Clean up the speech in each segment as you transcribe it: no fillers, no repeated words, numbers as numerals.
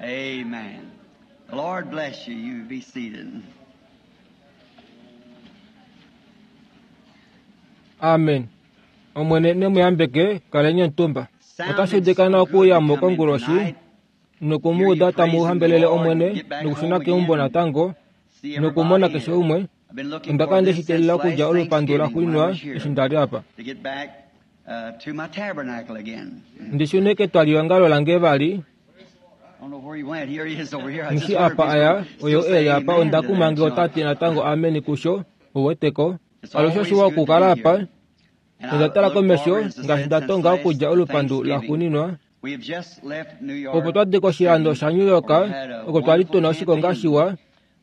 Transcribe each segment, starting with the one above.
Amen. The Lord bless you. You be seated. Amen. Omwene ne mu yambeke, kaleni omutumba. Otashi udika nawa okuuya mo konguloshi noku mu uda tamu hambelele Omwene nokushuna keumbo natango nokumona keshe umwe. Onda kala nde shi teelela okudja olupandu laxuuninwa eshi nda li apa. Ndi shune ketwalihongalo lange vali. Nghi apa a ya, oyo e li apa onda kuma nge ota ti natango ameni kusho, uweteko. Alushe oshiwa okukala apa. Nonda tala komesho ngaashi nda tonga okudja olupandu laxuuninwa. Opo twa di koshilando shaNew York, oko twa li tu na oshikonga shiwa,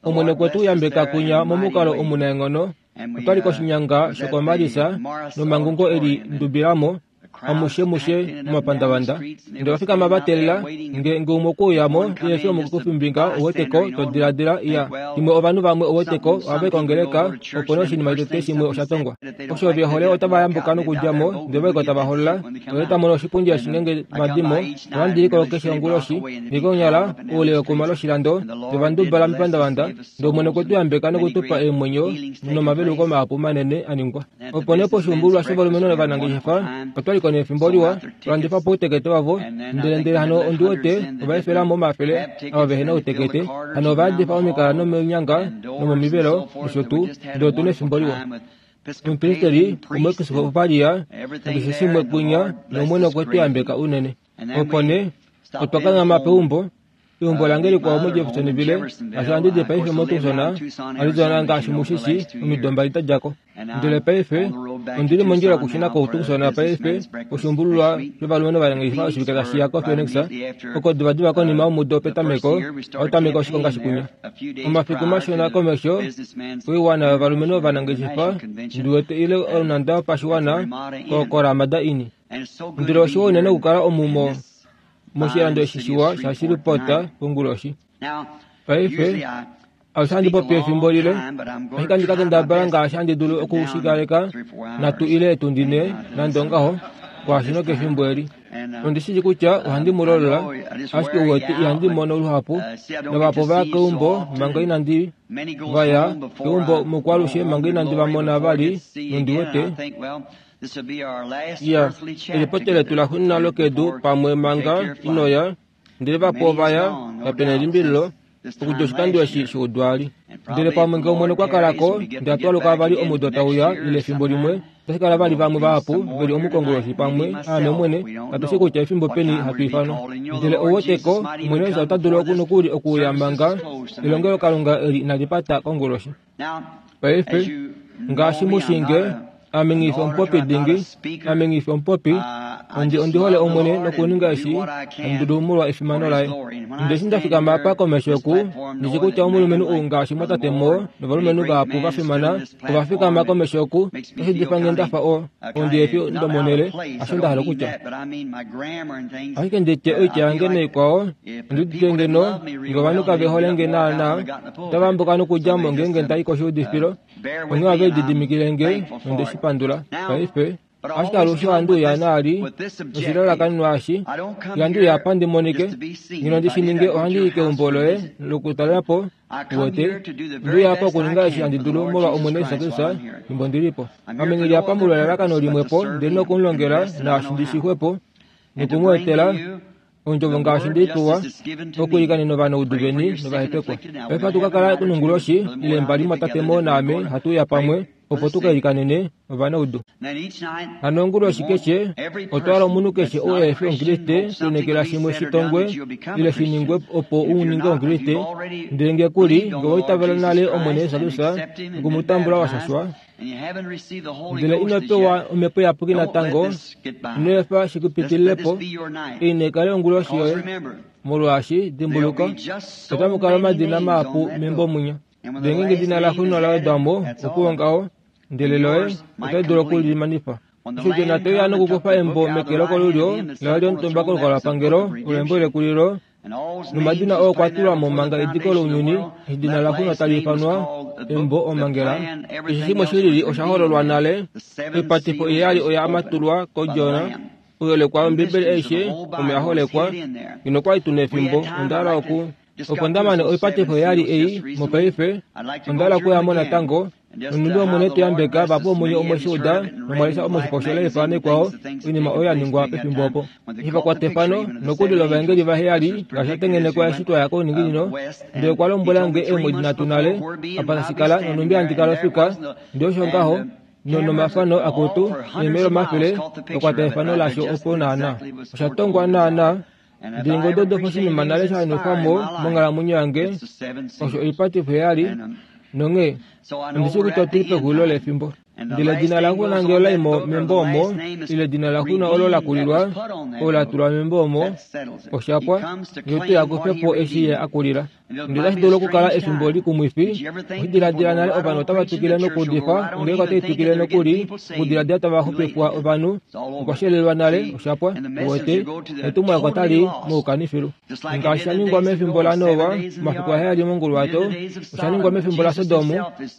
Omwene okwe tu yambeka kunya momukalo omunaenghono. Otwa li koshinyanga shokomalisa nomangungo e li ndubila mo amushe mushe momapandavanda. Ndele ova fikama va teelela nge nge umwe okwe uya mo ile eshi omukufimbinga uweteko to diladila iya shimwe ovanhu vamwe uweteko ohava i kongeleka opo nee oshinima tete shimwe osha tongwa. Osho ve hole otava yambuka nokudja mo ndele vaiko tava holola ndele ta mono oshipundi eshi ngeenge va di mo ohandi i ko keshe onguloshi ndele konyala oule wekuma loshilando ndele va ndubala mepandavanda ndele Omwene okwe tu yambeka noku tu pa eemwenyo nomaveluko mahapu manene a ningwa. Opo nee poshuumbululwa shovalumenhu ovanangeshefa otwa li ko nefimbo liwa, twa landifa po outekete wavo, ndele ndele hano ondi wete ova efela mo omafele ava vehe na outekete, hano ova yadifa omikala nomeenyanga nomomivelo nosho tuu, ndele otu na efimbo liwa. Omupristeli omuepiskopalia nakeshe shimwe kwinya, nOmwene okwe tu yambeka unene. Opo nee otwa kanghama peumbo Eumbo lange likwao moJeffersonville, ngaashi handi di paife moTucson, Arizona, ngaashi mu shi shii, omido mbali da dja ko. Ndele paife ondi li mondjila okushuna koTucson paife, oshuumbululwa shovalumenhu ovanangeshefa oshivike tashi ya koPhoenix, oko divadiva konima yomudo petameko ohau tameke oshikonga shikunya. Omafiku mashona komesho, oiwana yovalumenhu ovanangeshefa, ndi wete, ile onhanda yopashiwana koRamada Inn. Ndele oshiwa unene okukala omu mo moshilando eshi shiwa shaShreveport konguloshi. Paife, alushe handi popi efimbo lile, ashike handi ka kendabala ngaashi handi dulu oku shi kaleka nhatu ile etundi ne, nande ongaho, kwaashi nokefimbo eli. Ondi shi shii kutya ohandi mu lolola, ashike uwete ihandi mono luhapu, navahapu ova ya keumbo manga inandi va ya keumbo mokwalushe manga inandi va mona vali, nondi wete Ya, elipopyo letu laxuuninwa lokedu pamwe manga ino ya, ndele vahapu ova ya, kape na elimbililo, okudja oshikando eshi shoudwaali. Ndele pamwe nge Omwene okwa kala ko, ndele hatu aluka vali omudo tau ya, ile efimbo limwe, otashi kala vali vamwe vahapu ve li omukongo pamwe, aame Omwene, katu shii kutya efimbo peni hatu ifanwa. Ndele ou wete ko, Omwene Jesus ota dulu nokuli okuuya manga elongelokalunga eli inali pata konguloshi. Paife, ngaashi mu shii nge, ame nghi fi omupopi dingi, ame nghi fi omupopi, ondi, ondi hole Omwene nokuninga eshi handi dulu molwa efimano laye. Ndele eshi nda fikama apa komesho oku, ndi shi kutya omulumenhu ou ngaashi mwatate Moore novalumenhu vahapu va fimana ova fikama komesho oku, otashi difa nge nda fa o, ondi efi ndomonhele, hasho nda hala okutya. Ashike ndi tye oitya yange naikwao, ondi udite ngeno nge ovanhu kave hole nge naanaa, otava ambuka nokudja mo ngeenge nda i koshuudifilo. Onghee ohave lididimikile nge nonde shi pandula. Paife, ashike alushe ohandi uya naali noshilalakanenwa eshi, ihandi uya apa ndi monike. Ngeno ndi shi ninge ohandi i keumbo loye lokutalela po, uwete. Onde uya apa okuninga eshi handi dulu molwa Omwene Jesus Kristus fimbo ndi li po. Ame nghi li apa molwa elalakano limwe po ndele noku mu longela naashi ndi shi xwepo noku mu etela Ondjovo ngaashi nde i pewa, okuilikanena ovanaudu veni novahepekwa. Paife ohatu ka kala nonguloshi ile mbali mwatate Moore naame hatu uya pamwe opo tu ka ilikanene ovanaudu. Hano onguloshi keshe otwa hala omunhu keshe ou ehe fi Omukriste kulineekela shimwe shi tongwe ile shi ningwe opo u ninge Omukriste, ndele nge ku li, nge owa itavela nale Omwene Jesus Kristus noku mu tambula wa shashwa, Ndele ino pewa Omhepo Iyapuki natango, ino efa shi ku pitilile po. Ei nai kale onguloshi yoye, molwaashi, dimbuluka, otamu kala omadina mahapu membo munya. Ndele ngeenge edina laxuuninwa la wedwa mo, opuwo ngaho, ndele loye otali dulu oku li manifa. Eshi Jona te uya nokukufa embo meke lokolulyo laye lyomutumba kolukalwapangelo, olo embo lekulilo, Nomadina oo okwa tulwa mo manga ediko lounyuni, edina laxuuninwa tali ifanwa Embo Omhangela. Keshe shimwe shi lili osha hololwa nale. Oipatifo iheyali oya matulwa kOdjona. Ouyelekwa wOmbiibeli aishe omo ya holekwa, ngeno okwali tuna efimbo, onda hala oku opo nda mane oipatifo yali ei mopaife, onda hala okuya mo natango, nonhumbi Omwene te yambeka vahapu vomunye omwe shi uda nomwa lesha omoshifo shoLife naikwao, oinima oyo ya ningwa pefimbo opo. Eshi va kwata efano, nokuli lovaengeli vaheyali, ngaashi sha tengenekwa eshi twa ya kouninginino, ndele okwa lombwela nge eemwedi nhatu nale, apa tashi kala, nonhumbi handi kala ofika, ndele osho ngaho, nomafano akutu, neemele omafele, va kwata efano lasho opo naana. Osha tongwa naana. Ndele ngee odo dofa oshinima nale sha nwefwa mo monghalamwenyo yange, osho oipatifo heyali, nonghee ondi shii kutya otu li pexulilo lefimbo. Ndele edina laxuna ngee ola i mo membo omo, ile edina laxuna olo la kulilwa, olo la tulwa membo omo, osha pwa, ngee ote ya kufe po eshi ye a kulila. Ndele otashi dulu okukala efimbo likumwifi, oshi diladila nale ovanhu otava twikile nokuudifa, ongeleka otai twikile nokuli okudiladila tava xupifwa ovanhu, okwa shelelwa nale, osha pwa, uwete, netumwalaka otali moukanifilu. Ngaashi sha ningwa mefimbo laNoa, omafiku aheyali monguluwato, osha ningwa mefimbo laSodom,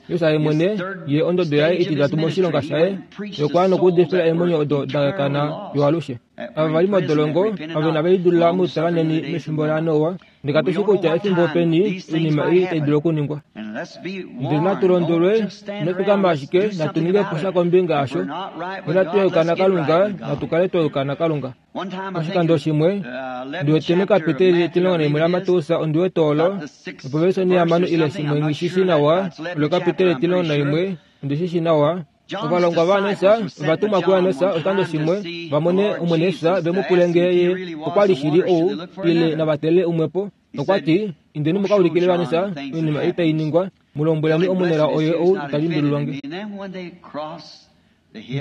Jesus ye mwene, ye ondodo yaye ititatu moshilonga shaye, ye okwa ya nokuudifila eemwenyo odo da kana fiyo alushe. Ava va li modolongo, ove inave lidulila moutalanheni mefimbo laNoa, Ndele katu shii kutya efimbo peni oinima ei tai dulu okuningwa. Ndele natu londwelwe, ino fikama ashike, natu ninge po sha kombinga yasho. Nonatu yuka naKalunga, natu kale twa yuka naKalunga. Oshikando shimwe, ndi wete mekapiteli 11 laMateus, ondi wete olo, opovesi onhihamano ile shimwe nghi shi shii nawa, olo ekapiteli 11, ondi shi shii nawa, Ovalongwa vaJesus ova tumwa kuJesus oshikando shimwe va mone Omwene Jesus ve mu pule ngee ye okwa li shili ou ile nava tele umwe po. Okwa ti, Indeni mu ka ulikile Jesus oinima ei tai ningwa, mu lombweleni omunelao oye ou ta limbililwa nge.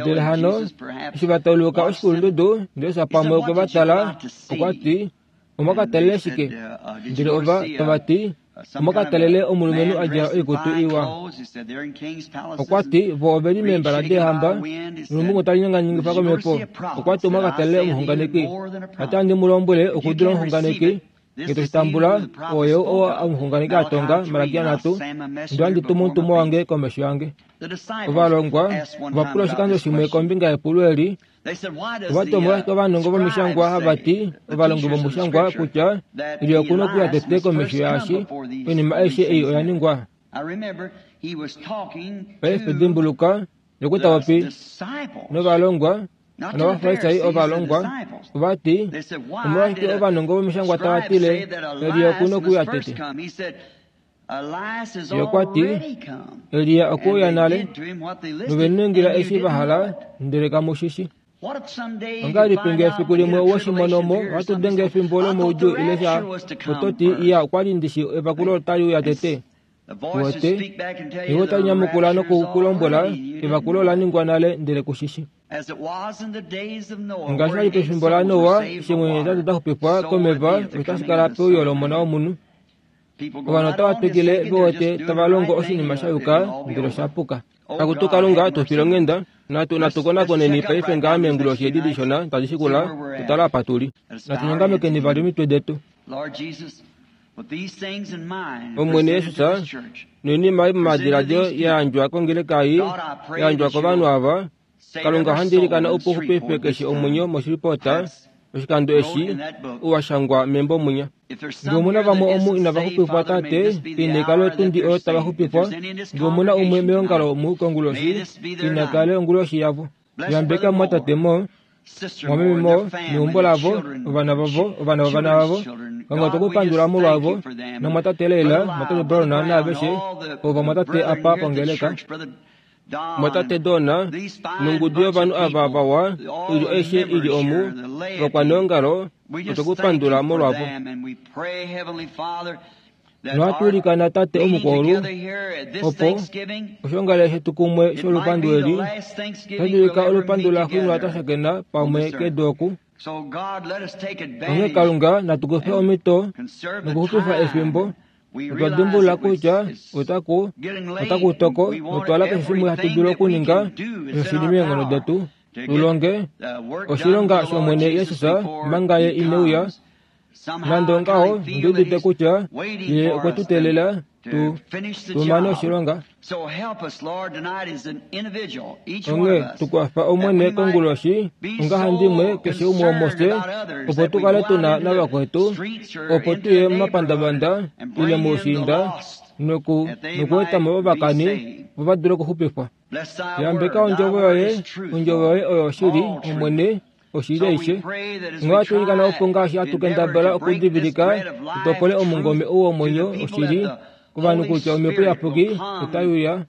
Ndele hano eshi va tauluka oshikulundudu, Jesus pamwe okwe va tala, okwa ti, Omwa ka talele shike? Ndele ova tava ti, Omwa ka talele omulumenhu a djala oikutu iwa. Okwa ti, Vo ove li meembala deehamba, nolumbungu tali nyanganyangifa komhepo. Okwa ti, Omwa ka talele omuxunganeki. Tate handi mu lombwele, okudula omuxunganeki, nge to shi tambula, oye oo omuxunganeki a tonga, Malakia nhatu, Ndo handi tumu omutumwa wange komesho yange. Ovalongwa ova pula oshikando shimwe kombinga yepulo eli, Ova ti omolwashike ovanongo vomishangwa hava ti ovalongi vomushangwa kutya Elia oku na okuya tete komesho yaashi oinima aishe ei oya ningwa? Paife dimbuluka, ye okwa ta popi novalongwa, nOvafarisai ovalongwa, ova ti, Omolwashike ovanongo vomishangwa tava tile Elia oku na okuya tete? Ye okwa ti, Elia okwe uya nale, nove mu ningila eshi va hala, ndele kamu shi shi. Ongahelipi ngee efiku limwe owe shi mono mo, ohatu denge efimbo lomoudjuu ile sha, oto ti, Iya, okwa li ndi shi evakulo otali uya tete. Uwete? Ewi otali nyamukula noku ku lombwela, Evakulo ola ningwa nale, ndele ku shi shi. Ngaashi sha li pefimbo laNoa, eshi eemwenyo hetatu da xupifwa komeva, osho tashi kala peuyo lOmona wOmunhu. Ovanhu otava twikile ve wete tava longo oshinima sha yuka ndele osha puka. Akutu Kalunga, tu file onghenda. Natu, natu konakoneni paife ngaa meenguloshi edi dishona tadi shikula, tu tale apa tu li. Natu nyongamekeni vali omitwe detu. Omwene Jesus, noinima ei momadiladilo ya yandjwa kongeleka ei, ya yandjwa kovanhu ava, Kalunga ohandi ilikana opo u xupife keshe omwenyo moshilipota oshikando eshi u wa shangwa membo mwinya. Ngee omu na vamwe omu inava xupifwa, Tate, ina ikale otundi oyo tava xupifwa. Ngee omu na umwe meongalo omu konguloshi, ina kale onguloshi yavo. Yambeka mumwatate mo, mumwameme mo, neumbo lavo, ovana vavo, ovana vovana vavo. Kalunga otwe ku pandula molwavo, namwatate Leila, mwatate Brown naaveshe ovo vamwatate apa pongeleka. Mwatate Donna nongudu yovanhu ava vawa, oilyo aishe i li omu, ovakwaneongalo, otwe ku pandula molwavo. Nohatu ilikana Tate Omukwaulu, opo oshoongalele shetu kumwe sholupandu eli, otashi dulika olupandu laxuuninwa twa shakena pamwe kedu oku. Onghee Kalunga, natu kufe omhito nokuxupifa efimbo, Otwa dimbulula kutya otaku otaku toko notwala keshe shimwe hatu dulu okuninga osho shi li meenghono detu tu longe oshilonga shOmwene Jesus manga ye ine uya. Nande ongaho, ndi udite kutya ye okwe tu teelela tu mane oshilonga. Onghee tukwafa Omwene konguloshi ongahandimwe keshe umwe womufye, opo tu kale tu na navakwetu, opo tu ye momapandavanda ile moushiinda nokueta mo ovakani vo va dule okuxupifwa. Yambeka ondjovo yoye, ondjovo yoye oyo oshili, Omwene, oshili aishe. Onghee ohatu ilikana opo ngaashi hatu kendabala okudivilika tu topole omungome ou womwenyo oshili kovanhu kutya Omhepo Iyapuki otai uya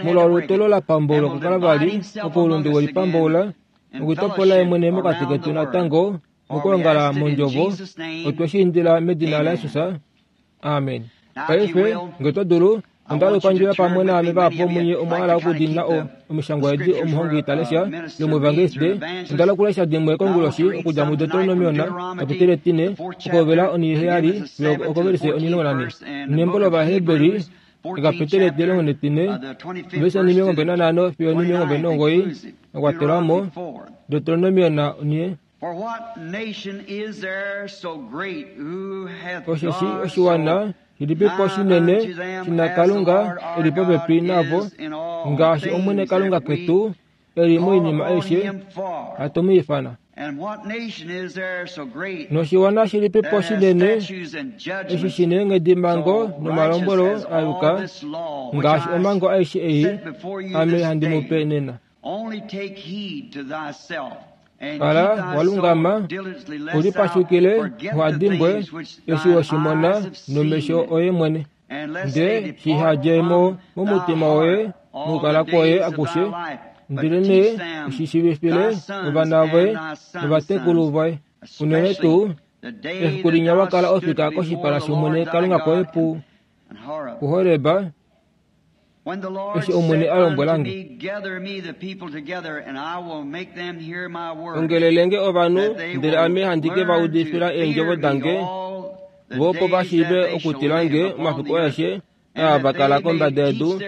molwa olutu olo la pamboulwa kuKalvari, oko oulunde we lipamboula nokutopola ye mwene mokati ketu natango mokwoongala mondjovo. Otwe shi indila medina laJesus. Amen. Paife, nge oto dulu, onda hala okupandjula pamwe naame vahapu vomunye omwa hala okudiinina omishangwa edi omuhongi ta lesha yomuevangeliste. Onda hala okulesha dimwe konguloshi okudja muDeuteronomion kapiteli etine okuhovela onhiheyali fiyo okovelise onhimulongo-nanhe. Nembo lOvaheberi ekapiteli etilongo netine ovelise onhimilongo-mbali-nanhano fiyo onhimilongo-mbali-nomugoyi ya kwatelwa mo Deuteronomion onhe. Osheshi oshiwana shilipipo shinene shina Kalunga e li popepi navo, ngaashi Omwene Kalunga ketu e li moinima aishe hatu mu ifana. Noshiwana shilipipo shinene eshi shi neenghedimhango nomalombwelo a yuka, ngaashi omhango aishe ei ame handi mu pe nena. Kala wa lungama, u lipashukile uha dimbwe eshi we shi mona nomesho oye mwene, ndele shiha dje mo momutima woye mokukala kwoye akushe, ndelenee u shi shiivifile ovana voye novatekulu voye, unene tuu efiku linya wa kala ofika koshipala shOmwene Kalunga koye puHoreb, eshi Omwene a lombwela nge, Ongelele nge ovanhu, ndele ame handi ke va udifila eendjovo dange, vo opo va shiive okutila nge omafiku aeshe aa va kala kombada yedu,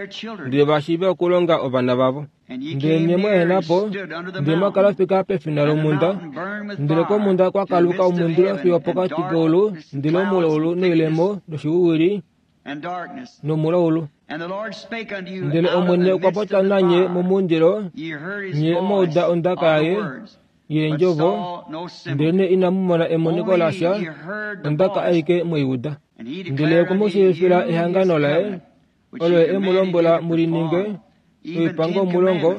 ndele va shiive okulonga ovana vavo. Ndele nye mwa ehena po, ndele mwa kala ofika pefina lomhunda, ndele komhunda kwa kaluka omundilo fiyo pokati keulu, ndele omulaulu noilemo noshiwiwili nomulaulu. Ndele Omwene okwa popya nanye momundilo, nye mwa uda ondaka yaye yeendjovo, ndelenee inamu mona emoniko lasha, ondaka aike mwe i uda. Ndele okwe mu shiivifila ehangano laye, olo ye e mu lombwela mu li ninge, oipango omulongo,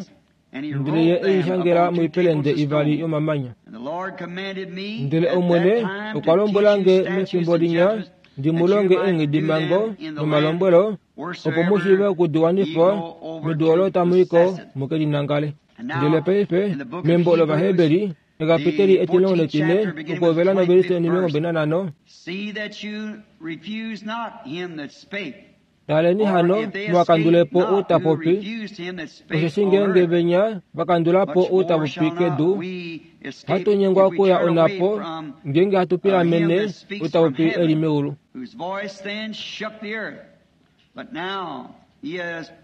ndele ye e i shangela moipelende ivali yomamanya. Ndele Omwene okwa lombwela nge mefimbo linya ndi mu longe eenghedimhango nomalombwelo, opo mu shiive oku di wanifa medu olo tamu i ko mu ke li nangale. Ndele paife, membo lOvaheberi, ekapiteli etilongo netine, okuhovela novelise onhimilongo nanhano, Taleni hano, muha kandule po ou ta popi, osheshi ngeenge venya va kandula po ou ta popi kedu, hatu nyengwa okuya onhapo ngeenge hatu pilamene ou ta popi e li meulu.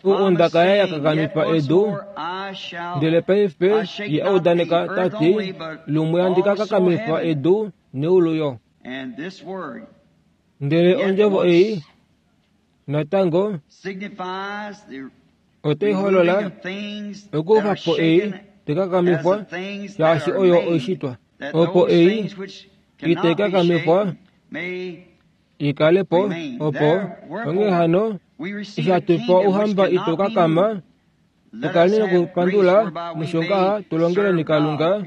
Ou ondaka yaye ya kakamifa edu, ndele paife ye a udaneka ta ti, Lumwe handi ka kakamifa edu neulu yo. Ndele ondjovo ei natango otai holola okukufa po ei tai kakamifwa shaashi oyo oishitwa, opo ei itai kakamifwa i kale po, opo onghee hano eshi hatu pewa ouhamba itau kakama, tu kaleni nokupandula nosho ngaha tu longeleni Kalunga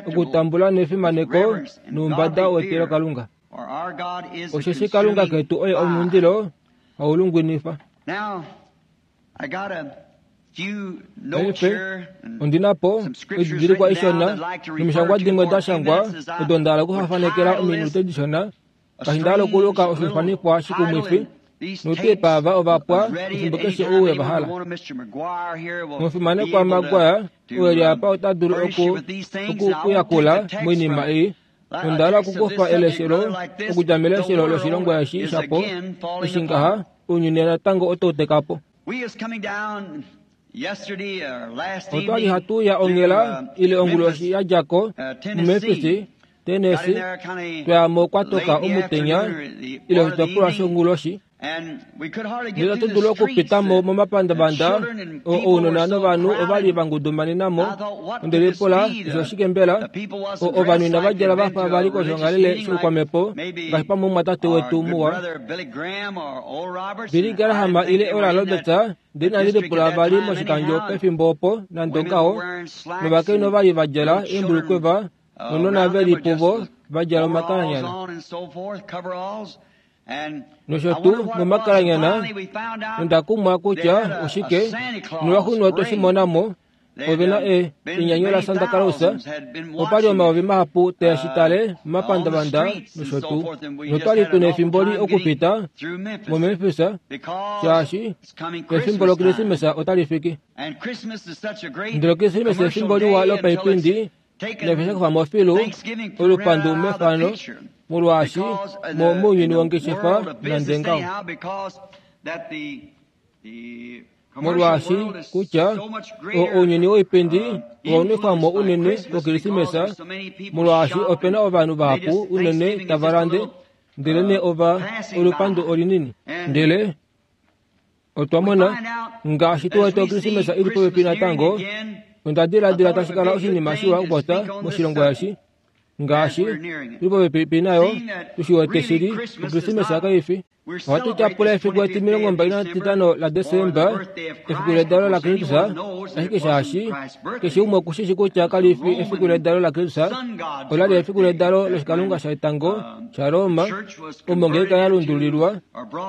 okutambula nefimaneko noumbada wetilokalunga. Osheshi Kalunga ketu oye omundilo hau lungwinifa. Paife, ondi na po oididilikwa ishona nomishangwa dimwe da shangwa odo nda hala okufafanekela ominute dishona, ngaashi nda hala okuluka oshifanifwa shikumwifi, noutepa ava ova pwa efimbo keshe ou we va hala. Omufimanekwa Maguire, ou e li apa ota dulu oku, oku ku yakula moinima ei. Onda hala okukufa eleshelo okudja meleshelo loshilongwa eshi shapo, eshi ngaha, ounyuni natango otau teka po. Otwali hatu ya onghela ile onguloshi ya dja ko muMemphis, Tennessee, twayamo kwatoka omutenya ile oshitopolwa shonguloshi. Ndele ohatu dulu okupitamo momapandavanda ounona novanhu ovali vangudumanenamo. Onde lipula osho oshike mbela? Ovanhu inava djala vafa vali koshoongalele shoukwamhepo ngaashi pamwe omumwatate wetu muwa Billy Graham ile Oral Roberts. Ndele inandi lipula vali moshikandjo pefimbo opo nande ongaho, novakainhu ovali va djala eembulukweva nounona ve li puvo va djala omakalanyana. Nosho tuu momakalanyana, nonda kumwa kutya oshike, nolwaxuuninwa otwe shi mona mo, ove na enyanyu laSanta Claus, opa li omayovi mahapu taa shi tale momapandavanda nosho tuu. Notwa li tu na efimbo li okupita moMemphis, shaashi efimbo lOkrismesa otali fiki. Ndele Okrismesa efimbo liwa lopaipindi, nafye sha kufa mo filu olupandu mefano, molwaashi mounyuni wongeshefa nande ngaho. Molwaashi kutya ounyuni woipindi owa nwefwa mo unene kOkrismesa, molwaashi ope na ovanhu vahapu unene tava lande, ndelenee ova olupandu olinini. Ndele otwa mona, ngaashi tu wete Okrismesa ili popepi natango, onda diladila tashi kala oshinima shiwa okupopya moshilongo eshi, ngaashi tuli popepi nayo, tu shi wete shili Okrismesa kai fi. Ohatu tyapula efiku 25 laDesemba, efiku ledalo laKristus, ashike shaashi keshe umwe okushishi kutya kali fi efiku ledalo laKristus, ola li efiku ledalo loshikalunga shetango shaRoma, omo ongeleka ya lundululilwa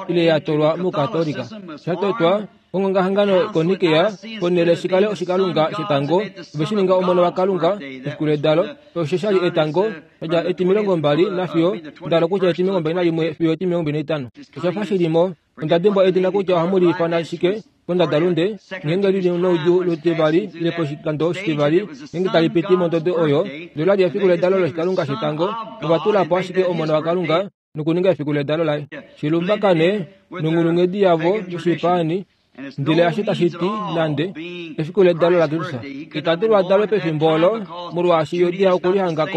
ile ya twalwa mOukatolika. Sha totwa ongongahangano koNikea, ponhele shi kale oshikalunga shetango, ove shi ninga omona waKalunga efiku ledalo, osho sha li etango sha dja 20 nafiyo ndalo kutya 21 fiyo 25. Osha fa shi li mo. Onda dimbwa edina kutya ohamu li ifana shike kondadalunde, ngeenge li li noudjuu lutivali ile poshikando oshitivali, ngeenge tali piti mondodo oyo, ndele ola li efiku ledalo loshikalunga shetango, nova tula po ashike omona waKalunga nokuninga efiku ledalo laye. Shilumbakane nonghulunghedi yavo yoshipaani, ndele asho tashi ti nande efiku ledalo laKristus. Ita dulu adalwe pefimbo olo, molwaashi Judea okulihanga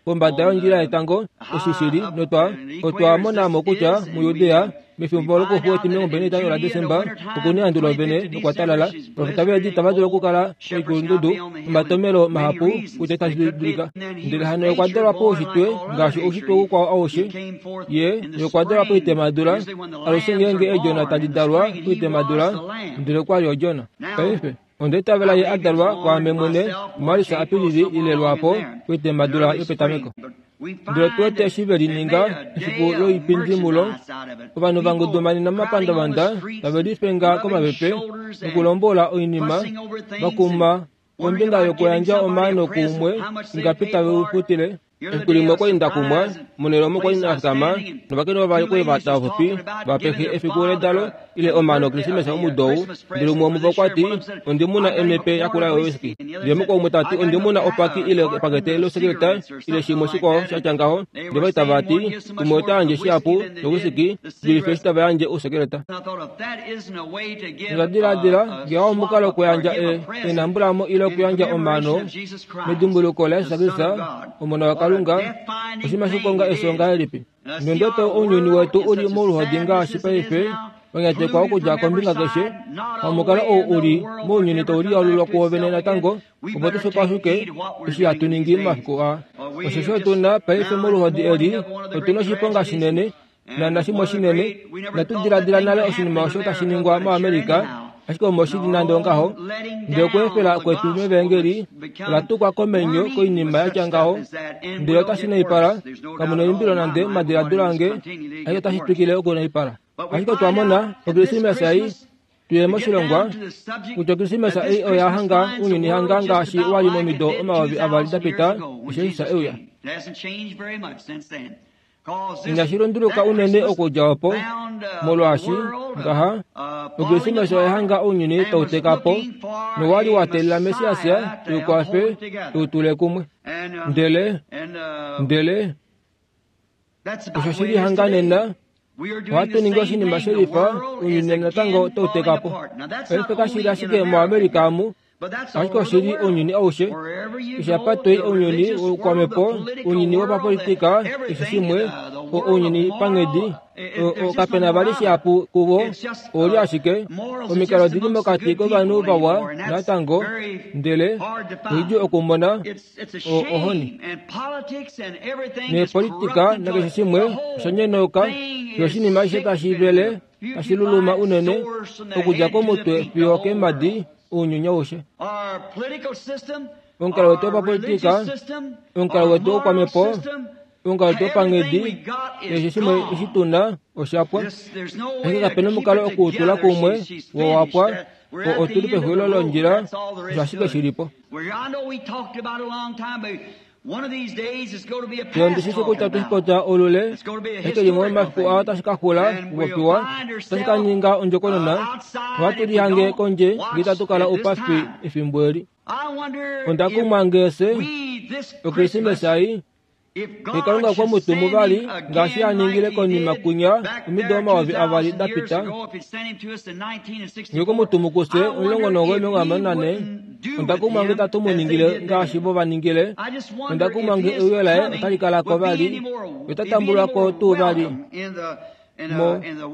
kombada yondjila yetango oshishili, notwa otwa mona mo kutya muJudea mefimbo lokufu 25 laDesemba okuna ehandu lovene nokwa talala. Ovafita veedi itava dulu okukala koikulundudu omatomelo mahapu kutya itashi dulika. Ndele hano okwa dalwa poushitwe ngaashi oushitwe ukwao aushe, ye okwa dalwa poitemadula, alushe ngeenge eedjona tadi dalwa poitemadula, ndele okwa li odjona. Paife onda itavela ye a dalwa kwaame mwene muMarisa Apilili ile lwaapo poitemadula yopetameko. Ndele tu wete eshi ve lininga efiku loipindi mulo, ovanhu vangudumanena momapandavanda tave lifenga komapepe nokulombola oinima, vakuma kombinga yokuyandja omaano kuumwe ingapi tave u futile. Efiku limwe okwali nda kumwa, monhele omo kwali nda fikama, novakainhu vavali okwali va tava va pehe efiku ledalo ile omaano Okrismesa omudo ou. Ndele umwe womuvo okwa ti, ondi muna emepe yakula yowisiki. Ndele mukwao umwe ta ti, ondi muna opaki ile epakete losekeleta ile shimwe shikwao sha tya ngaho. Ndele vali tava ti, umwe ota yandje shihapu yowisiki dulife eshi tava yandje ousekeleta. Onda diladila ngee omukalo wokuyandja enambulamo ile okuyandja omaano medimbuluko laJesus Kristus, Omona waKalunga, oshinima shikonga efyo ngahelipi? Nonde ounyuni wetu uli moluhodi ngaashi paife, wanyatekwa okudja kombinga keshe, pamukalo ou uli mounyuni tau lialulwa kuovene natango, opo tu fipashuke eshi hatu ningi momafiku aa. Osheshi otu na paife moluhodi eli, otu na oshiponga shinene, nanashimwe shinene, inatu diladila nale oshinima osho tashi ningwa moAmerica, ashike omo shili nande ongaho. Ndele okweefela kwetu mevangeli ola tukwa komenyo koinima ya tya ngaho, ndele otashi naipala, kamu neimbilo nande momadiladilo ange, ashike otashi twikile okunaipala. Ashike otwa mona Okrismesa ei tuye moshilongwa kutya Okrismesa ei oya hanga ounyuni hanga ngaashi wa li momido 2000 da pita eshi Jesus e uya. Inashi lunduluka unene okudja opo, molwaashi ngaha Okrismesa oya hanga ounyuni tau teka po, nowa li wa teelela Messias e u kwafe e u tule kumwe. Ndele osho shi li hanga nena. Ohatu ningi oshinima shelifa, ounyuni natango tau teka po. Paife kashi li ashike moAmerica amu, ashike oshi li ounyuni aushe. Keshe apa toi ounyuni woukwamhepo, ounyuni wopapolitika, keshe shimwe, ounyuni panghedi, kape na vali shihapu kuvo, ouli ashike omikalo odi li mokati kovanhu vawa natango, ndele oidjuu okumona ohoni. Neepolitika nakeshe shimwe osha nyonauka, fiyo oshinima ashishe tashi vele tashi luluma unene okudja komutwe fiyo okeemhadi, ounyuni aushe. Omukalo wetu wopapolitika, omukalo wetu woukwamhepo, omukalo wetu wopanghedi, keshe shimwe eshi tu na osha pwa. Ashike kape na omukalo okuutula kumwe, wo wa pwa, otu li pexulilo londjila, osho ashike shi li po. Fiyo ndi shi shi kutya otwe shi popya olule, ashike limwe lomomafiku aa otashi ka xula okupopiwa, otashi ka ninga ondjokonona, ohatu lihange kondje ngee itatu kala oupafi efimbo eli. Onda kumwa ngeese Okrismesa ei, ngee Kalunga okwe mu tumu vali ngaashi a ningile konima kunya omido 2000 da pita, ngee okwe mu tumu kufye 1964, onda kumwa ngee itatu mu ningile ngaashi vo va ningile. Onda kumwa ngee euyo laye otali kala ko vali, ota tambulwa ko tuu vali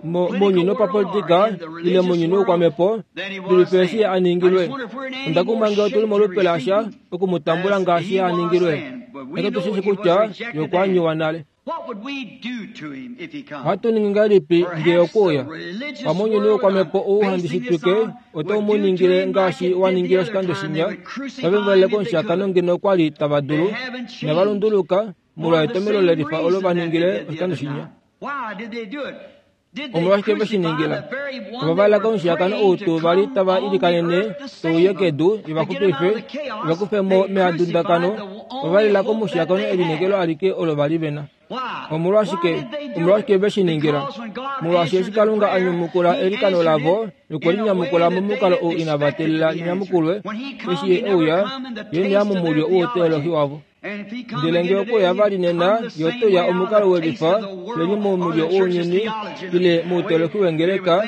mounyuni wopapolitika ile mounyuni woukwamhepo, dulife eshi a ningilwe. Onda kumwa ngee otuli molupe lasha oku mu tambula ngaashi a ningilwe, ashike otu shi shi kutya ye okwa anyiwa nale. Ohatu ningi ngahelipi ngee okwe uya? Pamwe ounyuni woukwamhepo ou handi shitwike otau mu ningile ngaashi wa ningile oshikando shinya, tave mu valele komushakano ngeno okwa li tava dulu, inava lunduluka molwa etomhelo lelifa olo va ningile oshikando shinya. Omolwashike ve shi ningila? Ova valela komushiyakano ou tuu va li tava ilikanene touye kedu iva xupife, iva kufe mo meadundakano. Ova valela komushiyakano elineekelo alike olo va li ve na. Omolwashike? Omolwashike ve shi ningila? Molwaashi eshi Kalunga a nyamukula eilikano lavo nokwe li nyamukula momukalo ou inava teelela li nyamukulwe, eshi Ye e uya, Ye ne ya momulyo wouteolohi wavo. Ndele ngee okwe uya vali nena, ye ote uya omukalo welifa, leli momulyo wounyuni, ile moutoloki wengeleka,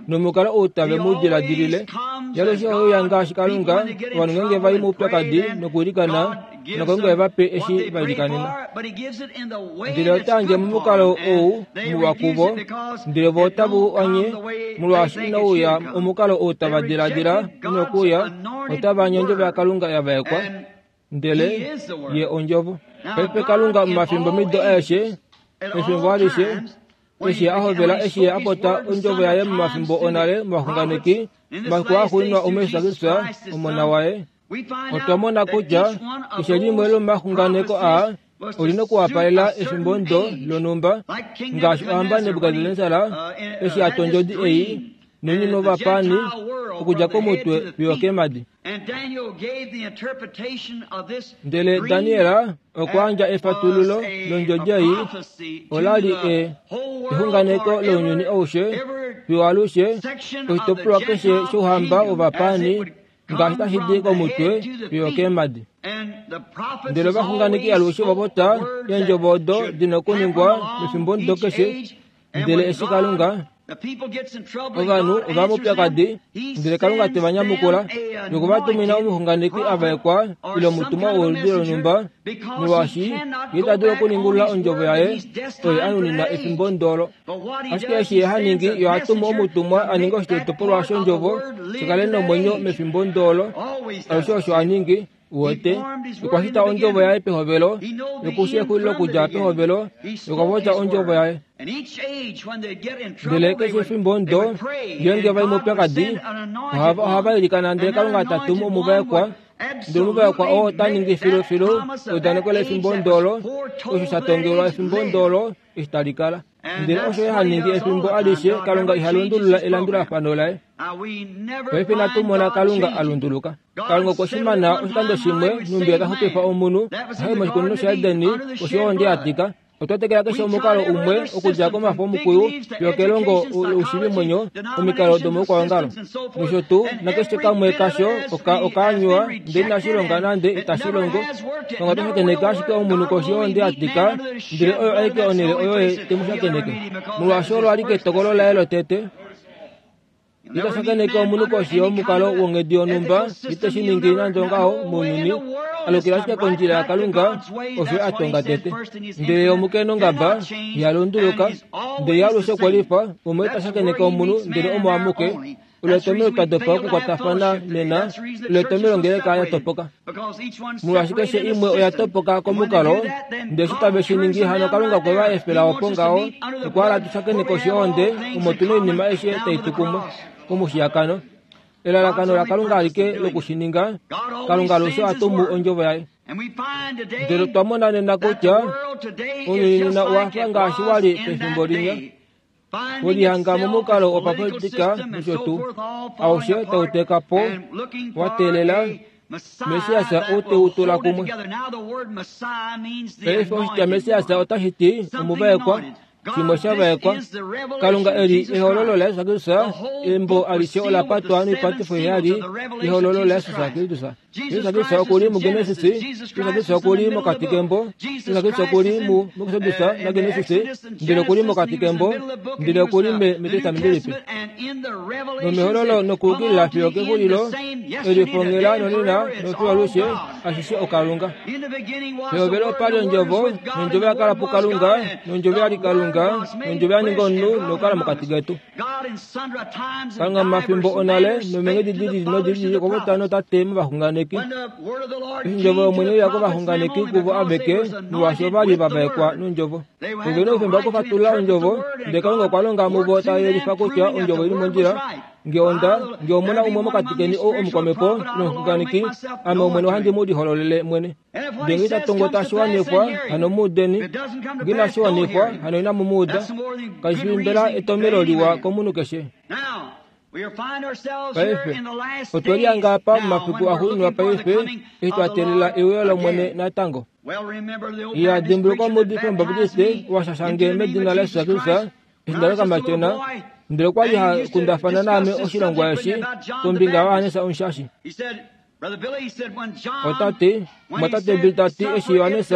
nomukalo ou tave mu diladilile. Ye alushe ohe uya ngaashi Kalunga, ovanhu ngeenge va i moupyakadi nokwiilikana, naKalunga e va pe eshi va ilikanena. Ndele ota yandje momukalo ou muwa kuvo, ndele vo otave u anye, molwaashi inau uya omukalo ou tava diladila u nokuuya, otava anye ondjovo yaKalunga ya vaekwa. Ndele Ye Ondjovo. Paife Kalunga momafimbo mido aeshe, efimbo alishe, eshi a hovela eshi a popya Ondjovo yaye momafimbo onale movaxunganeki, momafiku axuuninwa omuJesus Kristus, Omona waye, otwa mona kutya keshe limwe lomomaxunganeko aa oli nokuwapalela efimbo ndo lonhumba, ngaashi ohamba Nebukadnesar eshi a twa ondjodi ei nounyuni wovapaani okudja komutwe fiyo okeemhadi. Ndele Daniel okwa yandja efatululo londjodi ei, ola li exunganeko lounyuni aushe fiyo alushe, oshitopolwa keshe shouhamba wovapaani ngaashi tashi di komutwe fiyo okeemhadi. Ndele ovaxunganeki alushe ova popya eendjovo odo di na okuningwa mefimbomudo keshe, ndele eshi Kalunga ovanhu ova moupyakadi, ndele Kalunga te va nyamukula noku va tumina omuxunganeki a vaekwa ile omutumwa woludi lonhumba, molwaashi ye ita dulu okuningulula ondjovo yaye oyo a nunina efimbo ndolo. Ashike eshi ye ha ningi, ye oha tumu omutumwa a ninge oshitopolwa shondjovo shi kale nomwenyo mefimbo ndolo. Alushe osho a ningi. Uwete, okwa shita ondjovo yaye pehovelo, noku shi exulilo okudja pehovelo, nokwa popya ondjovo yaye. Ndele keshe efimbo ndo, ngeenge va i moupyakadi, ohava, ohava ilikana ndele Kalunga ta tumu omuvaekwa, ndele omuvaekwa oo ota ningi filufilu eudaneko lefimbo ndolo, osho sha tongelwa efimbo ndolo, eshi tali kala. Ndele osho ye ha ningi efimbo alishe, Kalunga iha lundulula elandulafano laye. Paife inatu mona Kalunga a lunduluka. Kalunga okwe shi mana oshikando shimwe, nhumbi ta xupifa omunhu, a ye moshikunino shaEdeni, koshi yohonde ya tika. Otwa tekela keshe omukalo umwe okudja komafo omukuyu fiyo kelongo loushiivimwenyo, omikalo domoukwaongalo nosho tuu, nakeshe kamwe kasho okaanywa ndele inashi longa nande itashi longo. Kalunga ota shakeneke ashike omunhu koshi yohonde ya tika, ndele oyo aike onhele oyo ye te mu shakeneke. Molwaashi olo alike etokolo laye lotete. Ita shakeneke omunhu koshi yomukalo wonghedi yonhumba, ite shi ningi nande ongaho mounyuni, alukila ashike kondjila yaKalunga, osho a tonga tete. Ndele omukenongaba iha lunduluka, ndele ye alushe okwe lifa, umwe ita shakeneke omunhu ndele omo amuke. Olo etomhelo twa dopa okukwatafana nena, olo etomhelo ongeleka ya topoka. Molwaashi keshe imwe oya topoka komukalo, ndele eshi tave shi ningi hano Kalunga okwe va efela opo ngaho, okwa hala tu shakene koshi yohonde omo tu na oinima aishe tai tu kumwe komushiyakano. Elalakano laKalunga alike loku shi ninga, Kalunga alushe oha tumu ondjovo yaye. Ndele otwa mona nena kutya ounyuni nena owa fa ngaashi wa li pefimbo linya. Welihanga momukalo wopapolitika nosho tuu, aushe tau teka po wa teelela Messias ou te u tula kumwe. Paife oshitya Messias otashi ti omuvaekwa, shimwe sha vaekwa. Kalunga eli ehololo laJesus Kristus, embo alishe ola patwa noipatifo heyali yehololo laJesus Kristus. Jesus Kristus oku li muGenesis, Jesus Kristus oku li mokati kembo, Jesus Kristus oku li mu muExodus naGenesis, ndele oku li mokati kembo, ndele oku li me mEtestamenti Lipe. Nomehololo nokuukilila fiyo kexulilo, elifongela nonena nofiyo alushe, ashishe oKalunga. Pehovelo opa li Ondjovo, nOndjovo ya kala puKalunga, nOndjovo ya li Kalunga, nOndjovo ya ninga omunhu nokukala mokati ketu. Kalunga momafimbo onale nomeenghedi di lili nodi lili okwa popya notate movaxunganeki. Eshi ondjovo yOmwene ye uya kovaxunganeki kuvo aveke, molwaashi ova li va vaekwa nondjovo. Ove na oufemba wokufatulula ondjovo, ndele Kalunga okwa longa muvo ta yelifa kutya ondjovo oi li mondjila. Nge onda, nge omu na umwe mokati keni ou omukwamhepo nomuxunganeki, ame Omwene ohandi mu lihololele mwene. Ndele nge ita tongo tashi wanifwa, hano mu udeni. Nge inashi wanifwa, hano inamu mu uda. Kashi fi mbela etomhelo liwa komunhu keshe? Paife, otwe lihanga apa momafiku axuuninwa paife, eshi twa teelela euyo lOmwene natango. Iya, dimbuluka omuudifi Omubaptiste wa shasha nge medina laJesus Kristus, eshi nda li okamatyona, ndele okwa li ha kundafana naame oshilongwa eshi kombinga yaJohannes Omushashi. Ota ti, Omumwatate Bill ta ti, eshi Johannes,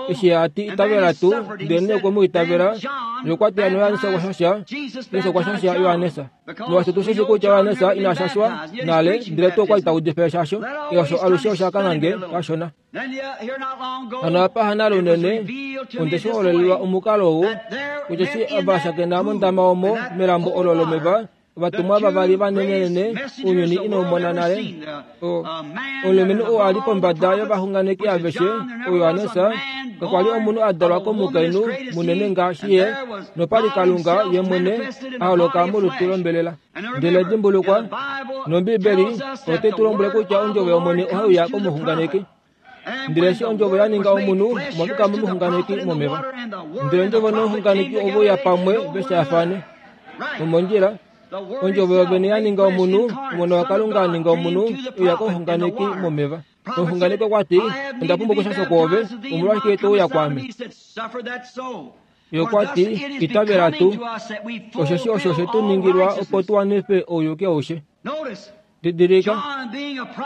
eshi ye a ti, Itavela tuu, ndelenee okwe mu itavela, ye okwa ti hano Johannes okwa shasha, Jesus okwa shasha Johannes. Molwaashi otu shi shii kutya Johannes ina shashwa nale, ndele tuu okwa li ta udifa eshasho, osho alushe osha kangha nge kashona. Hano apa hanale unene, onde shi hololelwa omukalo ou, kutya eshi va shakena mondama omo melambo olo lomeva, Ovatumwa vavali vanenenene ounyuni inau mona nale. Omulumenhu oo a li pombada yovaxunganeki aveshe, oJohannes, kakwa li omunhu a dalwa komukainhu munene ngaashi ye, nopa li Kalunga ye mwene a holoka molutu lombelela. Ndele dimbulukwa, nOmbiibeli otai tu lombwele kutya Ondjovo yOmwene ohai uya komuxunganeki. Ndele eshi Ondjovo ya ninga omunhu, omwa fikama omuxunganeki momeva. Ndele Ondjovo nomuxunganeki ove uya pamwe ve shaafane. Omondjila, Ondjovo yovene ya ninga omunhu, Omona waKalunga a ninga omunhu, e uya komuxunganeki momeva. Omuxunganeki okwa ti, Onda pumbwa okushashwa kwoove, omolwashike to uya kwaame? Ye okwa ti, Itavela tuu, osheshi osho oshe tu ningilwa opo tu wanife ouyuki aushe. Didilika,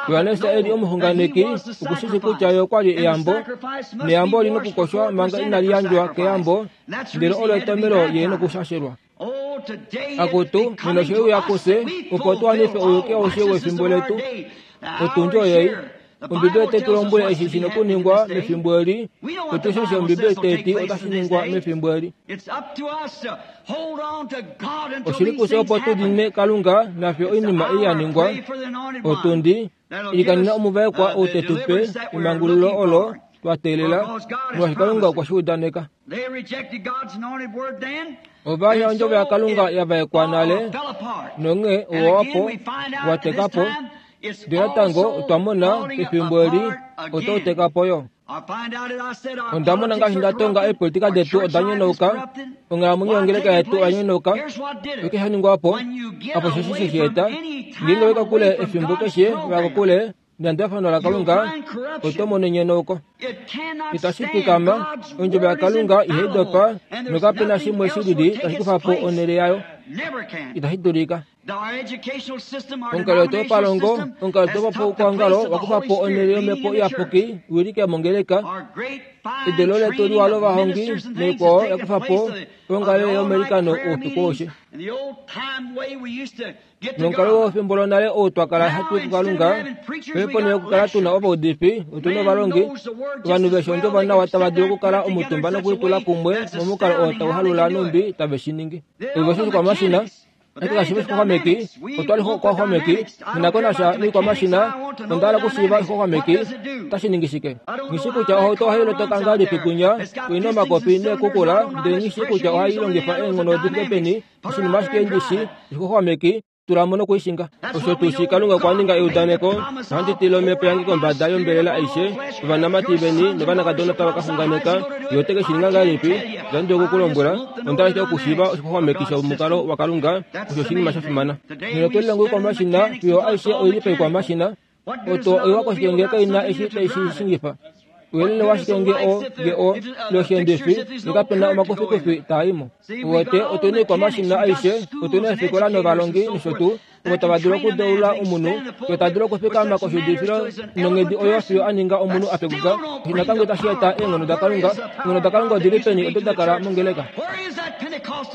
Johannes e li omuxunganeki oku shi shii kutya ye okwa li eyambo, neyambo oli nokukoshwa manga inali yandjwa keyambo, ndele olo etomhelo ye nokushashelwa. Akutu, nena oshe uya kufye, opo tu wanife ouyuki aushe wefimbo letu. Otundi oyei. Ombibeli otai tu lombwele eshi shi nokuningwa mefimbo eli. Otu shi eshi Ombibeli tai ti otashi ningwa mefimbo eli. Oshi li kufye opo tu dine Kalunga nafye oinima ei ya ningwa. Otundi, ilikanena omuvaekwa ou te tu pe emangululo olo twa teelela, molwaashi Kalunga okwe shi udaneka. Ova anya ondjovo yaKalunga ya vaekwa nale, nonghee owa wa po, wa teka po. Ndele natango otwa mona pefimbo eli otau teka po yo. Onda mona ngaashi nda tonga eepolitika detu oda nyonauka, onghalamwenyo yongeleka yetu oya nyonauka. Oshike sha ningwa po? Apo osheshi she shi eta. Ngeenge owa i kokule efimbo keshe, wa ya kokule. Nelandulafano laKalunga, oto mono enyenauko. Itashi fikama, ondjovo yaKalunga ihai dopa, nokape na shimwe shi lili tashi kufa po onhele yayo. Itashi dulika. Omukalo wetu wopalongo, omukalo wetu wopaukwaongalo wakufa po onhele yOmhepo Iyapuki iwilike mongeleka. Edelo letu liwa lovahongi naikwao yakufa po onghalo yomeilikano oufiku aushe. Nomukalo wefimbo lonale ou twa kala hatu i kuKalunga, paife ponhele yokukala tu na ovaudifi, otu na ovalongi, ovanhu veshi ondjovo nawa tava dulu okukala omutumba nokulitula kumwe momukalo oo tau halula nhumbi tave shi ningi. Ove oshikwamashina, ashike kashi fi oshixwaxwameki, otwa li oxwaxwameki, nghi ko nasha noikwamashina, onda hala okushiiva oshixwaxwameki otashi ningi shike. Nghi shii kutya ohauto ohai lotoka ngahelipi kwinya, oi na omakopi neekukula, ndele nghi shii kutya ohai longifa eenghono di fike peni, oshinima ashike ndi shii, oshixwaxwameki, tula mo nokuishinga. Osho tuu shi Kalunga okwa ninga eudaneko, Ohandi tile omhepo yange kombada yombelela aishe, ovanamati veni novanakadona otava ka xunganeka. Ye ote ke shi ninga ngahelipi? Itandi dulu oku ku lombwela. Onda hala ashike okushiiva oshixwaxwameki shomukalo waKalunga. Osho oshinima sha fimana. Nena otwe lilonga oikwamashina fiyo aishe oi li paikwamashina. Oto oiwa koshike ngee kai na eshi tai shi shingifa? Ouyelele washike ngee o, ngee o, ile oshiendifi, ngee kape na omakufikufi taa i mo? Uwete, otu na oikwamashina aishe, otu na eefikola novalongi nosho tuu, ovo tava dulu okudeula omunhu, fiyo ta dulu okufikama koshiudifilo nonghedi oyo fiyo a ninga omunhu a pekuka. Osho natango itashi eta eenghono daKalunga. Eenghono daKalunga odi li peni odo da kala mongeleka?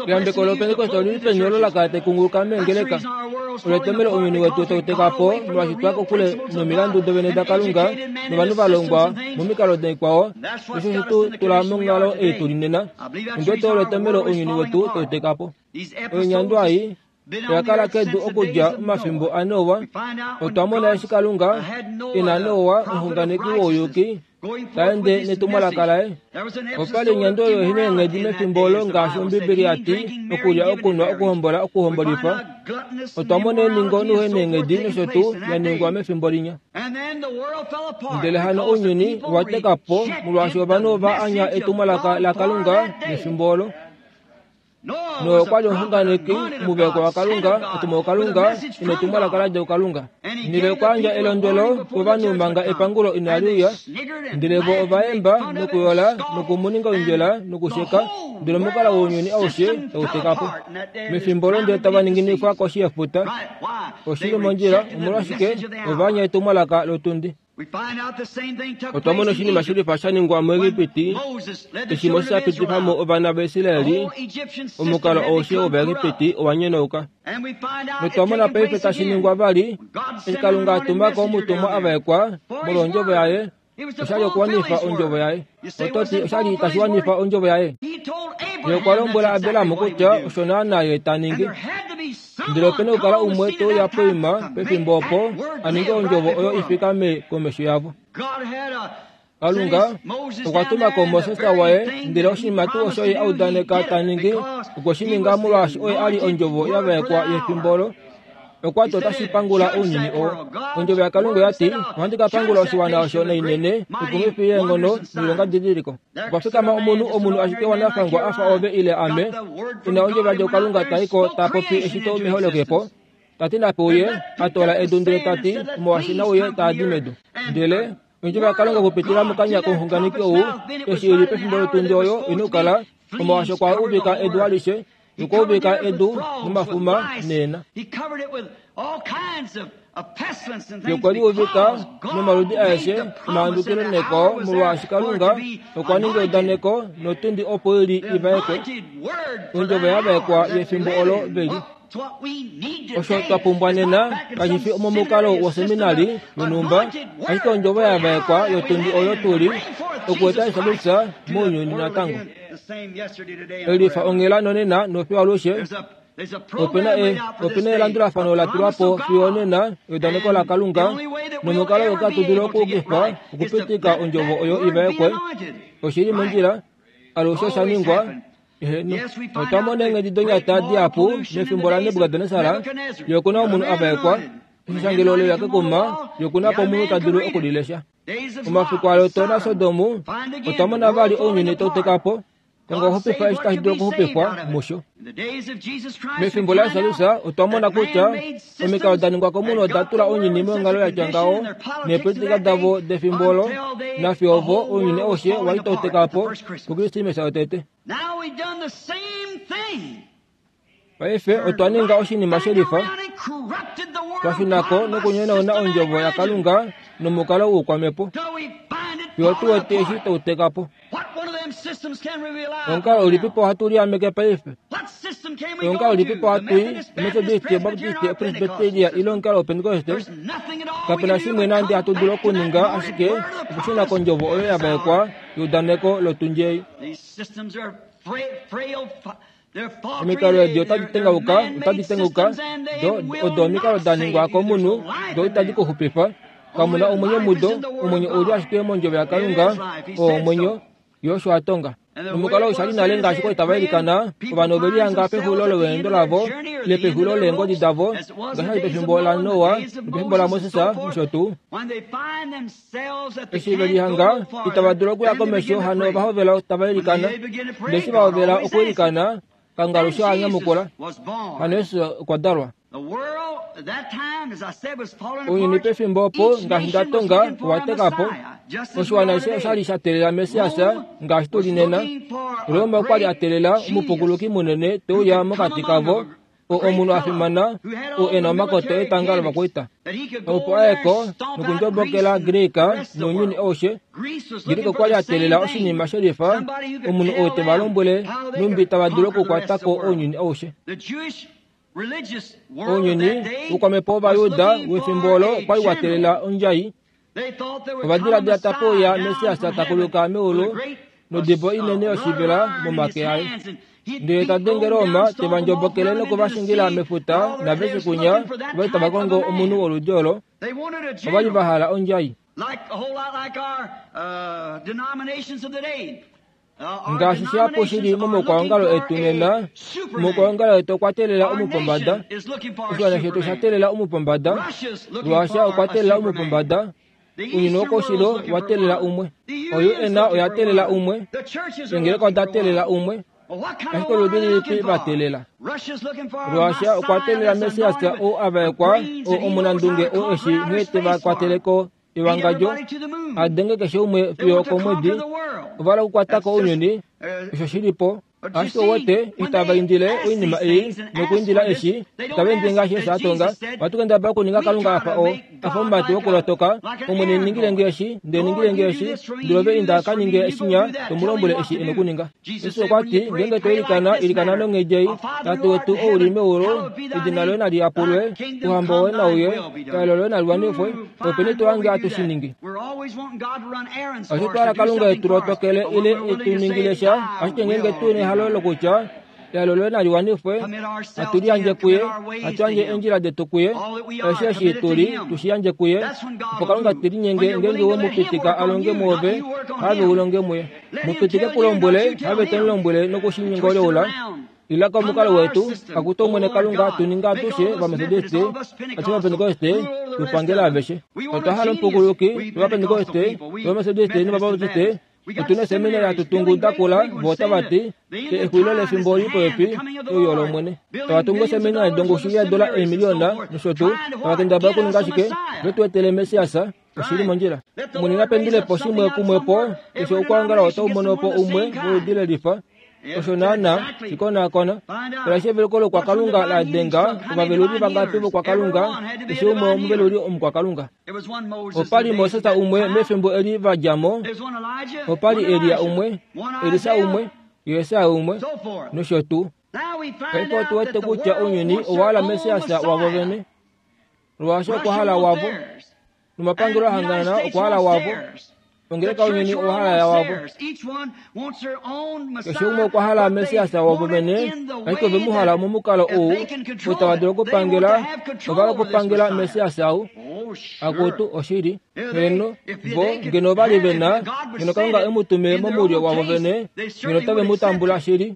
Eyambeko lOpentekoste oli li peni olo la kala tai kunguluka meengeleka? Olo etomhelo ounyuni wetu tau teka po molwaashi twa kokule nomilandu dovene daKalunga novanhu va longwa momikalo daikwao, nosho osho tu tula monghalo ei tu li nena. Ondi wete olo etomhelo ounyuni wetu tau teka po. Oinyandwa ei oya kala kedu okudja omafimbo aNoa. Otwa mona eshi Kalunga e na Noa, omuxunganeki wouyuki, ta ende netumwalaka laye. Opa li onyando oyo ihe na eenghedi mefimbo olo ngaashi Ombibeli ya ti, okulya, okunwa, okuhombola, okuhombolifa. Otwa mona eningo nouheneenghedi nosho tuu ya ningwa mefimbo linya. Ndele hano ounyuni owa teka po molwaashi ovanhu ova anya etumwalaka laKalunga mefimbo olo. Noa okwa li omuxunganeki omuveko waKalunga, otumwa kuKalunga, ina etumwalaka la dja kuKalunga. Ndele okwa yandja elondwelo kovanhu manga epangulo inali uya. Ndele vo ova yemba nokuyola noku mu ninga oindjela nokusheka, ndele omukalo wounyuni aushe tau teka po. Mefimbo olo ndele tava ninginifwa koshi yefuta. Oshi li mondjila, omolwashike ova anya etumwalaka lotundi. Otwa mona oshinima shilifa sha ningwa muEgipiti eshi Moses a pitifa mo ovana vaIsraeli. Omukalo aushe wOvaegipiti owa nyonauka. Notwa mona paife tashi ningwa vali eshi Kalunga a tuma ko omutumwa a vaekwa molwondjovo yaye. Osha li okuwanifa ondjovo yaye. Oto ti osha li tashi wanifa ondjovo yaye? Ye okwa lombwela Abraham kutya osho naanaa ye ta ningi. Ndele ope na okukala umwe te uya poima pefimbo opo a ninge ondjovo oyo i fikame komesho yavo. Kalunga okwa tuma ko Moses waye, ndele oshinima tuu osho ye a udaneka ta ningi, okwe shi ninga molwaashi oye a li ondjovo ya vaekwa yefimbo olo. Okwa ti otashi pangula ounyuni oo. Ondjovo yaKalunga oya ti, Ohandi ka pangula oshiwana osho nainene, oikumwifi yeenghono noilongadidiliko. Okwa fikama omunhu, omunhu ashike wanafangwa a fa ove ile ame, e na ondjovo yadja kuKalunga ta i ko ta popi eshito meholokepo, ta ti nape uye, a toola edu ndele ta ti, Omolwaashi nauye taa di medu. Ndele ondjovo yaKalunga okupitila mokanya komuxunganeki ou, eshi i li pefimbo lotundi oyo i na okukala, omolwaashi okwa uvika edu alishe, Okwa uvika edu nomafuma neena. Ye okwa li uvika nomaludi aeshe omahandukilo nekwao, molwaashi Kalunga okwa ninga eudaneko notundi opo i li i vaekwe, ondjovo ya vaekwa yefimbo olo ve li. Osho twa pumbwa nena kashi fi omomukalo woseminari yonhumba, ashike ondjovo ya vaekwa yotundi oyo tu li okueta Israel mounyuni natango. Elifa onghela nonena nofiyo alushe. Ope na e, ope na elandulafano la tulwa po fiyo onena eudaneko laKalunga, nomukalo woka tu dulu okuukifa okupitika ondjovo oyo i vaekwe. Oshi li mondjila, alushe osha ningwa. Eheno, otwa mona eenghedi donyata dihapu mefimbo laNebukadnesar, ye oku na omunhu a vaekwa. Eshangelo ole uya kekuma, ye oku na po omunhu ta dulu oku li lesha. Omafiku aLot naSodom, otwa mona vali ounyuni tau teka po. Kalunga okwa xupifa eshi tashi dulu okuxupifwa musho. Mefimbo laJesus otwa mona kutya omikalo da ningwa komunhu oda tula ounyuni monghalo ya tya ngaho neepolitika davo defimbo olo nafiyo ovo ounyuni aushe wa li tau teka po kuKrismesa yotete. Paife otwa ninga oshinima shelifa, twa shuna ko nokunyonauna ondjovo yaKalunga nomukalo woukwamhepo fiyo tu wete eshi tau teka po. Omukalo ulipipo hatu liameke paife? Omukalo ulipipo hatu i? Omethodist, Obaptist, Opresbyteria ile omukalo wOpentekoste? Kape na shimwe nande hatu dulu okuninga ashike okushuna kondjovo oyo ya vaekwa yeudaneko lotundji ei. Omikalo edi otadi tengauka, otadi tengauka, do odo omikalo da ningwa komunhu, do itadi ku xupifa. Kamu na omwenyo mudo, omwenyo ou li ashike mondjovo yaKalunga, oo omwenyo, Ye osho a tonga. Nomukalo ou sha li nale ngaashi kwa li tava ilikana, ovanhu ove lihanga pexulilo lolweendo lavo, ile pexulilo leengodi davo, ngaashi sha li pefimbo laNoa, nopefimbo laMoses, nosho tuu. Eshi ve lihanga itava dulu okuya komesho, hano ova hovela tava ilikana. Ndele eshi va hovela okwiilikana, Kalunga alushe oha nyamukula. Hano Jesus okwa dalwa. Ounyuni pefimbo opo, ngaashi nda tonga, owa teka po. Oshiwana ashishe osha li sha teelela Messias, ngaashi tu li nena. Roma okwa li a teelela omupukuluki munene te uya mokati kavo, oo omunhu a fimana, oo e na omakoto etanga lovakwaita, opo a ye ko nokundjobokela Greeka nounyuni aushe. Greeka okwa li a teelela oshinima shelifa, omunhu oo te va lombwele nhumbi tava dulu okukwata ko ounyuni aushe. Ounyuni woukwamhepo wOvayuda wefimbo olo okwa li wa teelela ondjai. Ova diladila tape uya Messias ta kuluka meulu nodibo inene yoshivela momake aye. Ndele ta denge Roma, te va ndjobokele noku va shingila mefuta, naveshe kunya ova li tava kongo omunhu woludi olo. Ova li va hala ondjai. Ngaashi shihapu shi li momaukwaongalo etu nena, omaukwaongalo etu okwa teelela omupombada. Oshiwana shetu osha teelela omupombada. Russia okwa teelela omupombada. Ounyuni wokoushilo owa teelela umwe. O-UN oya teelela umwe. Eengeleka oda teelela umwe. Ashike oludi lilipi va teelela? Russia okwa teelela Messias ou a vaekwa, oo omunandunge, oo eshi nghee te va kwatele ko ewangadjo, a denge keshe umwe fiyo okomwedi. Ova hala okukwata ko ounyuni, osho shi li po. Ashike uwete, itava indile oinima ei nokuindila eshi, itava indile ngaashi Jesus a tonga. Ohatu kendabala okuninga Kalunga a fa o, a fa omumati wokulotoka, Omwene ningile nge eshi, ndele ningile nge eshi, ndele ove inda ka ninge shinya, to mu lombwele eshi e nokuninga. Jesus okwa ti, Ngeenge to ilikana, ilikana nonghedi ei, Tate wetu ou li meulu, edina loye nali yapulwe, ouhamba woye nau uye, ehalo loye nali wanifwe, openi to hange hatu shi ningi? Osho twa hala Kalunga e tu lotokele ile e tu ningile sha, ashike ngeenge tu na ehalo lokutya ehalo loye nali wanifwe, hatu liyandje kuye, hatu yandje eendjila detu kuye, aishe eshi tu li, tu shi yandje kuye, opo Kalunga te linyenge ngeenge we mu pitika a longe mwoove, have u longe muye. Mu pitike ku lombwele, have te mu lombwele noku shi nyongoleula. Ila komukalo wetu, akutu Omwene Kalunga, tu ninga atushe Ovametodiste, atushe Ovapentekoste, tu pangele aveshe. Otwa hala omupukuluki, Ovapentekoste, Ovametodiste nOvabaptiste. Otu na eseminari hatu tungu da kula, vo otava ti, Exulilo lefimbo oli popepi, euyo lOmwene. Tava tungu eseminari dongushu yeedola eemiliyona, nosho tuu, tava kendabala okuninga ashike, ve tu etele Messias. Oshi li mondjila. Omwene na pendule po shimwe kumwe po, keshe okwoongala otau mono po umwe woludi lelifa. Osho naana, shi konaakona. Mbela eshi eveluko lokwakalunga la denga ovaveluli vangapi vokwakalunga, keshe umwe omuveluli omukwakalunga. Opa li Moses umwe mefimbo eli va dja mo, opa li Elia umwe, Elisa umwe, Jesaja umwe, nosho tuu. Paife otu wete kutya ounyuni owa hala Messias wavo vene. Molwaashi okwa hala wavo, nomapangelo a hangana okwa hala wavo, ongeleka ounyuni owa hala wavo. Keshe umwe okwa hala Messias wavo vene, ashike ove mu hala momukalo ou, ou tava dulu okupangela, ova hala okupangela Messias ou. Akutu, oshili. Heeno, vo, ngeno ova li ve na, ngeno Kalunga e mu tume momulyo wavo vene, ngeno otave mu tambula shili.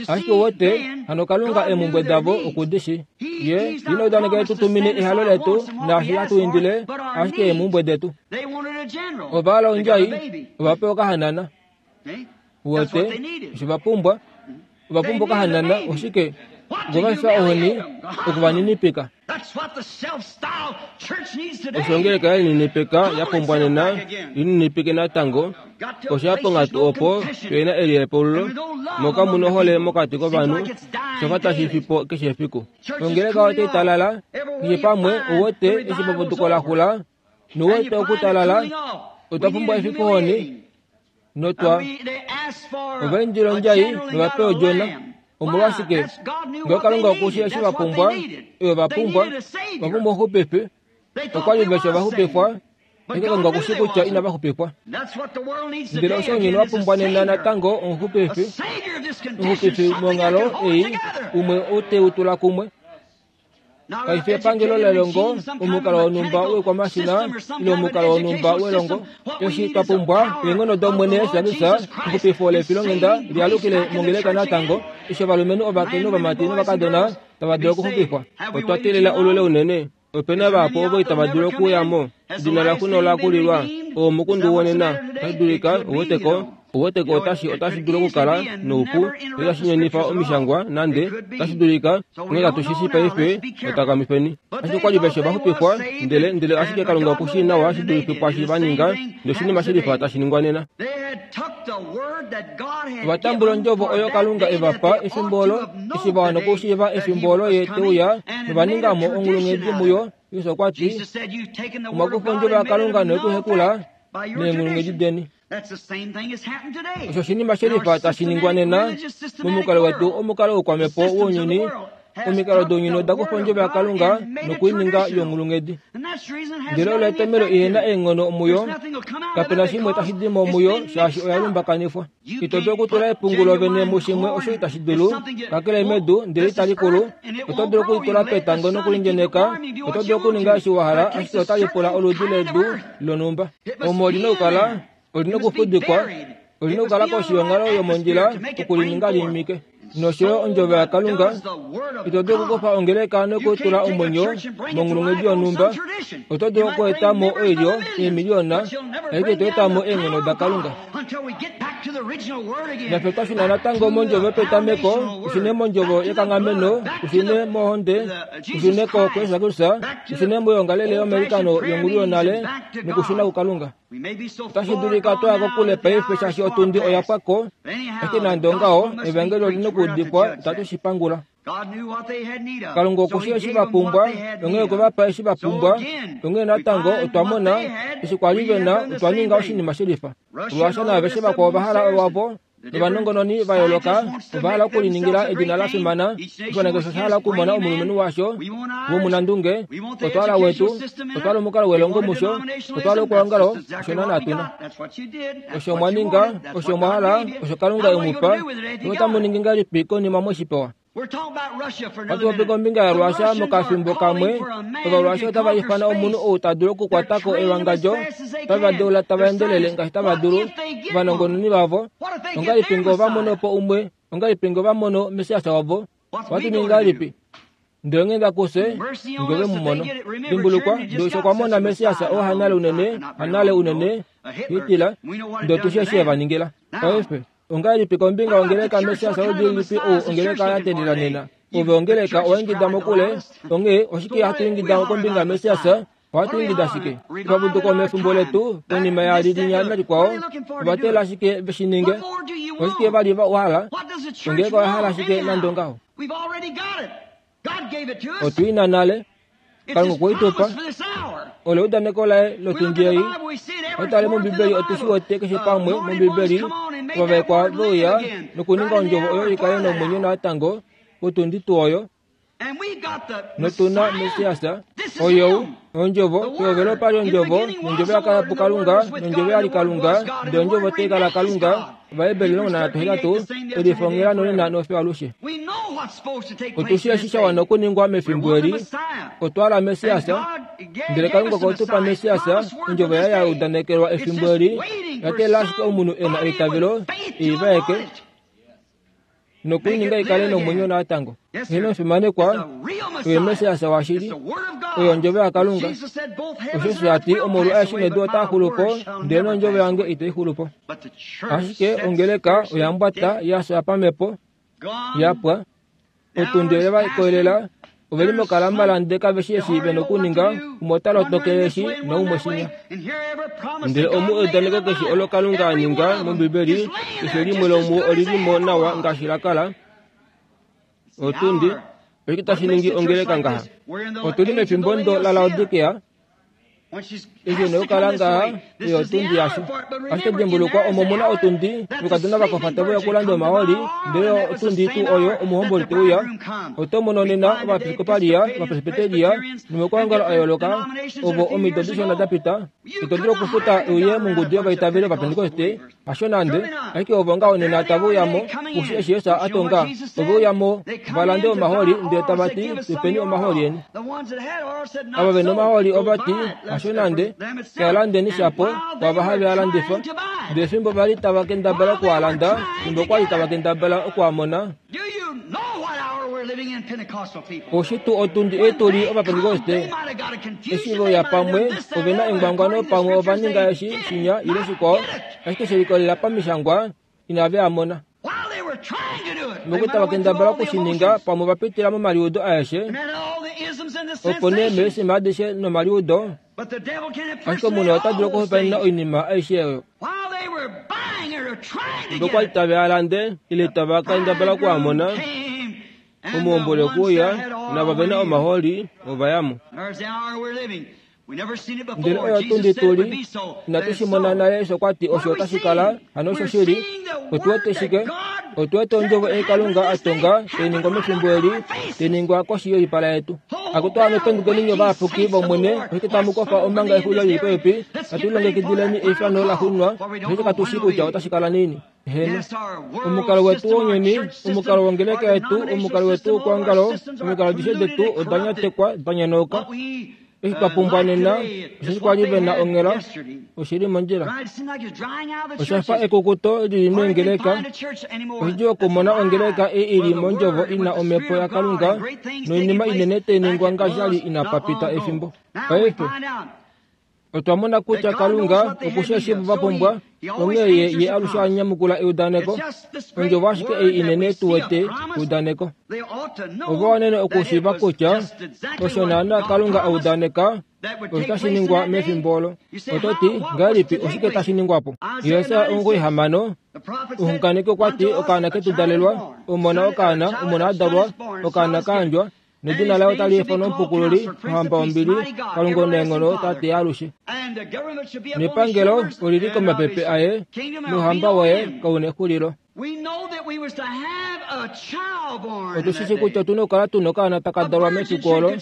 Ashike uwete, hano Kalunga eemhumbwe davo oku di shi. Ye ina udaneka e tu tumine ehalo letu naashi hatu indile, ashike eemhumbwe detu. Ova hala ondjai, ova pewa okahanana. Uwete osho va pumbwa? Ova pumbwa okahanana. Oshike? Okwe va fifa ohoni, oku va ninipika. Osho ongeleka ye lininipika ya pumbwa nena, lininipike natango. Osho ya ponghatu opo pe na eliepululo, moka mu nohole mokati kovanhu, shofa tashi fi po keshe efiku. Ongeleka otai talala, keshe pamwe, uwete, eshi eputuko la xula, nouwete okutalala, otwa pumbwa efifohoni. Notwa ovaindila ondjai novape odjona. Omolwashike? Ngee Kalunga oku shii eshi va pumbwa, oyo va pumbwa, va pumbwa omuxupifi. Okwa li ve shi ovaxupifwa, ashike Kalunga oku shii kutya inava xupifwa. Ndele osho ounyuni wa pumbwa nena natango omuxupifi, omuxupifi monghalo ei, umwe ou te u tula kumwe. Kai fi epangelo lelongo, omukalo wonhumba woikwamashina ile omukalo wonhumba welongo. Eshi twa pumbwa eenghono dOmwene Jesus Kristus, exupifo lefilonghenda lialukile mongeleka natango, eshi ovalumenhu, ovakainhu, ovamati novakadona tava dulu okuxupifwa. Otwa teelela olule unene. Ope na vahapu ovo itava dulu okuuya mo. Edina laxo nola kulilwa. Oo omukundu wonena. Otashi dulika, uweteko, Uweteko otashi otashi dulu okukala noupu noitashi nyonifa omishangwa nande otashi dulika onghee katu shi shii paife notakamifeni. Ashike okwa li veshe va xupifwa ndele ndele ashike Kalunga oku shii nawa shi dulife kwaashi va ninga noshinima shilifa tashi ningwa nena. Ova tambula ondjovo oyo Kalunga e va pa efimbo olo eshi va wana okushiiva efimbo olo ye te uya nova ninga mo onghulunghedi muyo. Jesus okwa ti, Omwa kufa ondjovo yaKalunga noye ku hekula neenghulunghedi deni. Osho oshinima shelifa tashi ningwa nena momukalo wetu omukalo woukwamhepo wounyuni. Omikalo dounyuni oda kufa ondjovo yaKalunga noku i ninga yonghulunghedi. Ndele olo etomhelo ihe na eenghono muyo. Kape na shimwe tashi di mo muyo shaashi oya lumbakanifwa. Ito dulu okutula epungu lovene mushimwe osho itashi dulu, kakele medu, ndele itali kulu. Oto dulu oku li tula petango nokulindjeneka. Oto dulu okuninga eshi wa hala, ashike otali pula oludi ledu lonhumba. Omo oli na okukala, oli na okufudikwa, oli na okukala koshi yonghalo yomondjila oku li ninga li imike. Nosho yo Ondjovo yaKalunga, ito dulu okukufa ongeleka nokutula omwenyo monghulunghedi yonhumba. Oto dulu okweeta mo oilyo eemiliyona, ashike ito eta mo eenghono daKalunga. Nafye twa shuna natango mOndjovo yopetameko, tu shune mOndjovo yekanghameno, tu shune mohonde, tu shune ko kuJesus Kristus, tu shune moyoongalele yomeilikano yongulu yonale nokushuna kuKalunga. Otashi dulika twa ya kokule paife shaashi otundi oya pwa ko, ashike nande ongaho, evangeli oli nokuudifwa, itatu shi pangula. Kalunga oku shii eshi va pumbwa, onghee okwe va pa eshi va pumbwa. Onghee natango otwa mona, eshi kwa li ve na, otwa ninga oshinima shelifa. Ruasha naaveshe vakwao ova hala owavo, novanongononi va yooloka ova hala okuliningila edina la fimana. Oshiwana keshe osha hala okumona omulumenhu washo womunandunge. Otwa hala wetu, otwa hala omukalo welongo musho, otwa hala okuongalo, osho naanaa tu na. Osho mwa ninga, osho mwa hala, osho Kalunga e mu pa, notamu ningi ngahelipi konima mwe shi pewa? Ohatu popi kombinga yaRuasha mokafimbo kamwe. Ovaruasha otava ifana omunhu ou ta dulu okukwata ko ewangadjo, otava deula tava endelele ngaashi tava dulu, ovanongononi vavo. Ongahelipi ngee ova mono po umwe? Ongahelipi ngee ova mono Messias wavo? Ohatu ningi ngahelipi? Ndele onghenda kufye ngee ve mu mono. Dimbulukwa, Joshua okwa mona Messias oo hanale unene, hanale unene, Hitler, ndele otu shii eshi e va ningila. Paife, Ongahelipi kombinga yongeleka Messias oludi lilipi ou ongeleka ya teelela nena? Ove ongeleka owa ingida mokule, onghee oshike hatu ingida kombinga yaMessias? Ohatu ingida shike? Epapuduko mefimbo letu, konima yaali linya nalikwao, ova teelela shike ve shi ninge? Oshike va li va hala? Ongeleka oya hala shike nande ongaho? Otu i na nale. Kalunga okwe i tu pa. Olo eudaneko laye lotundi ei. Otale mOmbibeli otu shi wete keshe pamwe mOmbibeli ovavaekwa ve uya nokuninga ondjovo oyo i kale nomwenyo natango potundi tuu oyo. Notu na Messias, oyou, Ondjovo, pehovelo opa li Ondjovo, nOndjovo ya kala puKalunga, nOndjovo ya li Kalunga, ndele Ondjovo tai kala Kalunga. Ovaheberi 13, Elifongela nonena nofiyo alushe. Otu shii eshi sha wana okuningwa mefimbo eli. Otwa hala Messias, ndele Kalunga okwe tu pa Messias, Ondjovo yaye ya udanekelwa efimbo eli, ya teelela ashike omunhu e na eitavelo e i vaeke. Noku i ninga i kale nomwenyo natango. Heeno, omufimanekwa, oye Messias washili. Oye Ondjovo yaKalunga. Osho a ti, Omaulu aeshe nedu otaa xulu po, ndele nOndjovo yange itai xulu po. Ashike ongeleka oya mbwata ya fya pamhepo, ya pwa. Otundi oye va koyelela, ove li mokalambalande kave shi eshi ve nokuninga, umwe ota lotokele eshi naumwe shinya. Ndele omu eudaneko keshe olo Kalunga a ninga mOmbibeli, keshe limwe lomuo oli li mo nawa ngaashi la kala. Otundi, oshike tashi ningi ongeleka ngaha? Otu li mefimbo ndo laLaodikea, Eshi ine okukala ngaha, oyo otundi yasho. Ashike dimbulukwa, omo mu na otundi, oukadona va kofa tave uya okulanda omahooli, ndele otundi tuu oyo omuhomboli te uya. Oto mono nena Ovaepiskopalia, Ovapresbiteria, nomaukwaongalo a yooloka, ovo omido dishona da pita, ito dulu okufuta uye mongudu yovaitaveli Ovapentekoste, Hasho nande, ashike ovo ngaho nena tave uya mo, kushi eshi Jesus a tonga. Ove uya mo va lande omahooli, ndele tava ti, Tu peni omahooli eni. Ava ve nomahooli ova ti, Hasho nande, ka landeni shapo kwaava have a landifa. Ndele fimbo va li tava kendabala oku a landa, fimbo kwa li tava kendabala oku a mona, Oshi tuu otundi ei tu li Ovapentekoste? Eshi ve uya pamwe, ove na engwangwano pamwe ova ninga eshi, shinya, ile shikwao, ashike she likolelela pamishangwa, inave a mona. Moku tava kendabala oku shi ninga, pamwe ova pitila momaliudo aeshe, opo nee meesima adishe nomaliudo, ashike omunhu ota dulu okuhopaenena oinima aishe oyo. Fimbo kwa li tave a lande, ile tava kendabala oku a mona, omuhomboli okwe uya, naava ve na omahooli ova ya mo. Ndele oyo tundi tu li, inatu shi mona nale Yesu okwa ti osho otashi kala, hano osho shili. Otu wete shike? Otu wete ondjovo ei Kalunga a tonga tai ningwa mefimbo eli, tai ningwa koshi yoipala yetu. Akutu hano pendukeni nye ovayapuki vOmwene, oshike tamu kofa omanga exulilo li li popepi? Natu lilongekidileni eifano la xunwa, osheshi katu shii kutya otashi kala naini. Heeno. Omukalo wetu wounyuni, omukalo wongeleka yetu, omukalo wetu wokwoongalo, omikalo adishe detu oda nyatekwa, da nyonauka. Eshi twa pumbwa nena, osheshi kwa li ve na onghela, oshi li mondjila. Osha fa ekukuto li li meengeleka. Oshidjuu okumona ongeleka ei i li mondjovo i na Omhepo yaKalunga noinima inene tai ningwa ngaashi sha li inapa pita efimbo. Paife, otwa mona kutya Kalunga oku shii eshi va pumbwa, onghee Ye, Ye alushe a nyamukula eudaneko. Ondjovo ashike ei inene tu wete, eudaneko. Ova wanene okushiiva kutya osho naanaa Kalunga a udaneka osho tashi ningwa mefimbo olo. Oto ti, Ngahelipi oshike tashi ningwa po? Jesaja 96, omuxunganeki okwa ti, Okaana ketu dalelwa, omona okaana, omona a dalwa, okaana ka yandjwa, nedina laye otali ifanwa Omupukululi, Ohamba yombili, Kalunga omunaenghono, Tate yaalushe. Nepangelo oli li komapepe aye, nouhamba waye kau na exulilo. Otu shi shii kutya otu na okukala tu na okaana taka dalwa mefiku olo.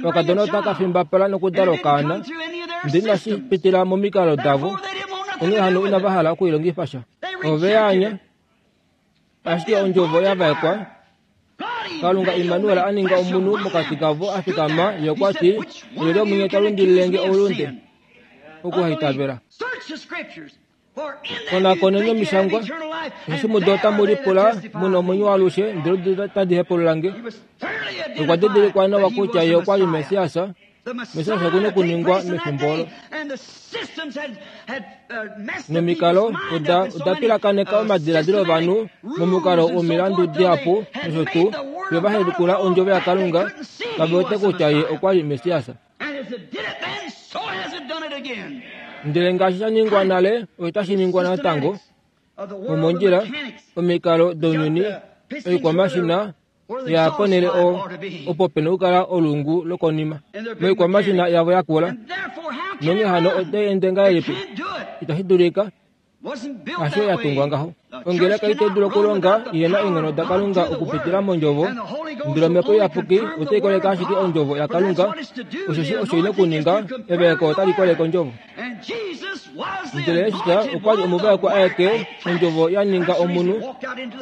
Okakadona otaka fimbapala nokudala okaana, ndele inashi pitila momikalo davo, onghee hano inava hala oku i longifa sha. Ove ya anya. Ashike ondjovo ya vaekwa, Kalunga Immanuel a ninga omunhu mokati kavo a fikama, ye okwa ti, Olyelye omunye ta lundilile nge oulunde? Okuhaitavela. Konakoneni omishangwa, osheshi mudo otamu lipula mu na omwenyo waalushe, ndele odo tadi hepulula nge. Okwa didilikwa nawa kutya ye okwa li Messias. Messias oku na okuningwa mefimbo olo. Nomikalo oda oda pilakaneka omadiladilo ovanhu momukalo womilandu dihapu nosho tuu, fiyo va helikula ondjovo yaKalunga, kave wete kutya ye okwa li Messias. Ndele ngaashi sha ningwa nale, otashi ningwa natango. Omondjila, omikalo dounyuni, oikwamashina ya ponhele opo pe na okukala olungu lokonima moikwamashina yavo ya kula. Nonghee hano otai ende ngahelipi? Itashi dulika. Hasho ya tungwa ngaho. Ongeleka itai dulu okulonga ihe na eenghono daKalunga okupitila mOndjovo, ndele Omhepo Iyapuki otai koleke ashike Ondjovo yaKalunga. Osheshi osho i na okuninga, evaeko otali koleke Ondjovo. Ndele Jesus okwa li omuvaekwa aeke, Ondjovo ya ninga omunhu.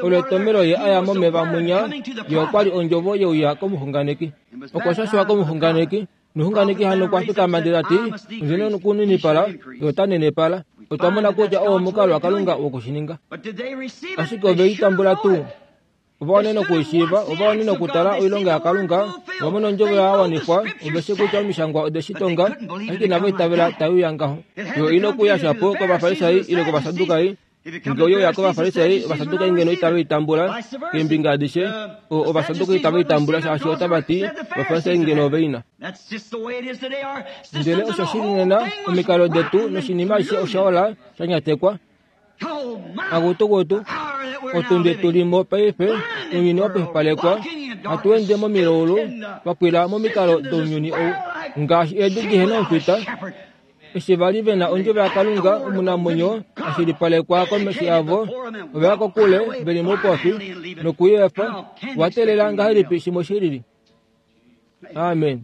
Olo etomelo ye a ya momeva mwinya, ye okwa li Ondjovo ye uya komuxunganeki. Okwa shashwa komuxunganeki. Nomuxunganeki hano okwa fikama ndele ta ti, Ondi na okuninipala, ye ota nenepala. Otwa mona kutya oo omukalo waKalunga woku shi ninga. Ashike ove i tambula tuu? Ova wanene okuishiiva, ova wanene okutala oilonga yaKalunga, ova mona ondjovo ya wanifwa, ove shi kutya omishangwa ode shi tonga, ashike inava itavela tai uya ngaho. Yo ina okuuya shapo kOvafarisai ile kOvasadukai. Nge oye uya kOvafarisai, Ovasadukai ngeno itave i tambula, keembinga adishe. O, Ovasadukai itave i tambula shaashi otava ti, Ovafarisai ngeno ove i na. Ndele osho shi li nena, omikalo detu noshinima ashishe osha ola, sha nyatekwa. Akutukutu, otundi tu li mo paife, ounyuni wa pwipalekwa, hatu ende momilaulu, twa pwila momikalo dounyuni ou, ngaashi eedi dihe na omufita. Eshi va li ve na ondjovo yaKalunga omunamwenyo a shilipalekwa komesho yavo, ova ya kokule ve li moupofi noku i efa. Owa teelela ngahelipi shimwe shi lili? Amen.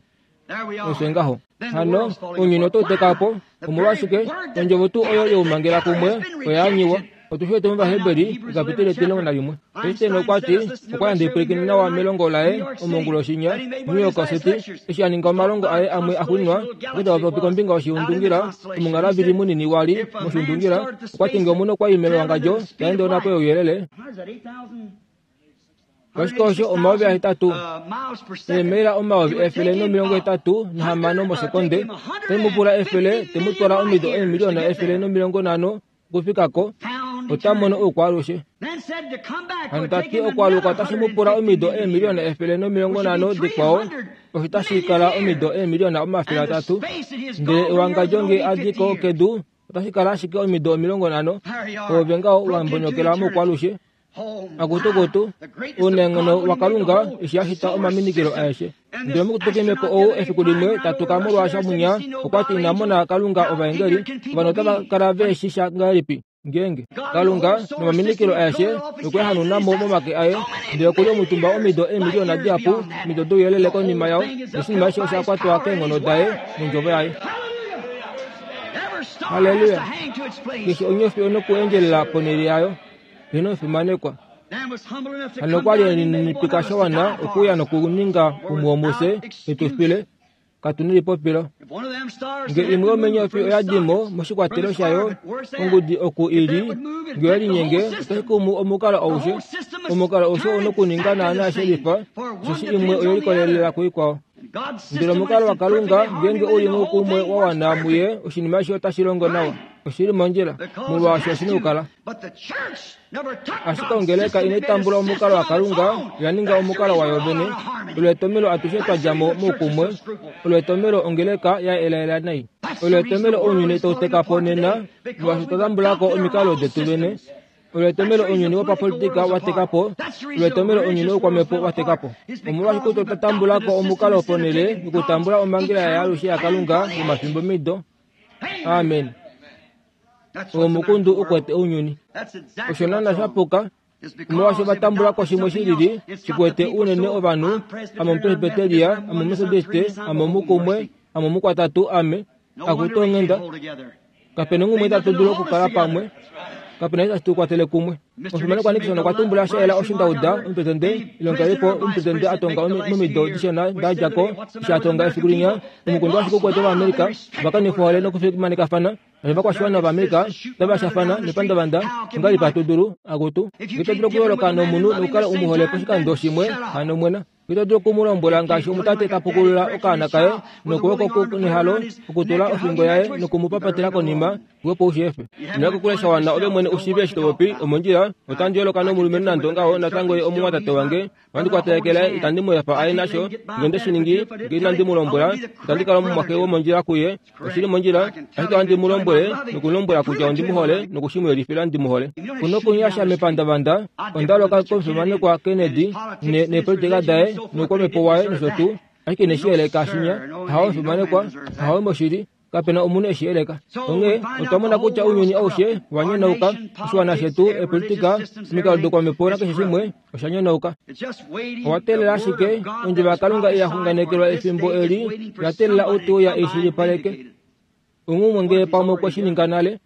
Osho ngaho. Hano, ounyuni otau teka po. Omolwashike? Ondjovo tuu oyo youmangela kumwe oya anyiwa. Otu shi wete mOvaheberi, ekapiteli etimulongo nalimwe. Einstein okwa ti, okwa yandja epwilikino nawa melongo laye omonguloshi nya, New York City, eshi a ninga omalongo aye amwe axuuninwa, okwa ta popi kombinga yoshiundungila, omungalavili munini wa li moshiundungila, okwa ti nge omunhu okwa i mewangadjo ta ende onhapo youyelele, Oshike osho 8000? Eemaila 186 000 mosekonde. Otai mu pula efele, te mu twala omido eemiliona 150 okufika ko. Ota mono oukwaalushe. Hano ta ti okwaaluka otashi mu pula omido eemiliona 150 dikwao, osho tashi kala omido eemiliona 300. Ndele ewangadjo nge a di ko kedu, otashi kala ashike omido 50. Oove ngaho wa mbonyokela moukwaalushe. Akutukutu, ounenghono waKalunga eshi a shita omaminikilo aeshe. Ndele omukutukimepo ou efiku limwe ta tuka molwaasha munya, okwa ti ina mona Kalunga ovaengeli, ovanhu otava kala ve shi sha ngahelipi ngeenge Kalunga nomaminikilo aeshe okwe a hanuna mo momake aye, ndele oku li omutumba omido eemiliona dihapu omido douyelele konima yao, noshinima eshi osha kwatwa keenghono daye nondjovo yaye. Halleluya! Keshe onyofi onokuendjelela ponhele yayo. Ino fimanekwa. Hano okwa li e lininipika sha wana okuuya nokuninga umwe womufye e tu file. Katu nelipopilo. Nge imwe yomeenyofi oya di mo moshikwatelo shayo, ongudi oku i li, nge oye linyenge, otai kumu omukalo aushe. Omukalo aushe ou nokuninga naanaa she lifa, osheshi imwe oye likolelela kuikwao. Ndele omukalo waKalunga, ngeenge u li moukumwe wa wana muye, oshinima eshi otashi longo nawa. Oshi li mondjila, molwaashi oshi na okukala. Ashike ongeleka inai tambula omukalo waKalunga, oya ninga omukalo wayo vene. Olo etomelo atushe twa dja mo moukumwe. Olo etomelo ongeleka ya elaela nai. Olo etomelo ounyuni tau teka po nena, molwaashi otwa tambula ko omikalo detu vene. Olo etomelo ounyuni wopapolitika wa teka po. Olo etomelo ounyuni woukwamhepo wa teka po. Omolwashike otwa tambula ko omukalo ponhele yokutambula omhangela yaalushe yaKalunga yomafimbomido? Amen. Omukundu u kwete ounyuni. Osho naana sha puka. Omolwaashi ova tambula ko shimwe shi lili shi kwete unene ovanhu, ame Omupresbyteria, ame Omumethodiste, ame Omukumwe, ame Omukwatatu, ame. Akutu onghenda. Kape na onghumwe itatu dulu okukala pamwe. Kape na eshi tashi tu kwatele kumwe. Omufimanekwa Nixon okwa tumbula sha yela osho nda uda omupresidente ilongelipo omupresidente a tonga momido dishona da dja ko eshi a tonga efiku linya omukundu ashike ukwete Ovaamerica va kanifa ohole nokufimanekafana novakwashiwana vaAmerica otava shafana nepandavanda ongahelipi hatu dulu akutu ito dulu okuyooloka nomunhu nokukala u mu hole poshikando shimwe hano mwena Ito dulu oku mu lombwela ngaashi omutate ta pukulula okaana kaye nokwooko nehalo okutula ofingo yaye noku mu papatela konima opo u shi efe. Ino kokule sha wana ove mwene u shiive eshi to popi omondjila. Otandi yooloka nomulumenhu nande ongaho, natango ye omumwatate wange. Ohandi kwatelekele, itandi mu efa aye nasho. Nge onde shi ningi, nge inandi mu lombwela, itandi kala omumwaxe womondjila kuye. Oshi li mondjila, ashike ohandi mu lombwele noku mu lombwela kutya ondi mu hole noku shi mu yelifila ndi mu hole. Ku nokunyasha mepandavanda, onda loka komufimanekwa Kennedy ne, neepolitika daye noukwamhepo waye nosho tuu, ashike ine shi yeleka shinya. Ahawe omufimanekwa, ahawe moshili, kape na omunhu e shi yeleka. Onghee otwa mona kutya ounyuni aushe wa nyonauka, oshiwana shetu, eepolitika, omikalo doukwamhepo nakeshe shimwe, osha nyonauka. Owa teelela ashike ondjovo yaKalunga ya xunganekelwa efimbo eli, oya teelela ou te uya e i shilipaleke. Onghumwe ngee pamwe okwe shi ninga nale,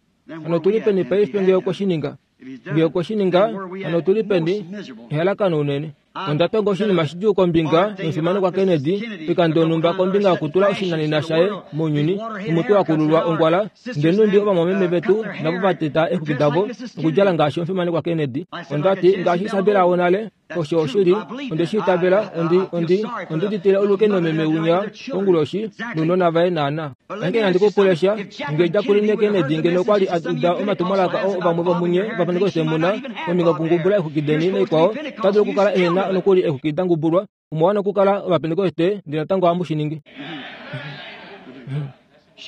hano otu li peni paife ngee okwe shi ninga? Ngee okwe shi ninga, hano otu li peni? Ehalakano unene. Onda tonga oshinima shidjuu kombinga yomufimanekwa Kennedy oikando yonhumba kombinga yokutula oshinanena shaye mounyuni, nomutwe wa kululwa ongwala, ndele nhumbi ovamwameme vetu navo va teta eexwiki davo nokudjala ngaashi omufimanekwa Kennedy. Onda ti, Ngaashi Isabella wonale, osho oshili, onde shi itavela, ondi, ondi, ondi uditile olukeno meme winya konguloshi nounona vaye naana. Ashike nandi ku pule sha, nge Jacqueline Kennedy ngeno okwa li a uda omatumwalaka oo vamwe vomunye Ovapentekoste mu na, kombinga yokungubula eexwiki deni naikwao, ota dulu okukala ehe na nokuli eexwiki da ngubulwa. Omwa wana okukala Ovapentekoste, ndele natango ohamu shi ningi.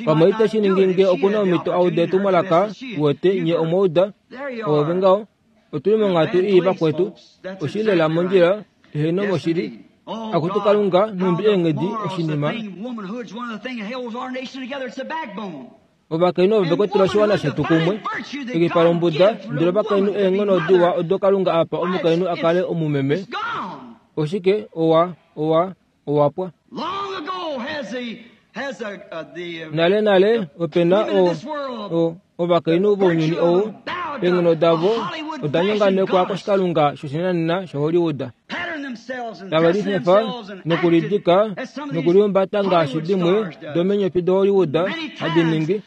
Pamwe ite shi ningi nge oku na omhito a ude etumwalaka, uwete, nye omwa uda. Oove ngaho. Otu li monghatu ii vakwetu. Oshi li lela mondjila, eheno moshili. Akutu Kalunga, nhumbi eenghedi, oshinima. Ovakainhu ovo ve kwetele oshiwana shetu kumwe. Ekipa lombuda, ndele ovakainhu eenghono diwa odo Kalunga a pa omukainhu a kale omumeme. Oshike? Owa, owa, owa pwa. Nale nale ope na o, o, ovakainhu vounyuni ou, eenghono davo oda nyonganekwa koshikalunga shoshinanena shaHollywood. Tave lifefa nokulidika nokulihumbata ngaashi dimwe domeenyofi doHollywood hadi ningi,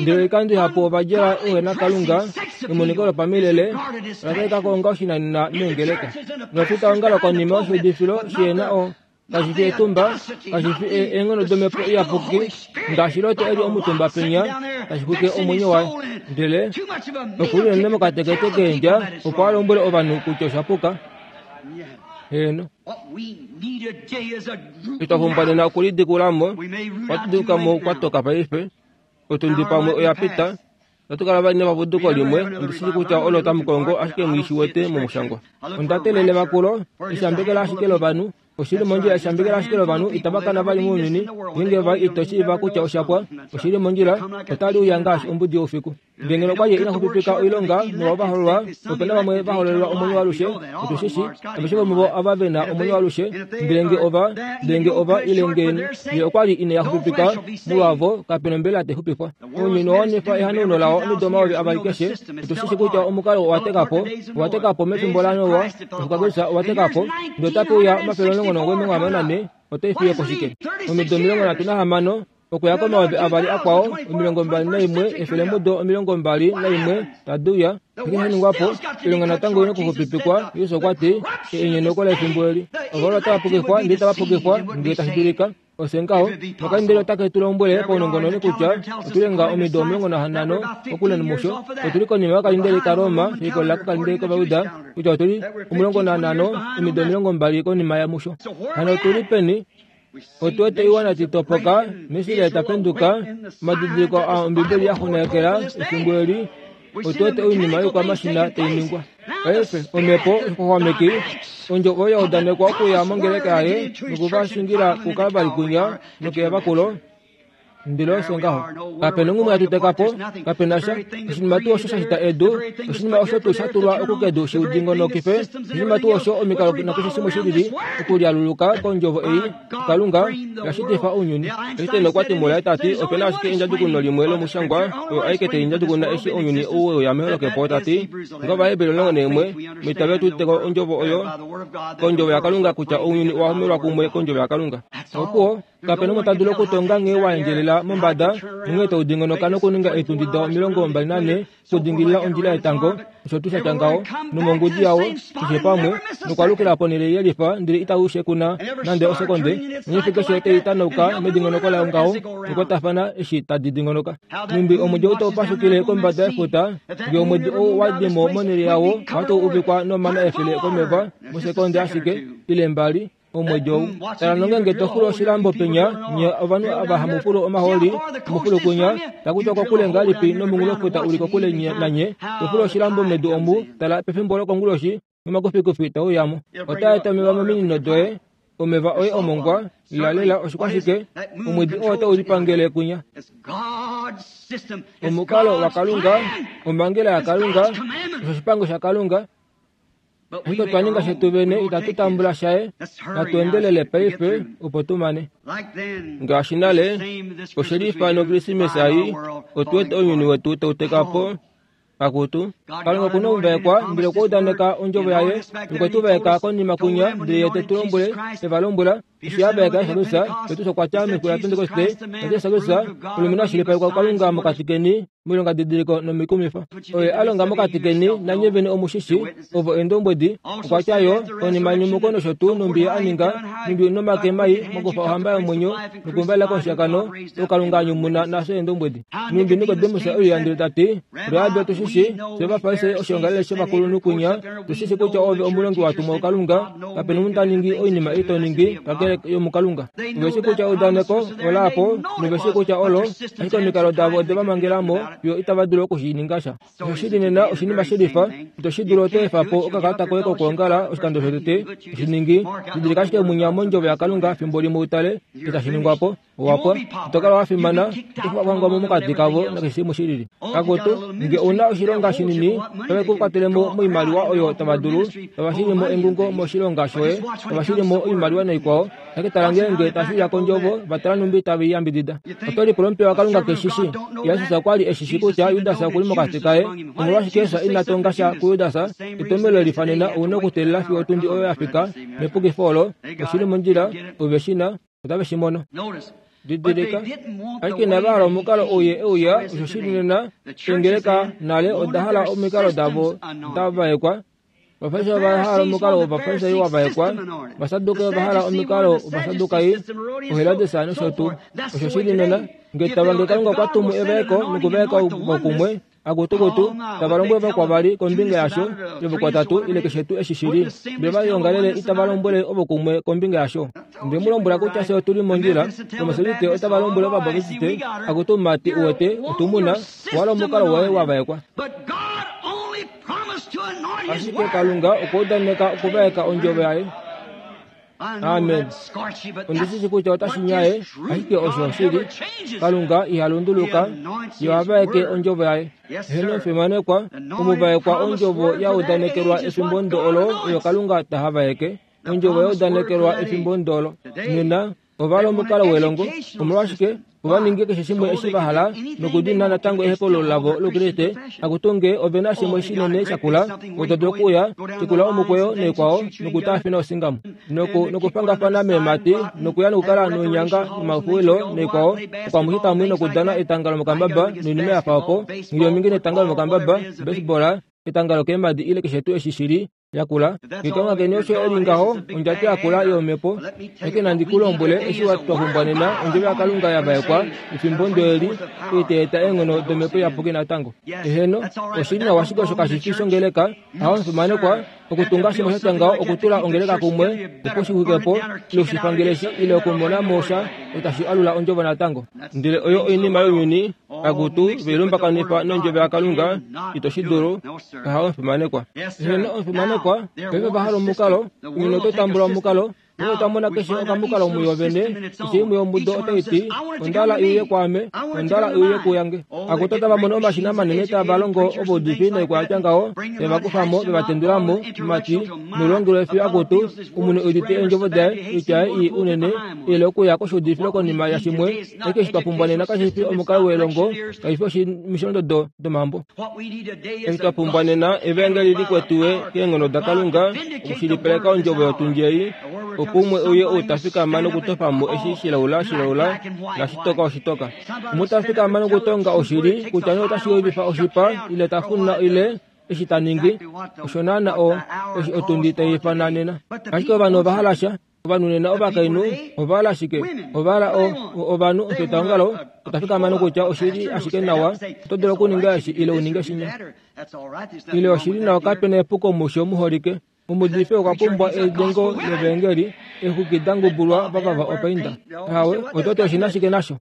ndele oikando ihapu ova djala ouhenakalunga emoniko lopamilele ola talika ko onga oshinanena meengeleka. Novafitaongalo konima yoshiudifilo shi na o Kashi fi etumba, kashi fi eenghono domhepo iyapuki, ngaashi Lot e li omutumba penya, tashi xwike omwenyo waye. Ndele oku li unene mokatekete keendja opo a lombwele ovanhu kutya osha puka. Heeno. Itwa pumbwa nena okulidikula mo, ohatu duluka mo kwa toka paife. Otundi pamwe oya pita. Otatu kala vali nepapuduko limwe, ondi shii kutya olo tamu kongo, ashike nghi shi wete momushangwa. Onda teelele vakulo, eshambekelo ashike lovanhu. Oshi li mondjila eshambekelo ashike lovanhu itava kana vali mounyuni, ngeenge va ito shiiva kutya osha pwa. Oshi li mondjila, otali uya ngaashi ombudi youfiku. Ndele ngeno okwa li ina xupipika oilonga molwa ovahololwa, ope na vamwe va hololelwa omwenyo waalushe, otu shi shii, aveshe vomuvo ava ve na omwenyo waalushe, ndele nge ova, ndele nge ova, ile nge ye okwa li ine ya xupipika molwavo, kape nombelela tai xupifwa. Ounyuni owa wanifa ehanauno lao omido 2000 keshe. Otu shi shii kutya omukalo owa teka po, owa teka po mefimbo laNoa, oshikwakulisa owa teka po, ndele otape uya 194, otai fiye po shike? Omido 36, okuya komayovi avali akwao, 21, efelemudo 21 tadi uya. Oshike sha ningwa po? Oilonga natango oi na okuxupipikwa. Jesus okwa ti, Enyeneko lefimbo eli. Ovahololwa otava pukifwa, ndele itava pukifwa, ngee tashi dulika. Ofye ngaho, nokaindele otake tu lombwele paunongononi kutya otu li nga omido 15 kokule nomusho. Otu li konima yokalindeli kaRoma, she likolelela kokalindeli kOvajuda, kutya otu li 15, omido 20 konima yamusho. Hano otu li peni? Otu wete oiwana tai topoka, naIsrael ta penduka, omadidiliko aa Ombibeli ya xunganekela efimbo eli. Otu wete oinima yoikwamashina tai ningwa. Paife, omhepo yoxwaxwameki, ondjovo oyo ya udanekwa okuya mongeleka yaye noku va shingila kuKalvari kwinya nokeevakulo, ndele osho ngaho. Kape na onghumwe hatu teka po, kape na sha. Oshinima tuu osho sha shita edu, oshinima osho tuu sha tulwa oku kedu shi dingonokife, oshinima tuu osho omikalo nakeshe shimwe shi lili, okulialuluka kondjovo ei, Kalunga, ya shitifa ounyuni. Einstein okwa ti mulaye ta ti ope na ashike endjadjukuno limwe lomushangwa oyo aike tai ndjadjukuna eshi ounyuni ou we uya meholokepo ta ti ngOvaheberi 11 Meitavelo tu udite ko ondjovo oyo kondjovo yaKalunga kutya ounyuni owa homelwa kumwe kondjovo yaKalunga. Opuwo, kape na umwe ta dulu okutonga nghee wa endjelela mombada nonghee tau dingonoka nokuninga eetundi dao 24 okudingilila ondjila yetango, osho tuu sha tya ngaho, nomongudi yawo, keshe pamwe, nokwalukila ponhele yelifa, ndele itau shekuna nande osekonde, nonyofi keshe tai tanauka medingonoko layo ngaho, nokwatafana eshi tadi dingonoka. Nhumbi omwedi ou tau pashukile kombada yefuta, nge omwedi ou wa di mo monhele yawo, ohatu uvikwa nomana efele komeva, mosekonde ashike, ile mbali, Omwedi ou. Tala nongeenge to fulu oshilambo penya, nye ovanhu ava hamu fulu omahooli, hamu fulu kunya, taku tiwa kokule ngahelipi nomunghulofuta u li kokule nanye, to fulu oshilambo medu omu, tala pefimbo lokonguloshi, nomakufikufi te uya mo. Otaa eta omeva mominino doye, omeva oye omongwa, lelalela oshikwashike, omwedi oo otau lipangele kunya. Omukalo waKalunga, omhangela yaKalunga, osho oshipango shaKalunga. Ashike otwa ninga shetu vene, itatu tambula shaye. Natu endelele paife opo tu mane. Ngaashi nale, oshe lifa nOkrismesa ei, otu wete ounyuni wetu tau teka po. Akutu, Kalunga oku na omuvaekwa, ndele okwa udaneka ondjovo yaye, nokwe tu vaeka konima kunya, ndele ye te tu lombwele, e va lombwela, eshi a vaeka Jesus, Petrus okwa tya mefiku laPentekoste, Jesus Kristus, omulumenhu a shilipalekwa kuKalunga mokati keni, moilongadidiliko nomikumifa oye a longa mokati keni, nanye vene omu shi shii, ovo eendombwedi. Okwa tya yo, konima yenyumuko nosho tuu nhumbi ye a ninga, nhumbi nomake mai mokufa ohamba yomwenyo nokumvalela komushiyakano, oo Kalunga a nyumuna nafye eendombwedi. Nhumbi Nikodemus e uya ndele ta ti, Rabbi, otu shi shii, fye Ovafarisai oshiongalele shovakulunhu kwinya, tu shi shii kutya ove omulongi wa tumwa kuKalunga, kape nomunhu ta ningi oinima ei to ningi, kakele yomuKalunga. Ove shii kutya eudaneko ola po, nove shii kutya olo, ashike omikalo davo ode va mangela mo fiyo itava dulu oku shi ninga sha. Oshoshili nena oshinima shelifa, ito shi dulu oto efa po okakalata koye kokwoongala oshikando shotete, to shi ningi. Didilika ashike munya mondjovo yaKalunga fimbo limwe u tale eshi tashi ningwa po. Owa pwa. Ito kala wa fimana, oto hangwa mo mokati kavo nakeshe shimwe shi lili. Akutu, nge ou na oshilonga shinini, otave ku kwatele mo moimaliwa oyo tava dulu, tava shili mo engungo moshilonga shoye, tava shili mo oimaliwa naikwao. Ashike tala ngeenge tashi uya kondjovo, va tala nhumbi tave i yambidida. Oto lipula omupiya waKalunga ke shi shii? Jesus okwa li e shi shii kutya Judas oku li mokati kaye. Omolwashike Jesus ina tonga sha kuJudas? Etomhelo le lifa nena ou na okuteelela fiyo otundi oyo ya fika, nepukifo olo, oshi li mondjila, ove shi na. Otave shi mono. Didilika, ashike inava hala omukalo ou ye e uya, osho shi li nena, eengeleka nale oda hala omikalo davo da vaekwa. Ovafarisai ova hala omukalo wOvafarisai wa vaekwa, Ovasadukai ova hala omikalo wOvasadukai, Oherodes nosho tuu. Osho shi li nena, nge tava nge Kalunga okwa tumu evaeko nokuvaeka vokumwe, Akutukutu, tava lombwele vakwavali kombinga yasho, ile vokwatatu, ile keshe tuu eshi shi li. Ndele ovaiongalele itava lombwele ovo kumwe kombinga yasho. Onde mu lombwela kutya fye otu li mondjila. Ovametodiste otava lombwele Ovabaptiste, Akutu mumati, uwete, otu mu na, owa omukalo woye wa vaekwa. Ashike Kalunga okwa udaneka okuvaeka Ondjovo Yaye. Amen. Ondi shi shi kutya otashi nyaye, ashike osho oshili. Kalunga iha lunduluka, ye oha vaeke ondjovo yaye. Heeno, fimanekwa, omuvaekwa ondjovo ya udanekelwa efimbo ndo olo oyo Kalunga ta ha vaeke. Ondjovo ya udanekelwa efimbo ndo olo. Nena, Ova li omukalo welongo. Omolwashike? Ova ninge keshe shimwe eshi va hala nokudina natango ehepaululo lavo lOukriste. Akutu nge ove na shimwe shinene shakula, oto dulu okuuya, shikula omukweyo naikwao, nokutaafina osingamu, noku, nokufangafana meemhati, nokuya nokukala noinyanga nomafuwilo naikwao, okwamushi tamwi nokudana etanga lomokambaba noinima ya fa opo, nghiliomingi netanga lomokambaba, baseball, etanga lokeemhadi ile keshe tuu eshi shi li. yakula. Ngekonga keni osho e li ngaho, ondjato yakula yomhepo. Ashike nandi ku lombwele eshi wa twa pumbwa nena, ondjovo yaKalunga ya vaekwa, efimbo ndo eli, ei tai eta eenghono domhepo iyapuki natango. Eheno, oshi li nawa ashike osho kashi fi shongeleka. Aho, omufimanekwa, okutunga shimwe sha tya ngaho okutula ongeleka kumwe, opo shi xwike po, ile oshifangeleshi, ile okumona mo sha osho tashi alula ondjovo natango. Ndele oyo oinima younyuni, Akutu, ve lumbakanifa nondjovo yaKalunga, ito shi dulu. Kaha omufimanekwa. Heeno, omufimanekwa, paife va hala omukalo, ounyuni oto tambula omukalo, paife otwa mona keshe okamukalo muyo vene, keshe imwe yomudo otai ti, Onda hala i uye kwaame, onda hala i uye kuyange. Akutu, otava mono omashina manene tava longo ovaudifi noikwaya tya ngaho, ve va kufa mo, ve va tendula mo, mati, noulongelwe fiyo akutu, omunhu e udite eendjovo daye, oitya yaye ii unene, ile okuya koshuudifilo konima yashimwe, Ashike eshi twa pumbwa nena kashi fi omukalo welongo, kashi fi omisholondodo domambo. Eshi twa pumbwa nena evaengeli li kwetiwe keenghono daKalunga okushilipaleka ondjovo yotundi ei, opo umwe uye ou ta fikama nokutofa mo eshi shilaula shilaula nashitoka oshitoka. Umwe ta fikama nokutonga oshili kutya nee otashi udifa oshipa ile ta funa ile eshi ta ningi, osho naana o eshi otundi tai ifana nena. Ashike ovanhu ova hala sha. Ovanhu nena ovakainhu ova hala shike? Ova hala o, o, ovanhu omufitaongalo ota fikama nokutya oshi li ashike nawa, oto dulu okuninga eshi ile u ninge shinya. Ile oshi li nawa kape na epuko musho muholike. Omuudifi okwa pumbwa edengo levaengeli, eexwiki da ngubulwa vavava opainda. Ahawe, oto ti oshi na shike nasho?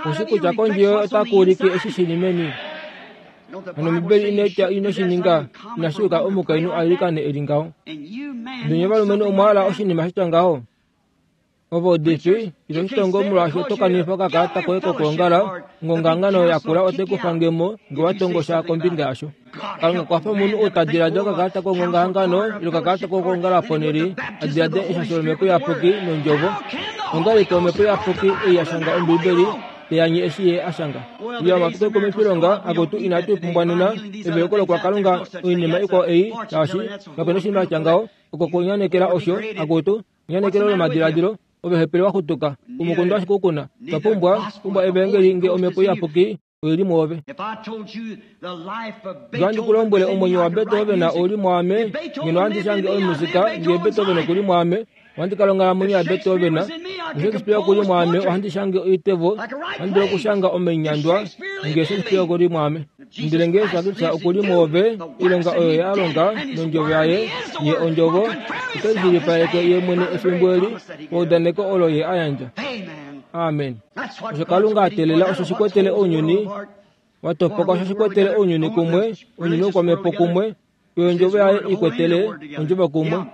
Oshi kutya kondje yoye otaku ulike eshi shi li meni. Hano Ombibeli inai tya ino shi ninga, inashi yuka omukainhu a ilikane e li ngaho. Ndele nye ovalumenhu omwa hala oshinima sha tya ngaho? Ovaudifi, ito shi tongo molwaashi oto kanifa okakalata koye kokwoongala, ongongahangano yakula otai ku fange mo nge wa tongo sha kombinga yasho. Kalunga kwafa omunhu ou ta diladila okakalata kongongahangano ile okakalata kokwoongala ponhele a diladile eshasho lOmhepo Iyapuki nOndjovo. Ongahelipi Omhepo Iyapuki ei ya shanga Ombibeli? te anye eshi ye a shanga. Iya omafiku oikumwifilonga akutu inatu i pumbwa nena, eveluko lokwakalunga, oinima ikwao ei, shaashi kape noshinima sha tya ngaho, oko kunyanekela osho, akutu, enyanekelo lomadiladilo, ove hepele wa xutuka, umukunda ashike u kuna. Twa pumbwa, pumbwa Evaengeli nge Omhepo Iyapuki oi li mwoove. Nge ohandi ku lombwele omwenyo waBeethoven ou li mwaame, ngeno ohandi shange omusika nge Beethoven oku li mwaame, ohandi kala onghalamwenyo yaBeethoven. Nge Shakespeare oku li mwaame, ohandi shange oitevo, ohandi dulu okushanga omainyandwa nge Shakespeare oku li mwaame. Ndele nge Jesus Kristus oku li mwoove, oilonga oyo Ye a longa nondjovo yaye, Ye Ondjovo, ote lishilipaleke Ye mwene efimbo eli paudaneko olo Ye a yandja. Amen. Osho Kalunga a teelela osho shi kwetele ounyuni wa topoka, osho shi kwetele ounyuni kumwe, ounyuni wopamhepo kumwe, oyo ondjovo yaye i kwetele ondjovo kumwe.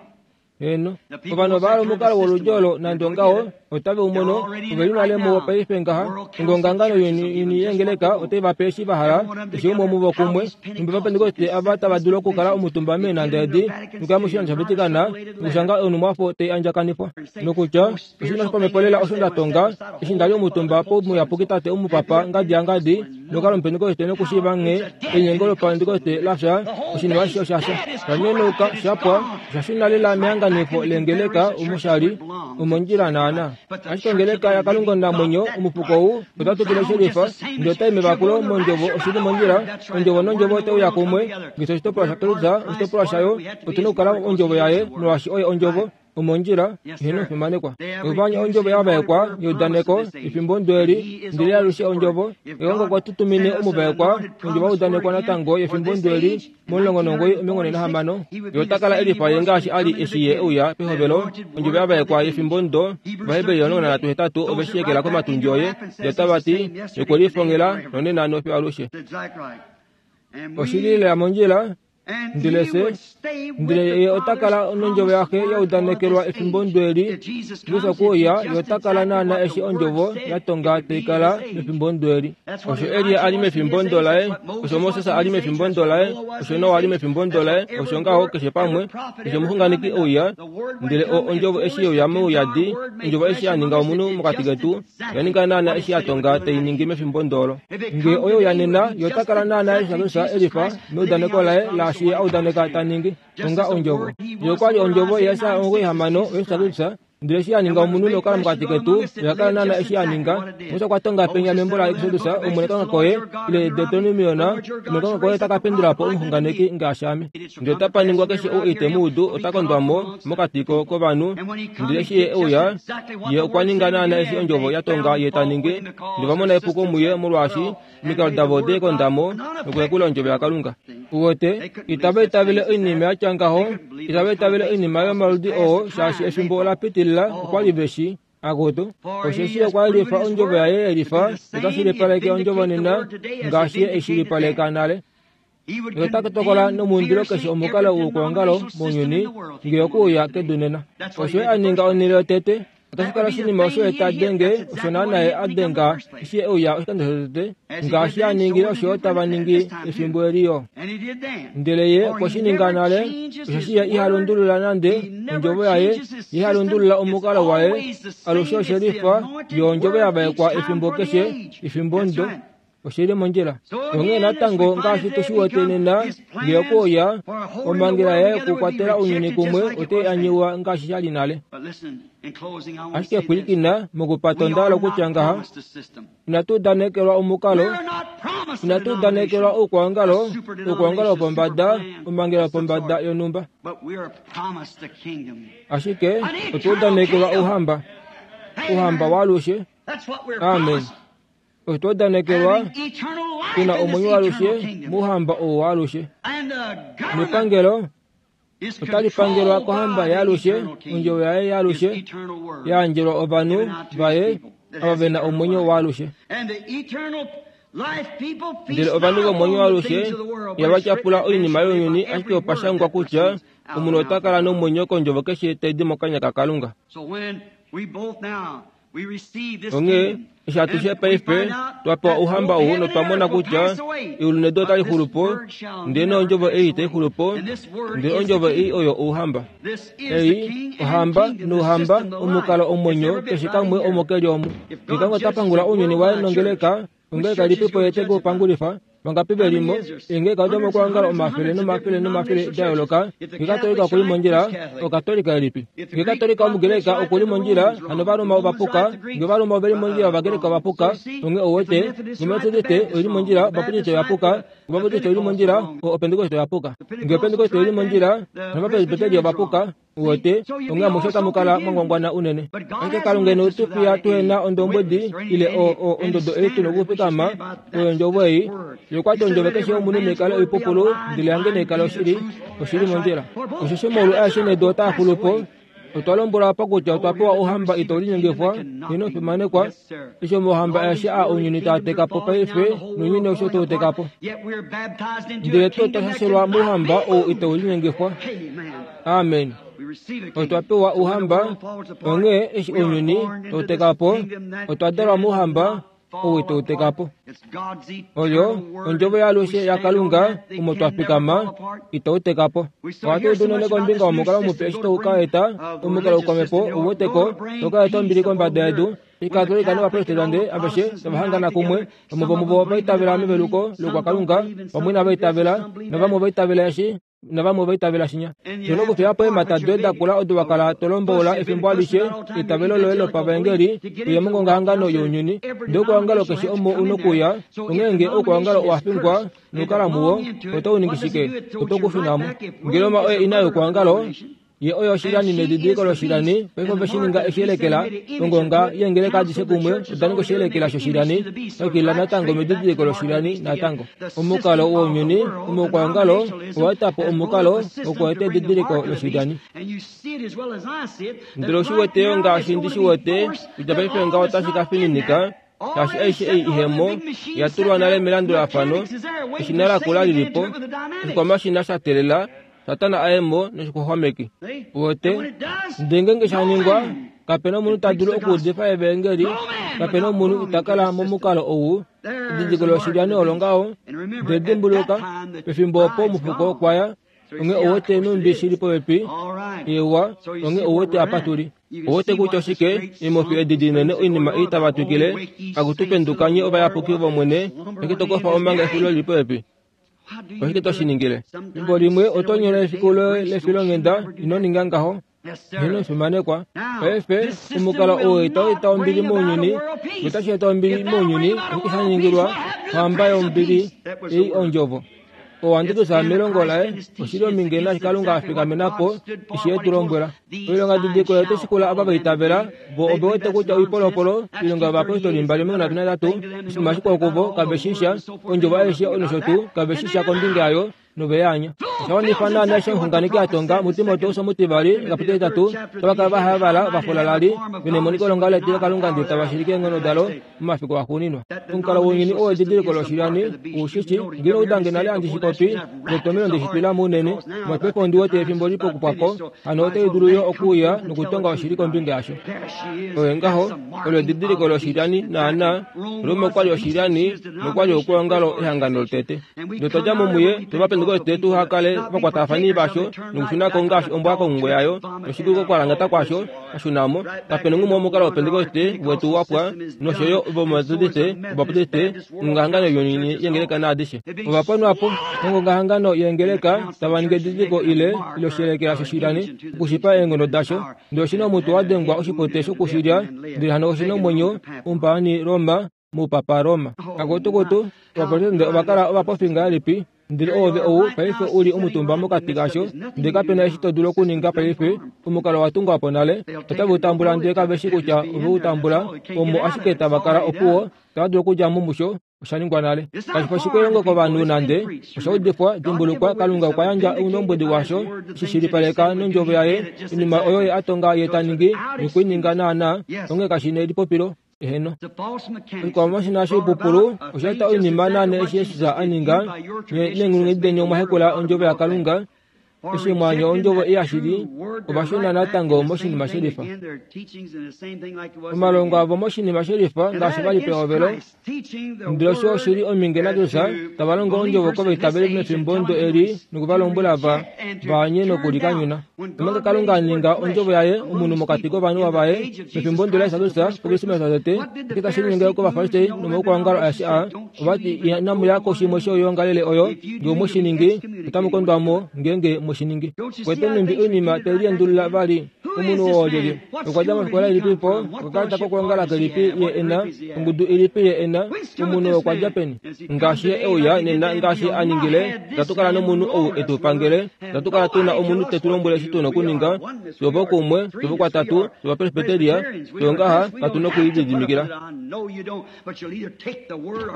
Heeno, ovanhu ova hala omukalo woludi olo, nande ongaho, otave u mono, ove li nale muwo paife ngaha. Ongongangano younyuni yeengeleka otai va pe eshi va hala, keshe umwe womuvo kumwe. Nhumbi Ovapentekoste ava tava dulu okukala omutumba meenhanda edi, nokuya moshilando shaVatican, nokushanga onhumwafo tai andjakanifwa, nokutya, Oshinima shopamhepo lela osho nda tonga, eshi nda li omutumba pomuyapuki tate omupapa ngadi yangadi, nokukala omupentekoste nokushiiva nghee elinyengo lopapentekoste la fya, oshinima ashishe osha fya. Sha nyonauka, sha pwa, osha shuna lela mehanganifo leengeleka omo sha li, omondjila naana. Ashike ongeleka yaKalunga omunamwenyo, omufuko ou, ota twikile shelifa, ndele otai mevakulo mOndjovo, oshi li mondjila, Ondjovo nOndjovo otai uya kumwe, ngaashi oshitopolwa shaKristus, oshitopolwa shayo, otu na okukala Ondjovo yaye, molwaashi Oye Ondjovo. Omondjila, heeno omufimanekwa. Ovanya ondjovo ya vaekwa yeudaneko efimbo ndo eli, ndele alushe ondjovo. Eongo okwa tutumine omuvaekwa, ondjovo ya udanekwa natango yefimbo ndo eli, mo19 46. Ye ota kala e lifa ye ngaashi a li eshi ye e uya pehovelo, ondjovo ya vaekwa yefimbo ndo. Ovaheberi 13 ove shi ekela komatundji oye, ndele tava ti, Ye okwe lifongela nonena nofiyo alushe. Oshi li lela mondjila. Ndele fye, ndele ye ota kala nondjovo yaxe ya udanekelwa efimbo ndo eli, Jesus okwe uya, ye ota kala naana eshi ondjovo ya tonga tai kala mefimbo ndo eli. Osho Elia a li mefimbo ndo laye, osho Moses a li mefimbo ndo laye, osho Noa a li mefimbo ndo laye, osho ngaho keshe pamwe, keshe omuxunganeki e uya, ndele o, ondjovo eshi ye uya mouyadi, ondjovo eshi ya ninga omunhu mokati ketu, Oya ninga naana eshi ya tonga tai ningi mefimbo ndolo. Nge oye uya nena, ye ota kala naana Jesus Kristus e lifa meudaneko laye laashi ye a udaneka ta ningi, onga Ondjovo. Ye okwa li Ondjovo yaIsaya 96, Jesus Kristus, ndele eshi a ninga omunhu nokukala mokati ketu, oya kala naana eshi a ninga. Moses okwa tonga penya membo laExodus, Omwene Kalunga koye, ile Deuteronomion, Omwene Kalunga koye ota ka pendula po omuxunganeki ngaashi ame. Ndele otapa ningwa keshe ou ite mu udu ota kondwa mo mokati kovanhu. Ndele eshi ye e uya, ye okwa ninga naana eshi ondjovo ya tonga ye ta ningi, ndele va mona epuko muye molwaashi omikalo davo ode konda mo nokuyakula ondjovo yaKalunga. Uwete, itava itavele oinima ya tya ngaho, itava itavele oinima yomaludi oo shaashi efimbo ola pitilila, okwa li ve shi. Akutu, osheshi okwa yelifa ondjovo yaye yelifa, ota shilipaleke ondjovo nena ngaashi ye e shilipaleka nale. Ota tokola nomuindilo keshe omukalo woukwaongalo mounyuni nge okuuya kedu nena. Osho ye a ninga onhele yotete, otashi kala oshinima osho ye ta denge osho naana ye a denga eshi e uya oshikando shotete, ngaashi a ningile osho yo tava ningi efimbo eli yo. Ndele ye okwe shi ninga nale, osheshi ye iha lundulula nande ondjovo yaye, ye iha lundulula omukalo waye, alushe oshe lifa yo ondjovo ya vaekwa efimbo keshe, efimbo ndo. Oshi li mondjila. Onghee natango ngaashi tu shi wete nena, nge okuuya, omhangela yaye yokukwatela ounyuni kumwe otai anyiwa ngaashi sha li nale. Ashike pwilikina, mokupata onda hala okutya ngaha, inatu udanekelwa omukalo, inatu udanekelwa oukwaongalo, oukwaongalo wopombada, omhangela yopombada yonhumba. Ashike otwa udanekelwa Ouhamba, Ouhamba waalushe. Amen. Otwa udanekelwa tu na omwenyo waalushe mouhamba ou waalushe. Nepangelo otali pangelwa kohamba yaalushe, ondjovo yaye yaalushe ya yandjelwa ovanhu vaye ava ve na omwenyo waalushe. Ndele ovanhu vomwenyo waalushe ihava tyapula oinima younyuni, ashike opa shangwa kutya omunhu ota kala nomwenyo kondjovo keshe tai di mokanya kaKalunga. Onghee eshi atushe paife twa pewa ouhamba ou notwa mona kutya eulu nedu otali xulu po, ndele ondjovo ei itai xulu po, ndele ondjovo ei oyo ouhamba. Ei ohamba nouhamba omukalo omwenyo keshe kamwe omo ke li omu. Ngee Kalunga ota pangula ounyuni waye nongeleka, ongeleka ilipipo ye te ke u pangulifa? Vangapi ve limo? Eengeleka odomokuongala omafele nomafele nomafele da yooloka. Ngee Katolika oku li mondjila, Okatolika elipi? Ngee Katolika Omugreka oku li mondjila, hano Ovaroma ova puka. Ngee Ovaroma ove li mondjila, Ovagreka ova puka. Onghee ou wete, ngee Ometodiste oi li mondjila, Obaptiste oya puka. Ngee Obaptiste oi li mondjila, Opentekoste oya puka. Ngee Opentekoste oi li mondjila, hano Ovapresbiteri ova puka. Uwete, onghee amushe otamu kala mwa ngwangwana unene. Ashike Kalunga ine tu fiya tuhe na ondombwedi ile o, o, ondodo ei tu nokufikama oyondjovo ei. Ye okwa ti ondjovo keshe yomunhu naikale oipupulu, ndele yange naikale oshili, oshili mondjila. Osheshi omaulu aeshe nedu otaa xulu po. Otwa lombwelwa apa kutya otwa pewa ouhamba itau linyengifwa, ino fimanekwa, eshi omauhamba aeshe aa ounyuni taa teka po paife, nounyuni aushe otau teka po. Ndele twe otwa shashelwa mouhamba ou itau linyengifwa. Amen. Otwa pewa ouhamba, onghee eshi ounyuni tau teka po, otwa dalwa mouhamba ou itau teka po. Oyo ondjovo yaalushe yaKalunga omo twa fikama, itau teka po. Ohatu udu unene kombinga yomukalo mupe eshi tau ka eta omukalo woukwamhepo u wete ko, tau ka eta ombili kombada yedu. Ikatolika nOvaprotestante aveshe tava hangana kumwe, vamwe vomuvo ova itavela meveluko loukwakalunga, vamwe inava itavela, navamwe ova itavela eshi navamwe ova itavela shinya. To nokufiya po eemhata doye da kula odo wa kala to lomboula efimbo alishe, eitavelo loye lopavaengeli, uye mongongahangano younyuni. Ndele okwoongalo keshe omo u nokuya, onghee nge oukwaongalo owa fingwa nokukala muwo, otau ningi shike? Oto ku shuna mo. Nge Roma oye ina youkwaongalo, Ye oyo oshilani nedidiliko loshilani, paife ove shi ninga eshiyelekela, ongonga yeengeleka adishe kumwe oda ninga oshiyelekela shoshilani, nokila natango medidiliko loshilani natango. Omukalo wounyuni, omoukwaongalo, owa eta po omukalo wokueta edidiliko loshilani. Ndele oshi wete yo ngaashi ndi shi wete, kutya paife ngaho otashi ka fininika, shaashi aishe ei ihemo ya tulwa nale melandulafano, eshina lakula lili po, oshikwamashina sha telela, Satana a ye mo noshixwaxwameki. Uwete? Ndele ngeenge sha ningwa, kape na omunhu ta dulu okuudifa evaengeli, kape na omunhu ita kala momukalo ou. Edidiliko loshilyani olo ngaho. Ndele dimbuluka, pefimbo opo omufuko okwa ya, onghee ouwete nhumbi shi li popepi, eewa, onghee ouwete apa tu li. Ouwete kutya oshike, eemofi edi dinene oinima ei tava twikile, Akutu penduka nye ovayapuki vOmwene, ashike to kofa omanga exulilo li li popepi. Oshike to shi ningile? Efimbo limwe oto nyola efiku loye lefilonghenda, ino ninga ngaho. Ino fimanekwa. Paife, omukalo oo itau eta ombili mounyuni, notashi eta ombili mounyuni, oshike sha ningilwa ohamba yombili ei ondjovo. Owanditus melongo laye oshi li ominge naashi Kalunga a fikamena po eshi e tu lombwela. Oilonga didiliko oyo shikula ava va itavela, vo ove wete kutya oipolopolo, oilonga yovayapostoli 23, oshinima shikwao kuvo, kave shi sha, ondjovo aishe nosho tuu, kave shi sha kombinga yayo, nove ya anya. Osha wanifa naanaa eshi omuxunganeki a tonga muTimoteus omutivali, ekapiteli etatu, otava kala va havala, va fulalali, ve nemoniko longaho letilokalunga ndele tava shilike eenghono dalo momafiku axuuninwa. Omukalo wounyuni oo edidiliko loshilyani, u shi shi, nghi na udange nale handi shi popi, netomheno nde shi twila mounene, mopaife ondi wete efimbo li pokupwa ko, hano otai dulu yo okuuya nokutonga oshili kombinga yasho. Oye ngaho, olo edidiliko loshilyani naanaa. Roma okwa li oshilyani nokwa li okwoongalo ehangano lotete. Ndele otwa dja mo muye, twe va pentekoste tuha kale ovakwatafani vasho nokushuna ko ngaashi ombwa kongungo yayo, noshikuku kokwalangata kwasho, a shuna mo. Kape nongumwe womukalo wOpentekoste wetu wa pwa, nosho yo Ovametodiste, Obaptiste, ongongahangano younyuni yengeleka naadishe. Ova ponwa po nongongahangano yengeleka, tava ningi edidiliko ile, ile oshelekela shoshilani, okushipa eenghono dasho. Ndele oshi na omutwe wa dengwa oshipote shokushilya, ndele hano oshi na omwenyo, omupaani Roma, moupapa Roma. Kakutukutu, Ovaprotestante ova kala ovapofi ngahelipi, ndele oove ou paife u li omutumba mokati kasho, ndele kape na eshi to dulu okuninga paife. Omukalo wa tungwa po nale, otave u tambula ndele kave shi kutya ove u tambula, omo ashike tava kala opuwo, itava dulu okudja mo musho, osha ningwa nale. Kashi fi oshikwelongo kovanhu nande, osha udifwa, dimbulukwa, Kalunga okwa yandja oundombwedi washo, eshi shilipaleka nondjovo yaye, oinima oyo ye a tonga ye ta ningi, nokwe i ninga naanaa, onghee kashi nelipopilo. Eheno. Oshikwamashina shoipupulu osha eta oinima naana eshi Jesus a ninga, nye neenghulunghedi deni omwa hekula ondjovo yaKalunga. Eshi mwaanya ondjovo ei yashili, ova shuna natango moshinima shelifa. Omalongo avo moshinima shelifa ngaashi va li pehovelo, ndele osho oshi li ominge naJesus tava longo ondjovo kovaitaveli mefimbo ndo eli noku va lombwela va anye nokulikanyuna. Omanga Kalunga a ninga ondjovo yaye omunhu mokati kovanhu vaye mefimbo ndo laJesus pOkrismesa tete, oshike tashi linyenge kOvafarisai nomaukwaongalo aeshe aa? Ova ti, Inamu ya koshimwe shoyoongalele oyo, ngee omwe shi ningi, otamu kondwa mo ngeenge mwe shi ningi. Kwete nhumbi oinima tai liendulula vali. Omunhu oo olyelye? Okwa dja mofikola ilipi po? Okakalata kokwoongala kelipi ye e na? Ongudu ilipi ye e na? Omunhu oo okwa dja peni? Ngaashi ye e uya nena ngaashi a ningile, itatu kala nomunhu ou e tu pangele. Itatu kala tu na omunhu te tu lombwele eshi tu na okuninga. Fye ovokumwe, fye ovokwatatu, fye Ovapresbiteria, fye ongaha, katu na okulididimikila.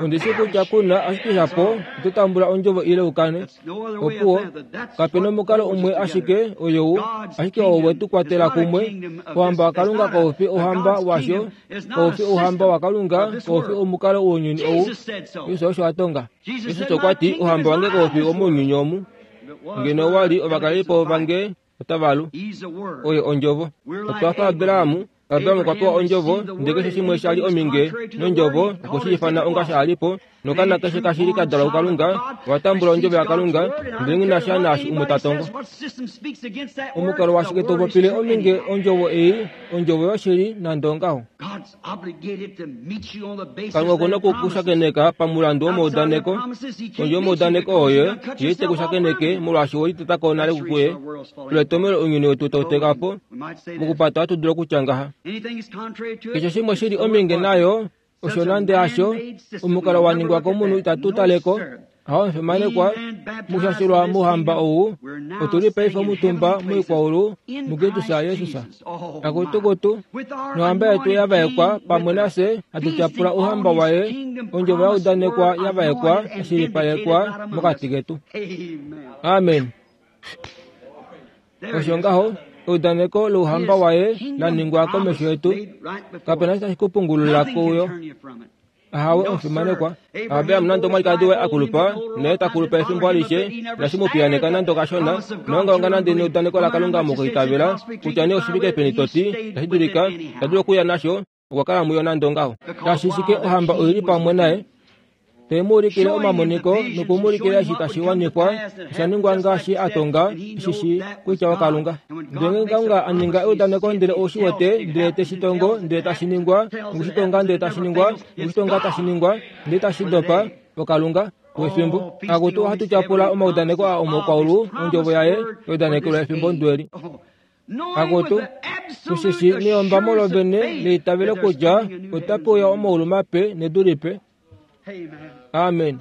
Ondi shi kutya ku na ashike shapo oto tambula ondjovo ile ukane. Opuwo, kape na omukalo umwe ashike oyou, ashike oo we tu kwatela kumwe. Ouhamba waKalunga kau fi ouhamba washo, kau fi ouhamba waKalunga, kau fi omukalo wounyuni ou. Jesus osho a tonga. Jesus okwa ti, Ouhamba wange kau fi womounyuni omu. Ngeno owa li ovakalelipo vange otava lu. Oye Ondjovo. Otwa fa Abraham. Abraham okwa pewa Ondjovo, ndele keshe shimwe sha li ominge nOndjovo, okwe shi ifana onga sha li po. Nokana keshe kashi li ka dalwa kuKalunga, owa tambula Ondjovo yaKalunga, ndele nghi na sha naashi umwe ta tongo. Omukalo washike to popile ominge Ondjovo ei, Ondjovo yoshili, nande ongaho? Kalunga oku na oku ku shakeneka pamulandu womaudaneko. Kondje yomaudaneko oye, ye ite ku shakeneke molwaashi we liteta ko nale kuye. Olo etomhelo ounyuni wetu tau teka po. Mokupata ohatu dulu okutya ngaha. Keshe shimwe shi li ominge nayo, osho nande hasho, omukalo wa ningwa komunhu itatu tale ko. Aho omufimanekwa, mushashilwa mouhamba ou, otu li paife omutumba moikwaulu muKristus Jesus. Akutukutu, nohamba yetu ya vaekwa pamwe nafye hatu tyapula ouhamba waye, ondjovo ya udanekwa ya vaekwa ya shilipalekwa mokati ketu. Amen. Osho ngaho, eudaneko louhamba waye la ningwa komesho yetu, kape na tashi ku pungulula kuyo. Ahawe, omufimanekwa. Abraham nande omwalikadi waye a kulupa, naye ta kulupa efimbo alishe, inashi mu piyaneka nande okashona, noongaonga nande neudaneko laKalunga mokwiitavela, kutya nee oshifike peni to ti, tashi dulika, ita dulu okuya nasho, okwa kala muyo nande ongaho. Tashi shike ohamba oi li pamwe naye, te mu ulikile omamoniko noku mu ulikila eshi tashi wanifwa, osha ningwa ngaashi a tonga, eshi shi kutya oKalunga. Ndele ngeenge Kalunga a ninga eudaneko ndele ou shi wete, ndele te shi tongo, ndele tashi ningwa, noku shi tonga ndele tashi ningwa, noku shi tonga tashi ningwa, ndele tashi dopa, oKalunga. Wefimbo. Akutu ohatu tyapula omaudaneko aa omokwaulu, ondjovo yaye, eudanekelwa efimbo ndweli. Akutu, tushishi neyombamo lovene leitavelo kutya otape uya omaulu mape nedu lipe. Amen.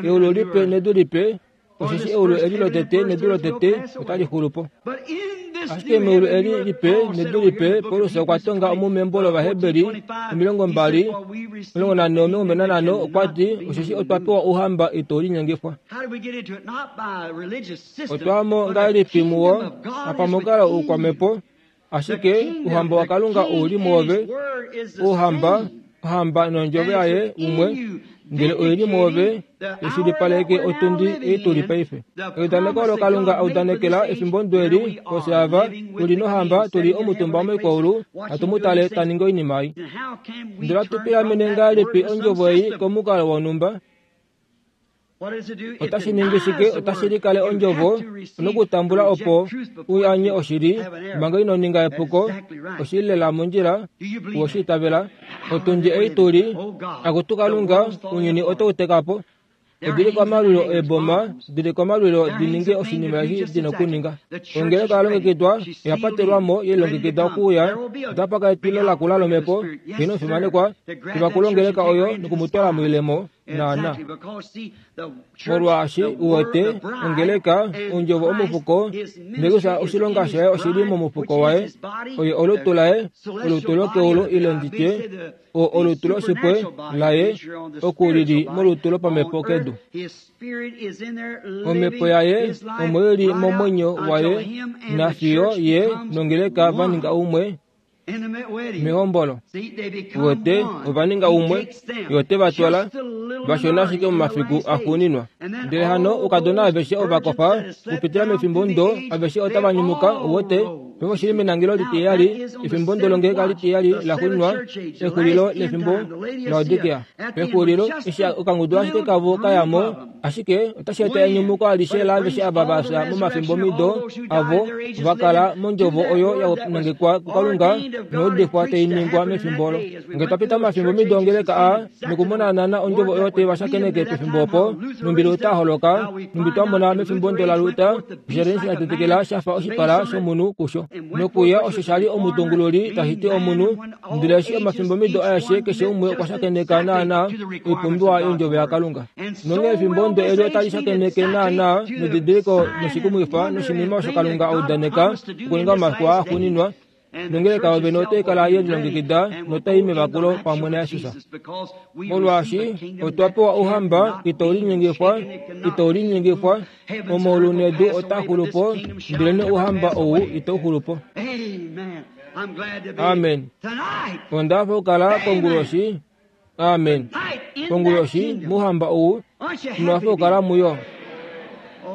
Eulu lipe nedu lipe, osheshi eulu eli lotete nedu lotete otali xulu po. Ashike meulu eli lipe nedu lipe, Paulus okwa tonga omu membo lOvaheberi 20, 14, 25, okwa ti, osheshi otwa pewa ouhamba itau linyengifwa. Otwa mo ngahelipi muwo? Hapamukalo oukwamhepo, ashike Ouhamba waKalunga ou li mwoove. Ouhamba, Ohamba nondjovo yaye umwe, ndele oi li mwoove, yeshilipaleke otundi ei tu li paife. Eudaneko olo Kalunga a udanekela efimbo ndweli, fye ava, tu li nohamba, tu li omutumba moikwaulu, hatu mu tale ta ningi oinima ei. Ndele ohatu pilamene ngahelipi ondjovo ei komukalo wonhumba? Otashi ningi shike? Otashi likale ondjovo nokutambula opo u anye oshili manga ino ninga epuko. Oshi li lela mondjila, uwe shi itavela. Otundi ei tu li, Akutu Kalunga, ounyuni otau teka po. Odi li komalwilo eeboma, di li komalwilo di ninge oshinima eshi di na okuninga. Ongeleka oya longekidwa, oya patelwa mo, ye lilongekida okuuya. Otapa ka etilo lakula lomhepo, heeno omufimanekwa, tivakula ongeleka oyo noku mu twala moilemo. Naana. Molwaashi u wete, ongeleka, ondjovo omufuko, ndele oshilonga shaye oshi li momufuko waye, oye olutu laye, olutu lokeulu ile nditye, o olutu loshipwe laye, oku lili molutu lopamhepo kedu. Omhepo yaye omo i li momwenyo waye, nafiyo ye nongeleka va ninga umwe. Mehombolo wete ova ninga umwe, ye ote va twala vashona ashike momafiku axuuninwa. Ndele hano oukadona aveshe ova kofa okupitila mefimbo ndo aveshe otava nyumuka, uwete, paife oshili menangelo litiheyali, efimbo ndo longeleka litiheyali laxuuninwa, exulilo lefimbo Laodikea. Pexulilo, eshi okangudu ashike kavo ka ya mo, ashike otashi eta enyumuko alishe laaveshe ava va fya momafimbomido avo va kala mondjovo oyo ya nangekwa kuKalunga noudifwa tai ningwa mefimbo olo. Nge twa pita momafimbomido ongeleka aa nokumona naana ondjovo oyo tai va shakeneke pefimbo opo, nhumbi Luther a holoka, nhumbi twa mona mefimbo ndo laLuther, osha li sha tetekela sha fa oshipala shomunhu kusho. Nokuya osho sha li omutungululi tashi ti omunhu, ndele eshi omafimbomido aeshe keshe umwe okwa shakeneka naana oipumbiwa yondjovo yaKalunga. Nonghee efimbo ndo eli otali shakeneke naana nedidiliko noshikumwifa noshinima osho Kalunga a udaneka okuninga momafiku aa axuuninwa, nongeleka yovene otai kala ye lilongekida notai mevakulo pamwe naJesus. Molwaashi otwa pewa ouhamba itau linyengifwa, itau linyengifwa, omaulu nedu otaa xulu po, ndelenee ouhamba ou itau xulu po. Amen. Onda hafa okukala konguloshi. Amen. Konguloshi mouhamba ou, ino hafa okukala muyo.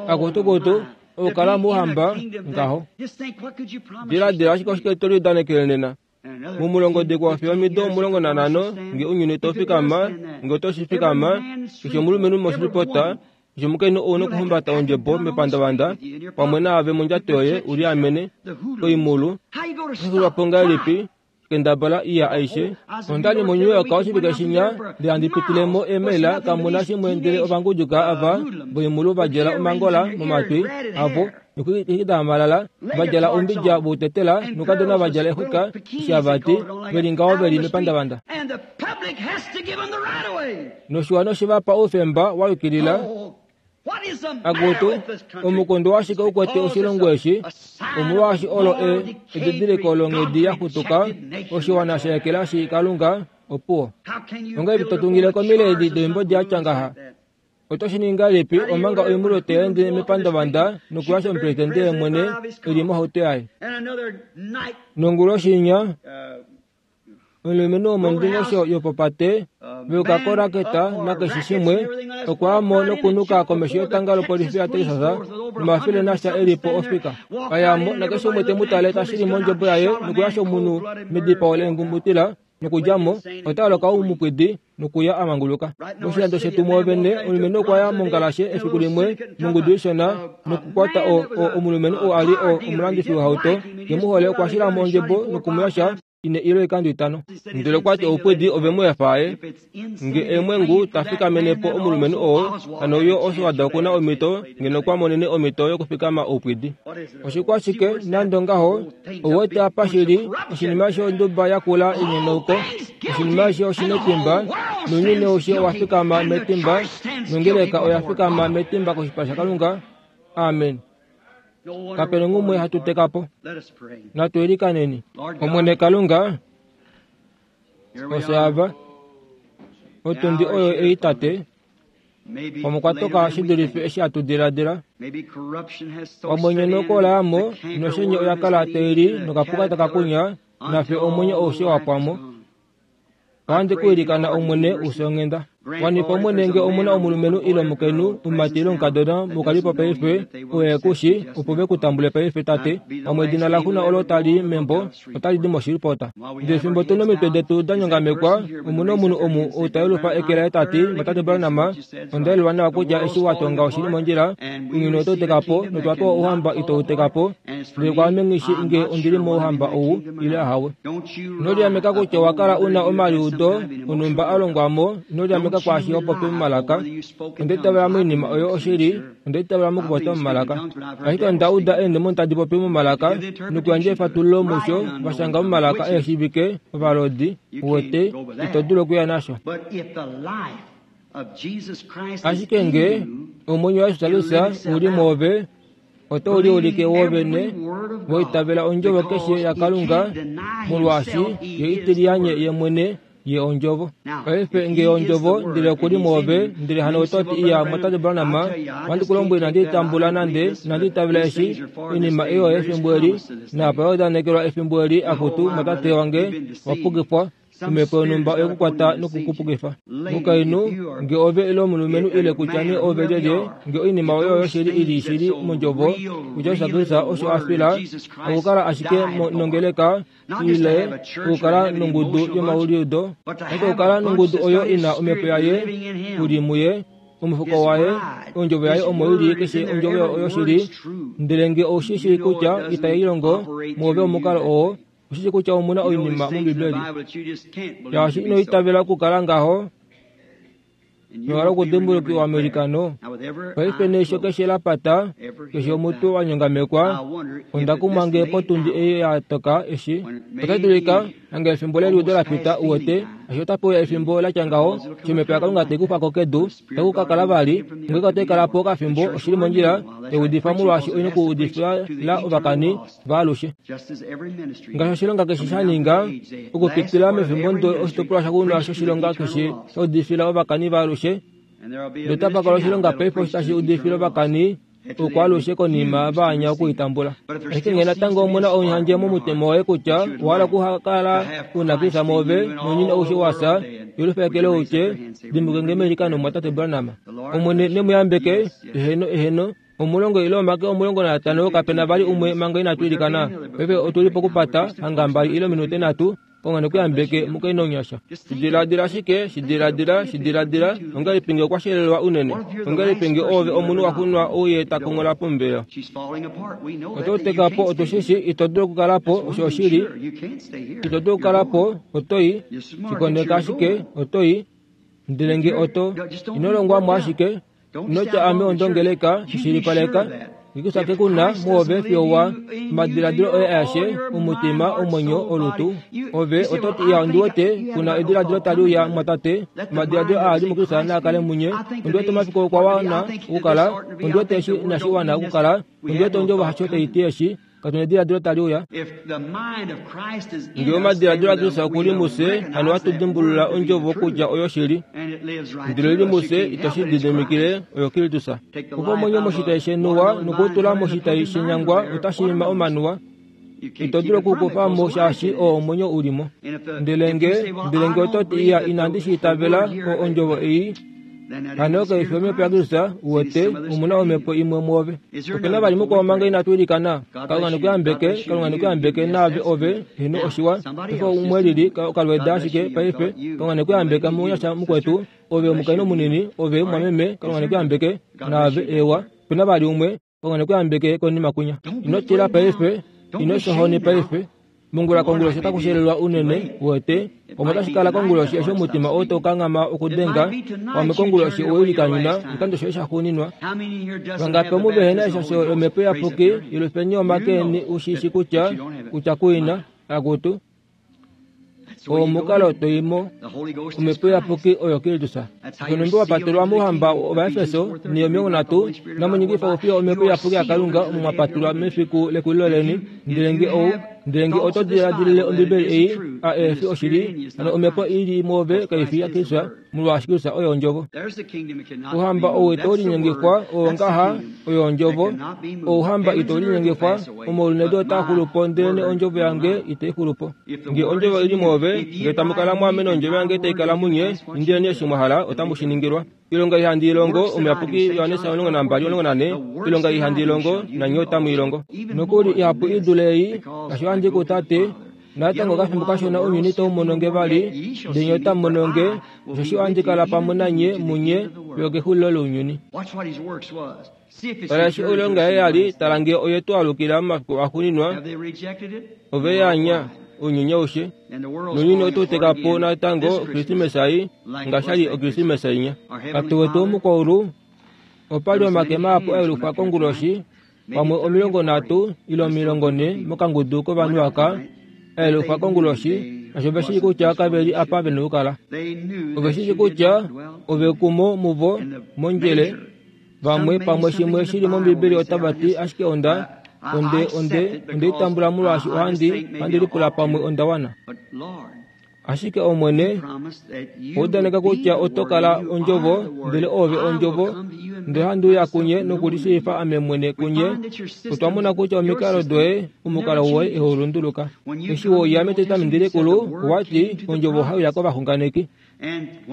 Akutukutu, okukala mouhamba ngaho. Diladila ashike oshike to liudanekele nena. Mumulongodikwa fiyo omido 15 nge ounyuni tau fikama, nge oto shi fikama, keshe omulumenhu moshilipota, keshe omukainhu ou nokuhumbata ondjebo mepandavanda pamwe naave mondjato yoye u liamene koimulu. Oshixulwa po ngahelipi? Kendabala iya aishe. Onda li moNew York oshivike shinya, ndele handi pitile mo eemaila kamu na shimwe ndele ovanguduka ava voimulu va djala omangola momatwi avo nokuikida omalala, va djala oumbidja voutetela noukadona va djala exwika eshi hava ti ve li ngaho ve li mepandavanda. Noshiwana oshe va pa oufemba wa yukilila. Akutu, omukundu washike u kwete oshilongo eshi? Omolwaashi olo e edidiliko longhedi ya xutuka, oshiwana sha ekelashi Kalunga, opuwo. Ongahelipi to tungile komile edi doimbodi ya tya ngaha? Oto shi ningi ngahelipi omanga oimhulo tai ende mepandavanda nokuyasha omupresidente ye mwene e li mohauto yaye? Nonguloshi inya, Omulumenhu womondingosho yopopate veuka koraketa nakeshe shimwe okwa ya mo nokunuka komesho yetanga lopolifi yaTexas nomafele nasha e li po ofika. A ya mo nakeshe umwe te mu tale ta shili mondjebo yaye nokuyasha omunhu medipao leengumutila nokudja mo ota holoka oumupwidi nokuya a manguluka. Moshilando shetu mwoovene, omulumenhu okwa ya mongalashe efiku limwe mongudu ishona nokukwata o, o, omulumenhu oo a li o, omulandifi wohauto ke mu hole okwa shila mo ondjebo noku mu yasha ine ile oikando itano. Ndele okwa ti oupwidi ove mu efa aye. Nge eemwengu ta fikamene po omulumenhu oo, hano yo Oswald oku na omhito ngeno okwa monene omhito yokufikama oupwidi. Oshikwashike nande ongaho, ou wete apa shi li oshinima eshi onduba yakula inyonauko, oshinima eshi oshi netimba, nounyuni aushe owa fikama metimba, nongeleka oya fikama metimba koshipala shaKalunga. Amen. Kape nongumwe hatu teka po. Natu ilikaneni. Omwene Kalunga, ofye ava. Otundi oyo ei Tate, Pamwe okwa toka shi dulife eshi hatu diladila. Omwenyo nokola yamo noshenye oya kala tai li nokapuka taka kunya, nafye omwenyo aushe wa pwa mo. Ohandi ku ilikana Omwene u fye onghenda. Wanifa Omwene nge omu na omulumenhu ile omukainhu, omumati ile omukadona mukalipo paife, oo e ku shi, opo ve ku tambule paife, Tate. Pamwe edina laxuna olo tali i membo otali di moshilipota. Ndele fimbo tu nomitwe detu da nyongamekwa, omu na omunhu omu ou ta yelufa eke laye ta ti, Tate Branham, onda yelulwa nawa kutya eshi wa tonga oshi li mondjila, ounyuni otau teka po, notwa pewa ouhamba itau teka po, ndele kwaame nghi shii nge ondi li mouhamba ou ile ahawe. Ino liameka kutya owa kala u na omaliudo onhumba a longwa mo, ino liameka kwaashi ho popi momalaka. Onda itavela moinima oyo oshili, Onda itavela mokupopya momalaka. Ashike onda uda eendemoni tadi popi momalaka nokuyandja efatululo musho va shanga momalaka e shiivike ovalodi, uwete, ito dulu okuya nasho. Ashike nge omwenyo waJesus u li mwoove, oto liulike woovene wa itavela ondjovo keshe yaKalunga, molwaashi ye ite liyanye ye mwene. Ye Ondjovo. Paife nge Ondjovo, ndele oku li mwoove, ndele hano oto ti, Iya, Mwatate Branham, ohandi ku lombwele inandi tambula nande, inandi itavela eshi, oinima ei oyo efimbo eli, naapa ya udanekelwa efimbo eli, akutu, mwatate wange, wa pukifwa. Omhepo yonhumba oye ku kwata noku ku pukifa. Mukainhu, nge ove ile omulumenhu ile kutya nee ove lyelye, nge oinima oyo yoshili i li shili mOndjovo, kutya Jesus Kristus osho a fila, okukala ashike nongeleka ile okukala nongudu yomauliudo, ashike okukala nongudu oyo i na omhepo yaye u li muye, omufuko waye, ondjovo yaye omo i li, keshe ondjovo oyoshili, ndele nge ou shi shii kutya itai longo mwoove omukalo oo, Oshishi kutya omu na oinima mOmbibeli shaashi ino itavela okukala ngaho nohala okudimbulukiwa meilikano. Paife neisho keshe la pata, keshe omutwe wa nyongamekwa, onda kumwa nge potundi ei ya toka eshi otashi dulika hange efimbo leliudo la pita, uwete, eshi otape uya efimbo la tya ngaho, eshi Omhepo yaKalunga tai kufa ko kedu, itaku ka kala vali, ngeenge otai kala po okafimbo, oshi li mondjila, tai udifa molwaashi oi nokuudifila ovakani vaalushe. Ngaashi oshilonga keshe sha ninga, okupitila mefimbo ndo oshitopolwa shaxuuninwa shoshilonga keshe sha udifila ovakani vaalushe, notapa kala oshilonga paife osho tashi udifile ovakani oukwaalushe konima va anya oku i tambula. Ashike ngee natango omu na omuhandje momutima woye kutya owa hala okukala u na Kristus mwoove nounyuni aushe wa fya, yelwifa eke loye u tye, Dimbuke nge meilikano, Mumwatate Branham. Omwene ne mu yambeke. Eheno, eheno. Omulongo ile omake 15, kape na vali umwe manga inatu ilikana. Paife otu li pokupata, hanga mbali ile ominute nhatu, Kalunga ne ku yambeke, mukainhu omunyasha. Shi diladila ashike, shi diladila, shi diladila, ongahelipi nge okwa shelelwa unene? Ongahelipi nge oove omunhu wa xunwa ou ye ta konghola pomuvelo? Oto teka po, otu shi shii, ito dulu okukala po, osho oshili. Ito dulu okukala po, oto i. Shi koneka ashike, oto i. Ndele nge oto, ino longwa mo ashike, Ino tya ame ondongeleka, shi shilipaleka, Ngikusa ke ku na muove fiyo wa omadiladilo oye aeshe, omutima, omwenyo, olutu. Ove oto ti, Iya, ondi wete ku na ediladilo tali uya, mumwatate. Omadiladilo aa ali muKristus naa kale munye. Ondi wete omafiku okwa wana okukala. Ondi wete eshi inashi wana okukala. Ondi wete ondjovo hasho tai ti eshi. Katu na ediladilo tali uya. Ngee omadiladilo aKristus oku li mufye, hano ohatu dimbulula ondjovo kutya oyoshili. Ndele li mufye ito shi lididimikile, oyo Kristus. Kufa omwenyo moshitai shenuwa noku u tula moshitai shenyangwa otashi ima omanuwa. Ito dulu oku u kufa mo shaashi oo omwenyo u li mo. Ndele nge, ndele nge oto ti, Iya, inandi shi itavela, o ondjovo ei, Hano kai fi omhepo yaKristus, u wete, omu na omhepo imwe mwoove. Ope na vali mukwao manga inatu ilikana? Kalunga ne ku yambeke, Kalunga ne ku yambeke, naave ove, heeno oshiwa. Paife umwe lili, okalweeda ashike paife. Kalunga ne ku yambeke, munyasha mukwetu, ove omukainhu munini, ove, mwameme, Kalunga ne ku yambeke, naave, eewa. Ope na vali umwe? Kalunga ne ku yambeke konima kwinya. Ino tila paife, ino shohoni paife. Mongula konguloshi otaku shelelwa unene, uwete. Pamwe otashi kala konguloshi eshi omutima oo tau kanghama okudenga. Pamwe konguloshi owe likanyuna oshikando shoye shaxuuninwa. Vangapi omu vehe na eshasho lOmhepo Iyapuki, yelufeni omake eni u shi shi kutya, kutya ku i na. Akutu. Oo omukalo to i mo. Omhepo Iyapuki oyo Kristus. Osho nhumbi wa patelwa mouhamba wOvaefeso, ne 30, inamu ningifa oufiyo Omhepo Iyapuki yaKalunga omo mwa patelwa mefiku lekulilo leni. Ndele nge ou, ndele nge oto diladilile Ombibeli ei, a ehe fi oshili, hano omhepo i li mwoove kai fi yaKristus, molwaashi Kristus oye Ondjovo. Ouhamba ou itau linyengifwa, oo ngaha, oyo Ondjovo. Ouhamba itau linyengifwa, omaulu nedu otaa xulu po, ndelenee Ondjovo yange itai xulu po. Nge Ondjovo i li mwoove, nge tamu kala mwaame nOndjovo yange tai kala munye, indileni eshi mwa hala, otamu shi ningilwa. Oilonga ei handi i longo, Omuyapuki Johannes 12, oilonga ei handi i longo, nanye otamu i longo. Nokuli ihapu i dule ei, ngaashi ohandi ku Tate, Natango okafimbo kashona ounyuni itau mono nge vali, ndele nye otamu mono nge, osheshi ohandi kala pamwe nanye munye fiyo okexulilo lounyuni. Tala eshi oilonga yaye ya li, tala nge oye tu alukila momafiku axuuninwa, ove ya anya ounyuni aushe, nounyuni oto u teka po natango Okrismesa ei, ngaashi sha li Okrismesa inya. Tate wetu womukwaulu, opa li omake mahapu a yelufwa konguloshi, pamwe 30 ile 40 mokangudu kovanhu aka, a yelufwa konguloshi, osho ove shii kutya kave li apa ve na okukala. Ove shi shii kutya ove kumo muvo mondjele. Vamwe pamwe shimwe shi li mOmbibeli otava ti, Ashike onda, onde, onde, onde i tambula molwaashi ohandi, ohandi lipula pamwe onda wana. Ashike Omwene owa udaneka kutya oto kala Ondjovo, ndele Oove Ondjovo, ndele handi uya kunye nokulishiifa ame mwene kunye. Otwa mona kutya omikalo doye, omukalo woye ihau lunduluka. Eshi we uya mEtestamenti Likulu, owa ti, Ondjovo ohai uya kovaxunganeki.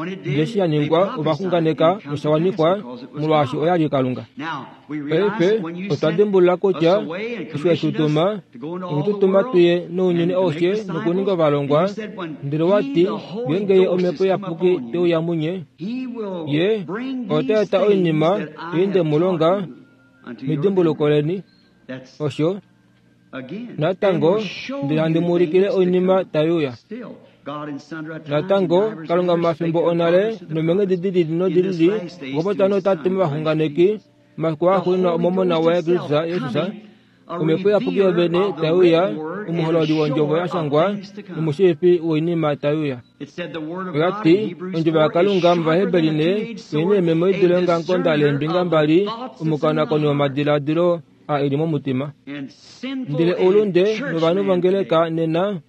Ndele eshi ya ningwa, ova xunganeka nosha wanifwa, molwaashi oya li Kalunga. Paife otwa dimbulula kutya eshi we tu tuma, owe tu tuma tu ye nounyuni aushe nokuninga ovalongwa, ndele wa ti, ngeenge Ye Omhepo Iyapuki te uya munye, Ye ota eta oinima ei nde mu longa medimbuluko leni. Osho Natango, ndele handi mu ulikile oinima tai uya. Natango, Kalunga momafimbo onale nomeenghedi di lili nodi lili okwa popya nootate movaxunganeki, omafiku axuuninwa omOmona waye Kristus Jesus, Omhepo Iyapuki yovene tai uya, omuhololi wondjovo ya shangwa nomushiifi woinima tai uya. Oya ti, Ondjovo yaKalunga mOvaheberi ne oi na eememo i dule ongamukonda leembinga mbali, omukonakoni womadiladilo a e li momutima. Ndele oulunde novanhu vongeleka nena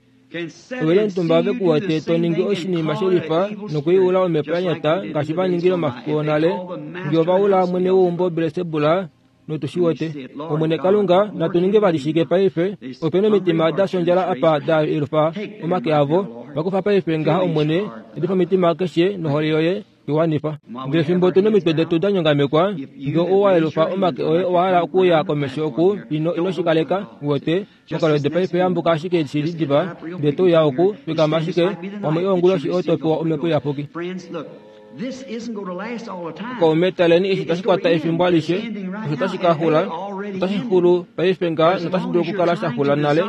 ove li omutumba ve ku wete to ningi oshinima shelifa nokuiula omhepo ya nyata ngaashi va ningile omafiku onale, nge ova ula mwene weumbo Belsebula notu shi wete. Omwene Kalunga, natu ninge vali shike paife? Ope nomitima da shondjala apa da yelufa omake avo. Va kufa paife ngaha, Omwene, yadifa omitima keshe nohole yoye. I wanifa. Ndele fimbo tu nomitwe detu da nyongamekwa, nge owa yelufa omake oye owa hala okuuya komesho oku, ino, ino shi kaleka, uwete, mokalwede paife yambuka ashike shili diva, ndele to uya oku, fikama ashike, pamwe onguloshi oto pewa Omhepo Iyapuki. Kaume, taleni eshi tashi kwata efimbo alishe, osho tashi ka xula, otashi xulu paife ngaha notashi dulu okukala sha xula nale.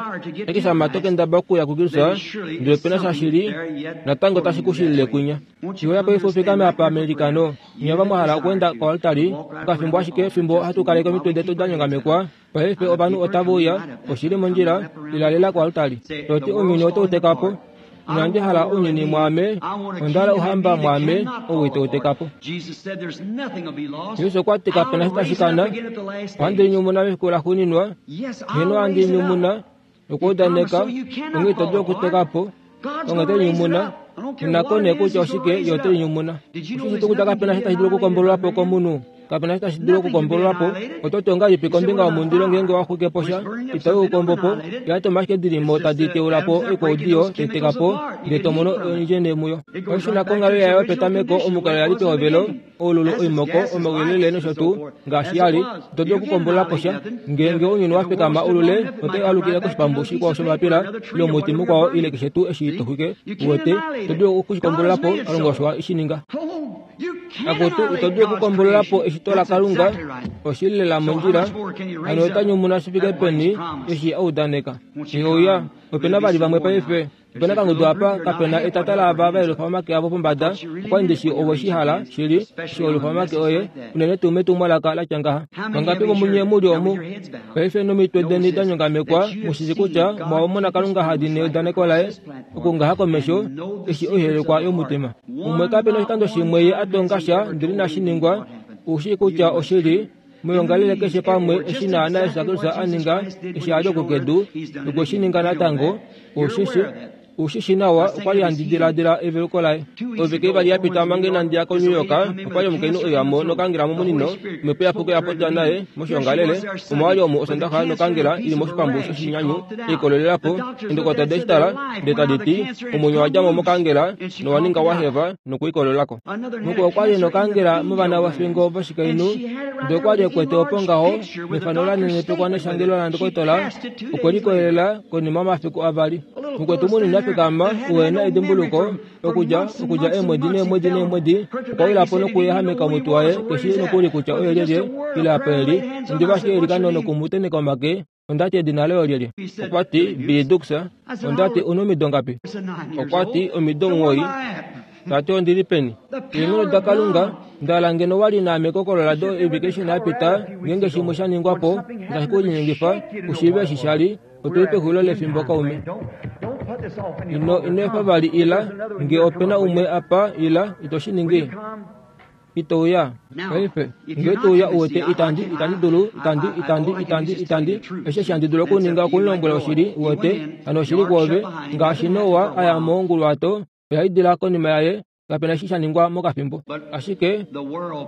Ashike shama to kendaba okuya kuKristus, ndele ope na sha shili natango tashi ku shilile kwinya. Shiweya paife u fikame apa meilikano. Nye ava mwa hala okweenda koaltari, okafimbo ashike fimbo hatu kaleke omitwe detu da nyongamekwa. Paife ovanhu otave uya, oshi li mondjila, ila lela koaltari. To ti ounyuni otau teka po. Inandi hala ounyuni mwaame, onda hala Ouhamba mwaame, ou itau teka po. Jesus okwa ti kape na sha tashi kana. Ohandi linyumuna mefiku laxuuninwa. Heeno, ohandi linyumuna. Okwa udaneka, onghee ito dulu okuteka po. Onghee ote linyumuna. Nako nee kutya oshike, ye ote linyumuna. Osho shi kutya kape na sha tashi dulu okukombololwa po komunhu. Kape na sha tashi dulu okukombololwa po. Oto ti ongahelipi kombinga yomundilo ngeenge wa xwike po sha? Itau u kombo po. Eeatoma ashike di li mo tadi teula po oikwaudiyo, tai teka po, ndele to mono oindjene muyo. Oshi shuna konghalo yayo yopetameko, omukalo ya li pehovelo. oululu, oimoko, omauyelele nosho tuu, ngaashi ya li, ito dulu okukombolola po sha. Ngeenge ounyuni wa fikama ulule, otai alukile koshipambu shikwao shomapila, ile omuti mukwao, ile keshe tuu eshi to xwike. Uwete, ito dulu oku shi kombolola po, Kalunga osho e shi ninga. Akutu, ito dulu okukombolola po eshito laKalunga, oshi li lela mondjila. Hano ota nyumuna shi fike peni eshi a udaneka. Ngeuya, ope na vali vamwe paife. Ope na kangudu apa, kape na etata laava va yelufa omake avo pombada. Okwa li ndishi owe shi hala, shili, eshi wa yelufa omake oye, unene tuu metumwalaka la tya ngaha. Vangapi vomunye mu li omu paife nomitwe deni da nyongamekwa, mu shi shii kutya mwa mona Kalunga ha dini eudaneko laye, okungaha komesho, eshi oihelekwa yomutima? Umwe kape na oshikando shimwe ye a tonga sha ndele inashi ningwa. U shii kutya oshili. Moyongalele keshe pamwe eshi naana Jesus Kristus a ninga eshi a li oku kedu, nokwe shi ninga natango, osheshi u shi shi nawa okwa li handi diladila eveluko laye. Ovike ivali ya pita manga inandi ya koNew York, okwa li omukainhu e uya mo nokangela momunino, omhepo iyapuki oya popya naye moshiongalele, omo a li omu Osondaxa nokangela i li moshipambu shoshinyanyu e ikolelela po. Eendokotola ode shi tala, ndele tadi ti, Omwenyo owa dja mo mokangela nowa ninga wa heva nokuikolela ko. Mukwao okwa li e nokangela movana vofingo voshikainhu, ndele okwa li e kwete opo ngaho mefano la nenepekwa neshangelo landokotola, okwe likolelela konima yomafiku avali. Mukwetu munini a fikama uhe na edimbuluko, okudja okudja eemwedi neemwedi neemwedi, okwa wila po nokuyehameka omutwe waye, ke shii nokuli kutya oye lyelye ile apa e li, ondiva ashike eilikano noku mu tenheka omake. Onda ti, Edina loye olyelye? Okwa ti, Billy Dukes. Onda ti, U na omido ngapi? Okwa ti, Omido 9. Ta ti, Ondi li peni? Eenghono daKalunga, nda hala ngeno wa li naame koColorado oivike ishona ya pita, ngeenge shimwe sha ningwa po, otashi ku linyengifa u shiive eshi sha li. Otu li pexulilo lefimbo, kaume. Ino, ino efa vali ila. Nge ope na umwe apa, ila. Ito shi ningi? Ito uya? Paife, nge to uya u wete itandi, itandi dulu, itandi, itandi, itandi, itandi, eshi eshi handi dulu okuninga okumulombwela oshili, u wete, hano oshili kwoove. Ngaashi Noa a ya monguluwato, oya idila konima yaye, kape na eshi sha ningwa mokafimbo. Ashike,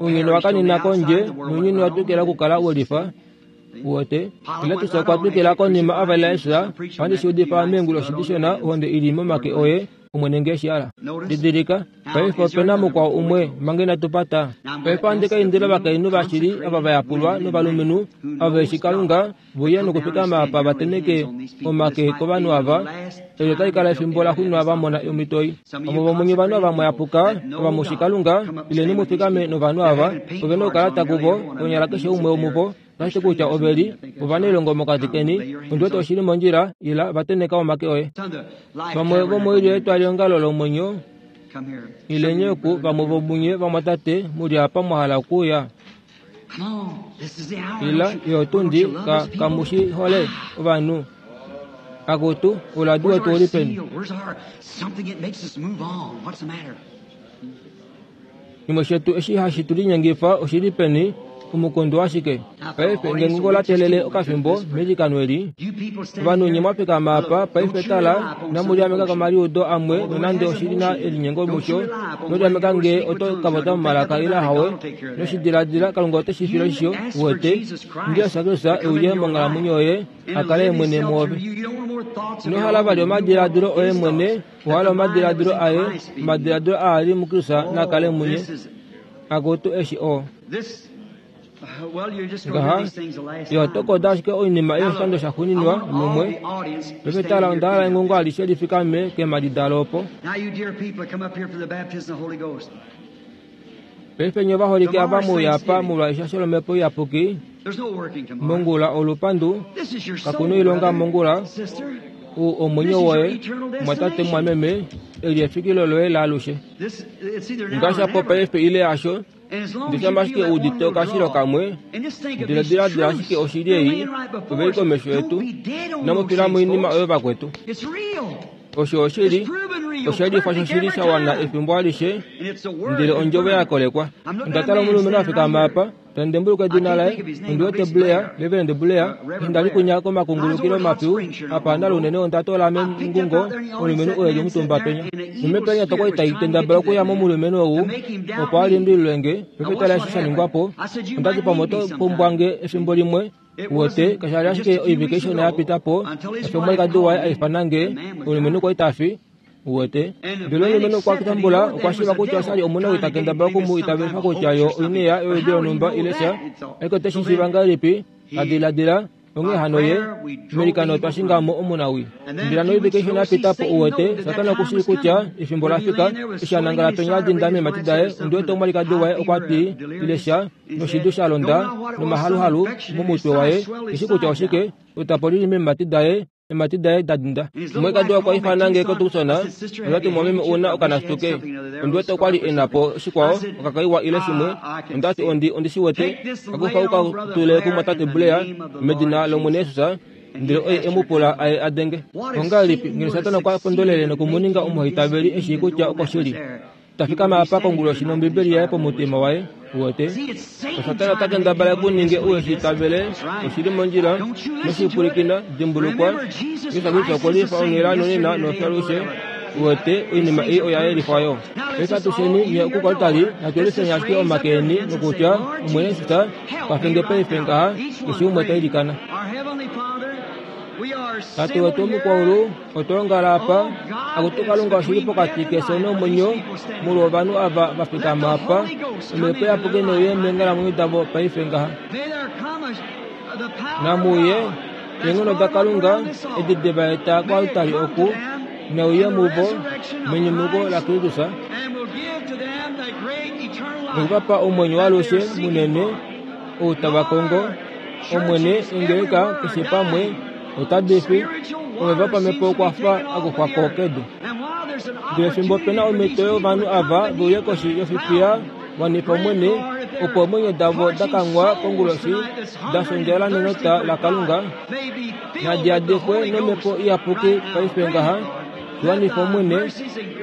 ounyuni owa kanina kondje, nounyuni owa twikila okukala we lifa. U wete? Pilatus okwa twikila konima a valela Jesus, Ohandi shi udifa meenguloshi dishona, ohonde i li momake oye. Omwene nge shi hala. Didilika, paife ope na mukwao umwe, manga inatu pata. Paife ohandi ka indila ovakainhu vashili ava va yapulwa novalumenhu ava ve shi Kalunga ve uye nokufikama apa va tenheke omake kovanhu ava. Eli otali kala efimbo laxuuninwa va mona omhito ei. Vamwe vomunye ovanhu ava mwa yapuka, ava mu shi Kalunga, ileni mu fikame novanhu ava. Ove na okukala kuvo, konyala keshe umwe womuvo. Otashi ti kutya ove li ovanailongo mokati keni. Ondi wete oshi li mondjila, ila, va tenheka omake oye. Vamwe vomoilyo yetwaliongalo lomwenyo, ileni oku, vamwe vomunye vamwatate mu li apa mwa hala okuuya. Ila, yo otundi, ka, kamu shi hole ovanhu. Akutu, ouladi wetu ou li peni? Shimwe shetu eshi hashi tu linyengifa oshi li peni? Omukundu washike? Paife, ngeenge ngoo la teelele okafimbo meilikano eli, ovanhu nye mwa fikama apa paife tala, inamu liameka komaliudo amwe nonande oshi li na elinyengo musho. Ino liameka ngee oto ka popya momalaka ile ahawe. Ino shi diladila, Kalunga ote shi file oshisho, uwete. Indila Jesus Kristus e uye monghalamwenyo yoye, a kale ye mwene mwoove. Ino hala vali omadiladilo oye mwene, Owa hala omadiladilo aye, omadiladilo aa a li muKristus naa kale munye. Akutu eshi o. Ngaha, ye oto koda ashike oinima ei oshikando shaxuuninwa, lumwe. Paife tala, onda hala engungo alishe li fikame keemhadi dalo opo. Paife nye ovaholike ava mu uya apa molwa eshasho lOmhepo Iyapuki, mongula olupandu, kaku noilonga mongula, u omwenyo woye, mwatate mwameme, eli efikilo loye laalushe. Ngaashi apo paife ile hasho, ndele ashike u udite okashilo kamwe, ndele diladila ashike oshili ei, ove li komesho yetu, inamu tula moinima oyo vakwetu. Osho oshili, osha lifa shoshili sha wana efimbo alishe, ndele ondjovo ya kolekwa. Onda tala omulumenhu a fikama apa, ta ndembuluka edina laye, ondi wete Blair, Reverend Blair, eshi nda li kunya komakungulukilo mapyu, apa nda li unene onda toola mengungo omulumenhu oo e li omutumba penya. Nomhepo ya nyata okwa li tai kendabala okuya momulumenhu ou, opo a limbililwe nge, paife tala eshi sha ningwa po. Onda ti pamwe oto pumbwa nge efimbo limwe, Uwete, kasha li ashike oivike ishona ya pita po, eshi omwalikadi waye a ifana nge, omulumenhu okwa li ta fi. Uwete? Ndele omulumenhu okwa tambula, okwa shiiva kutya osha li omunawii ta kendabala oku mu itavelifa kutya yo oineya yoludi lonhumba ile sha, ashike ote shi shiiva ngahelipi? Ta diladila, Onghee hano ye, meilikano otwa shinga mo omunawii. Ndele noivike ishona ya pita po, uwete, Satana oku shii kutya efimbo ola fika, eshi a nangala penya a dinda meemhati daye, ondi wete omwalikadi waye okwa ti, ile sha, noshidu sha londa nomahaluhalu momutwe waye, eshi kutya oshike, etapo li li meemhati daye, eemhati daye da dinda. Omwalikadi okwa ifana nge koTucson, onda ti, Mumwameme ou na okanasituke. Ondi wete okwa li e na po shikwao, okakaiwa ile shimwe. Onda ti, Ondi, ondi shi wete. Ka kufa u ka tule kumwatate Blair, medina lOmwene Jesus. Ndele oye e mu pula a ye a denge. Ongahelipi ngeno Satana okwa pondolele noku mu ninga omuhaitaveli e shii kutya okoshili? Ta fikama apa konguloshi nOmbibeli yaye pomutima waye, uwete. Osatana ota kendabala e ku ninge u eshi itavele, oshi li mondjila, noshipwilikina, dimbulukwa, Jesus Kristus okwe lifa onghela nonena nofyalushe, uwete, oinima ei oya yelifwa yo. Paife atusheni, nye okukoltali, natu yelifeni ashike omake eni, nokutya, Omwene Jesus, kwafe nge paife ngaha, keshe umwe ta ilikana. Tate wetu womukwaulu, otwa ongala apa, akutu Kalunga oshi li pokati kefyo nomwenyo, molwa ovanhu ava va fikama apa, Omhepo Iyapuki neuye meenghalamwenyo davo paife ngaha. Namuuye, eenghono daKalunga, edi de va eta koaltari oku, neuye muvo, menyumuko laKristus, noku va pa omwenyo waalushe munene, ou tava kongo, Omwene, ongeleka keshe pamwe, otadi fi, omeva opamhepo okwa fa a kufwa ko kedu. Ndele fimbo pe na omhito yovanhu ava ve uye koshi yofifiya, wanifa Omwene, opo eemwenyo davo da kangwa konguloshi, da fya nenota laKalunga, nadi yadekwe nOmhepo Iyapuki paife ngaha. Shi wanifa, Omwene.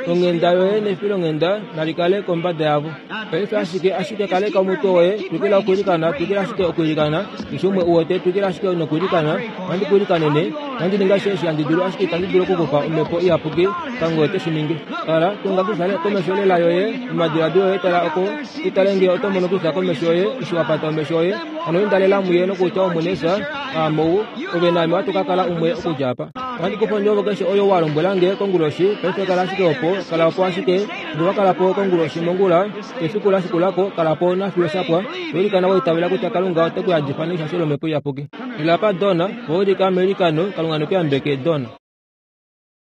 Onghenda yoye nefilonghenda nali kale kombada yavo. Paife ashike, ashike kaleka omutwe woye, twikila okwiilikana, twikila ashike okwiilikana. Keshe umwe u wete, twikila ashike nokwiilikana. Ohandi ku ilikanene. Ohandi ningi ashishe eshi handi dulu, ashike itandi dulu oku ku pa Omhepo Iyapuki. Kalunga oye te shi ningi. Tala, tunga kutya komesho lela yoye, momadiladilo oye tala oko, u tale nge oto mono kutya komesho yoye, eshi wa pata omesho oye. Hano inda lela muye nokutya, Omwene Jesus, aame ou, ove naame ohatu ka kala umwe okudja apa. Ohandi kufa ondjovo keshe oyo wa lombwela nge konguloshi, paife kala ashike opo, kala opo ashike. Nge wa kala po konguloshi mongula, efiku la shikula ko, kala po nafiyo sha pwa. To ilikana wa itavela kutya Kalunga ote ku yadifa neshasho lOmhepo Iyapuki. Ila apa, Don, wa ulika meilikano, Kalunga ne ku yambeke, Don.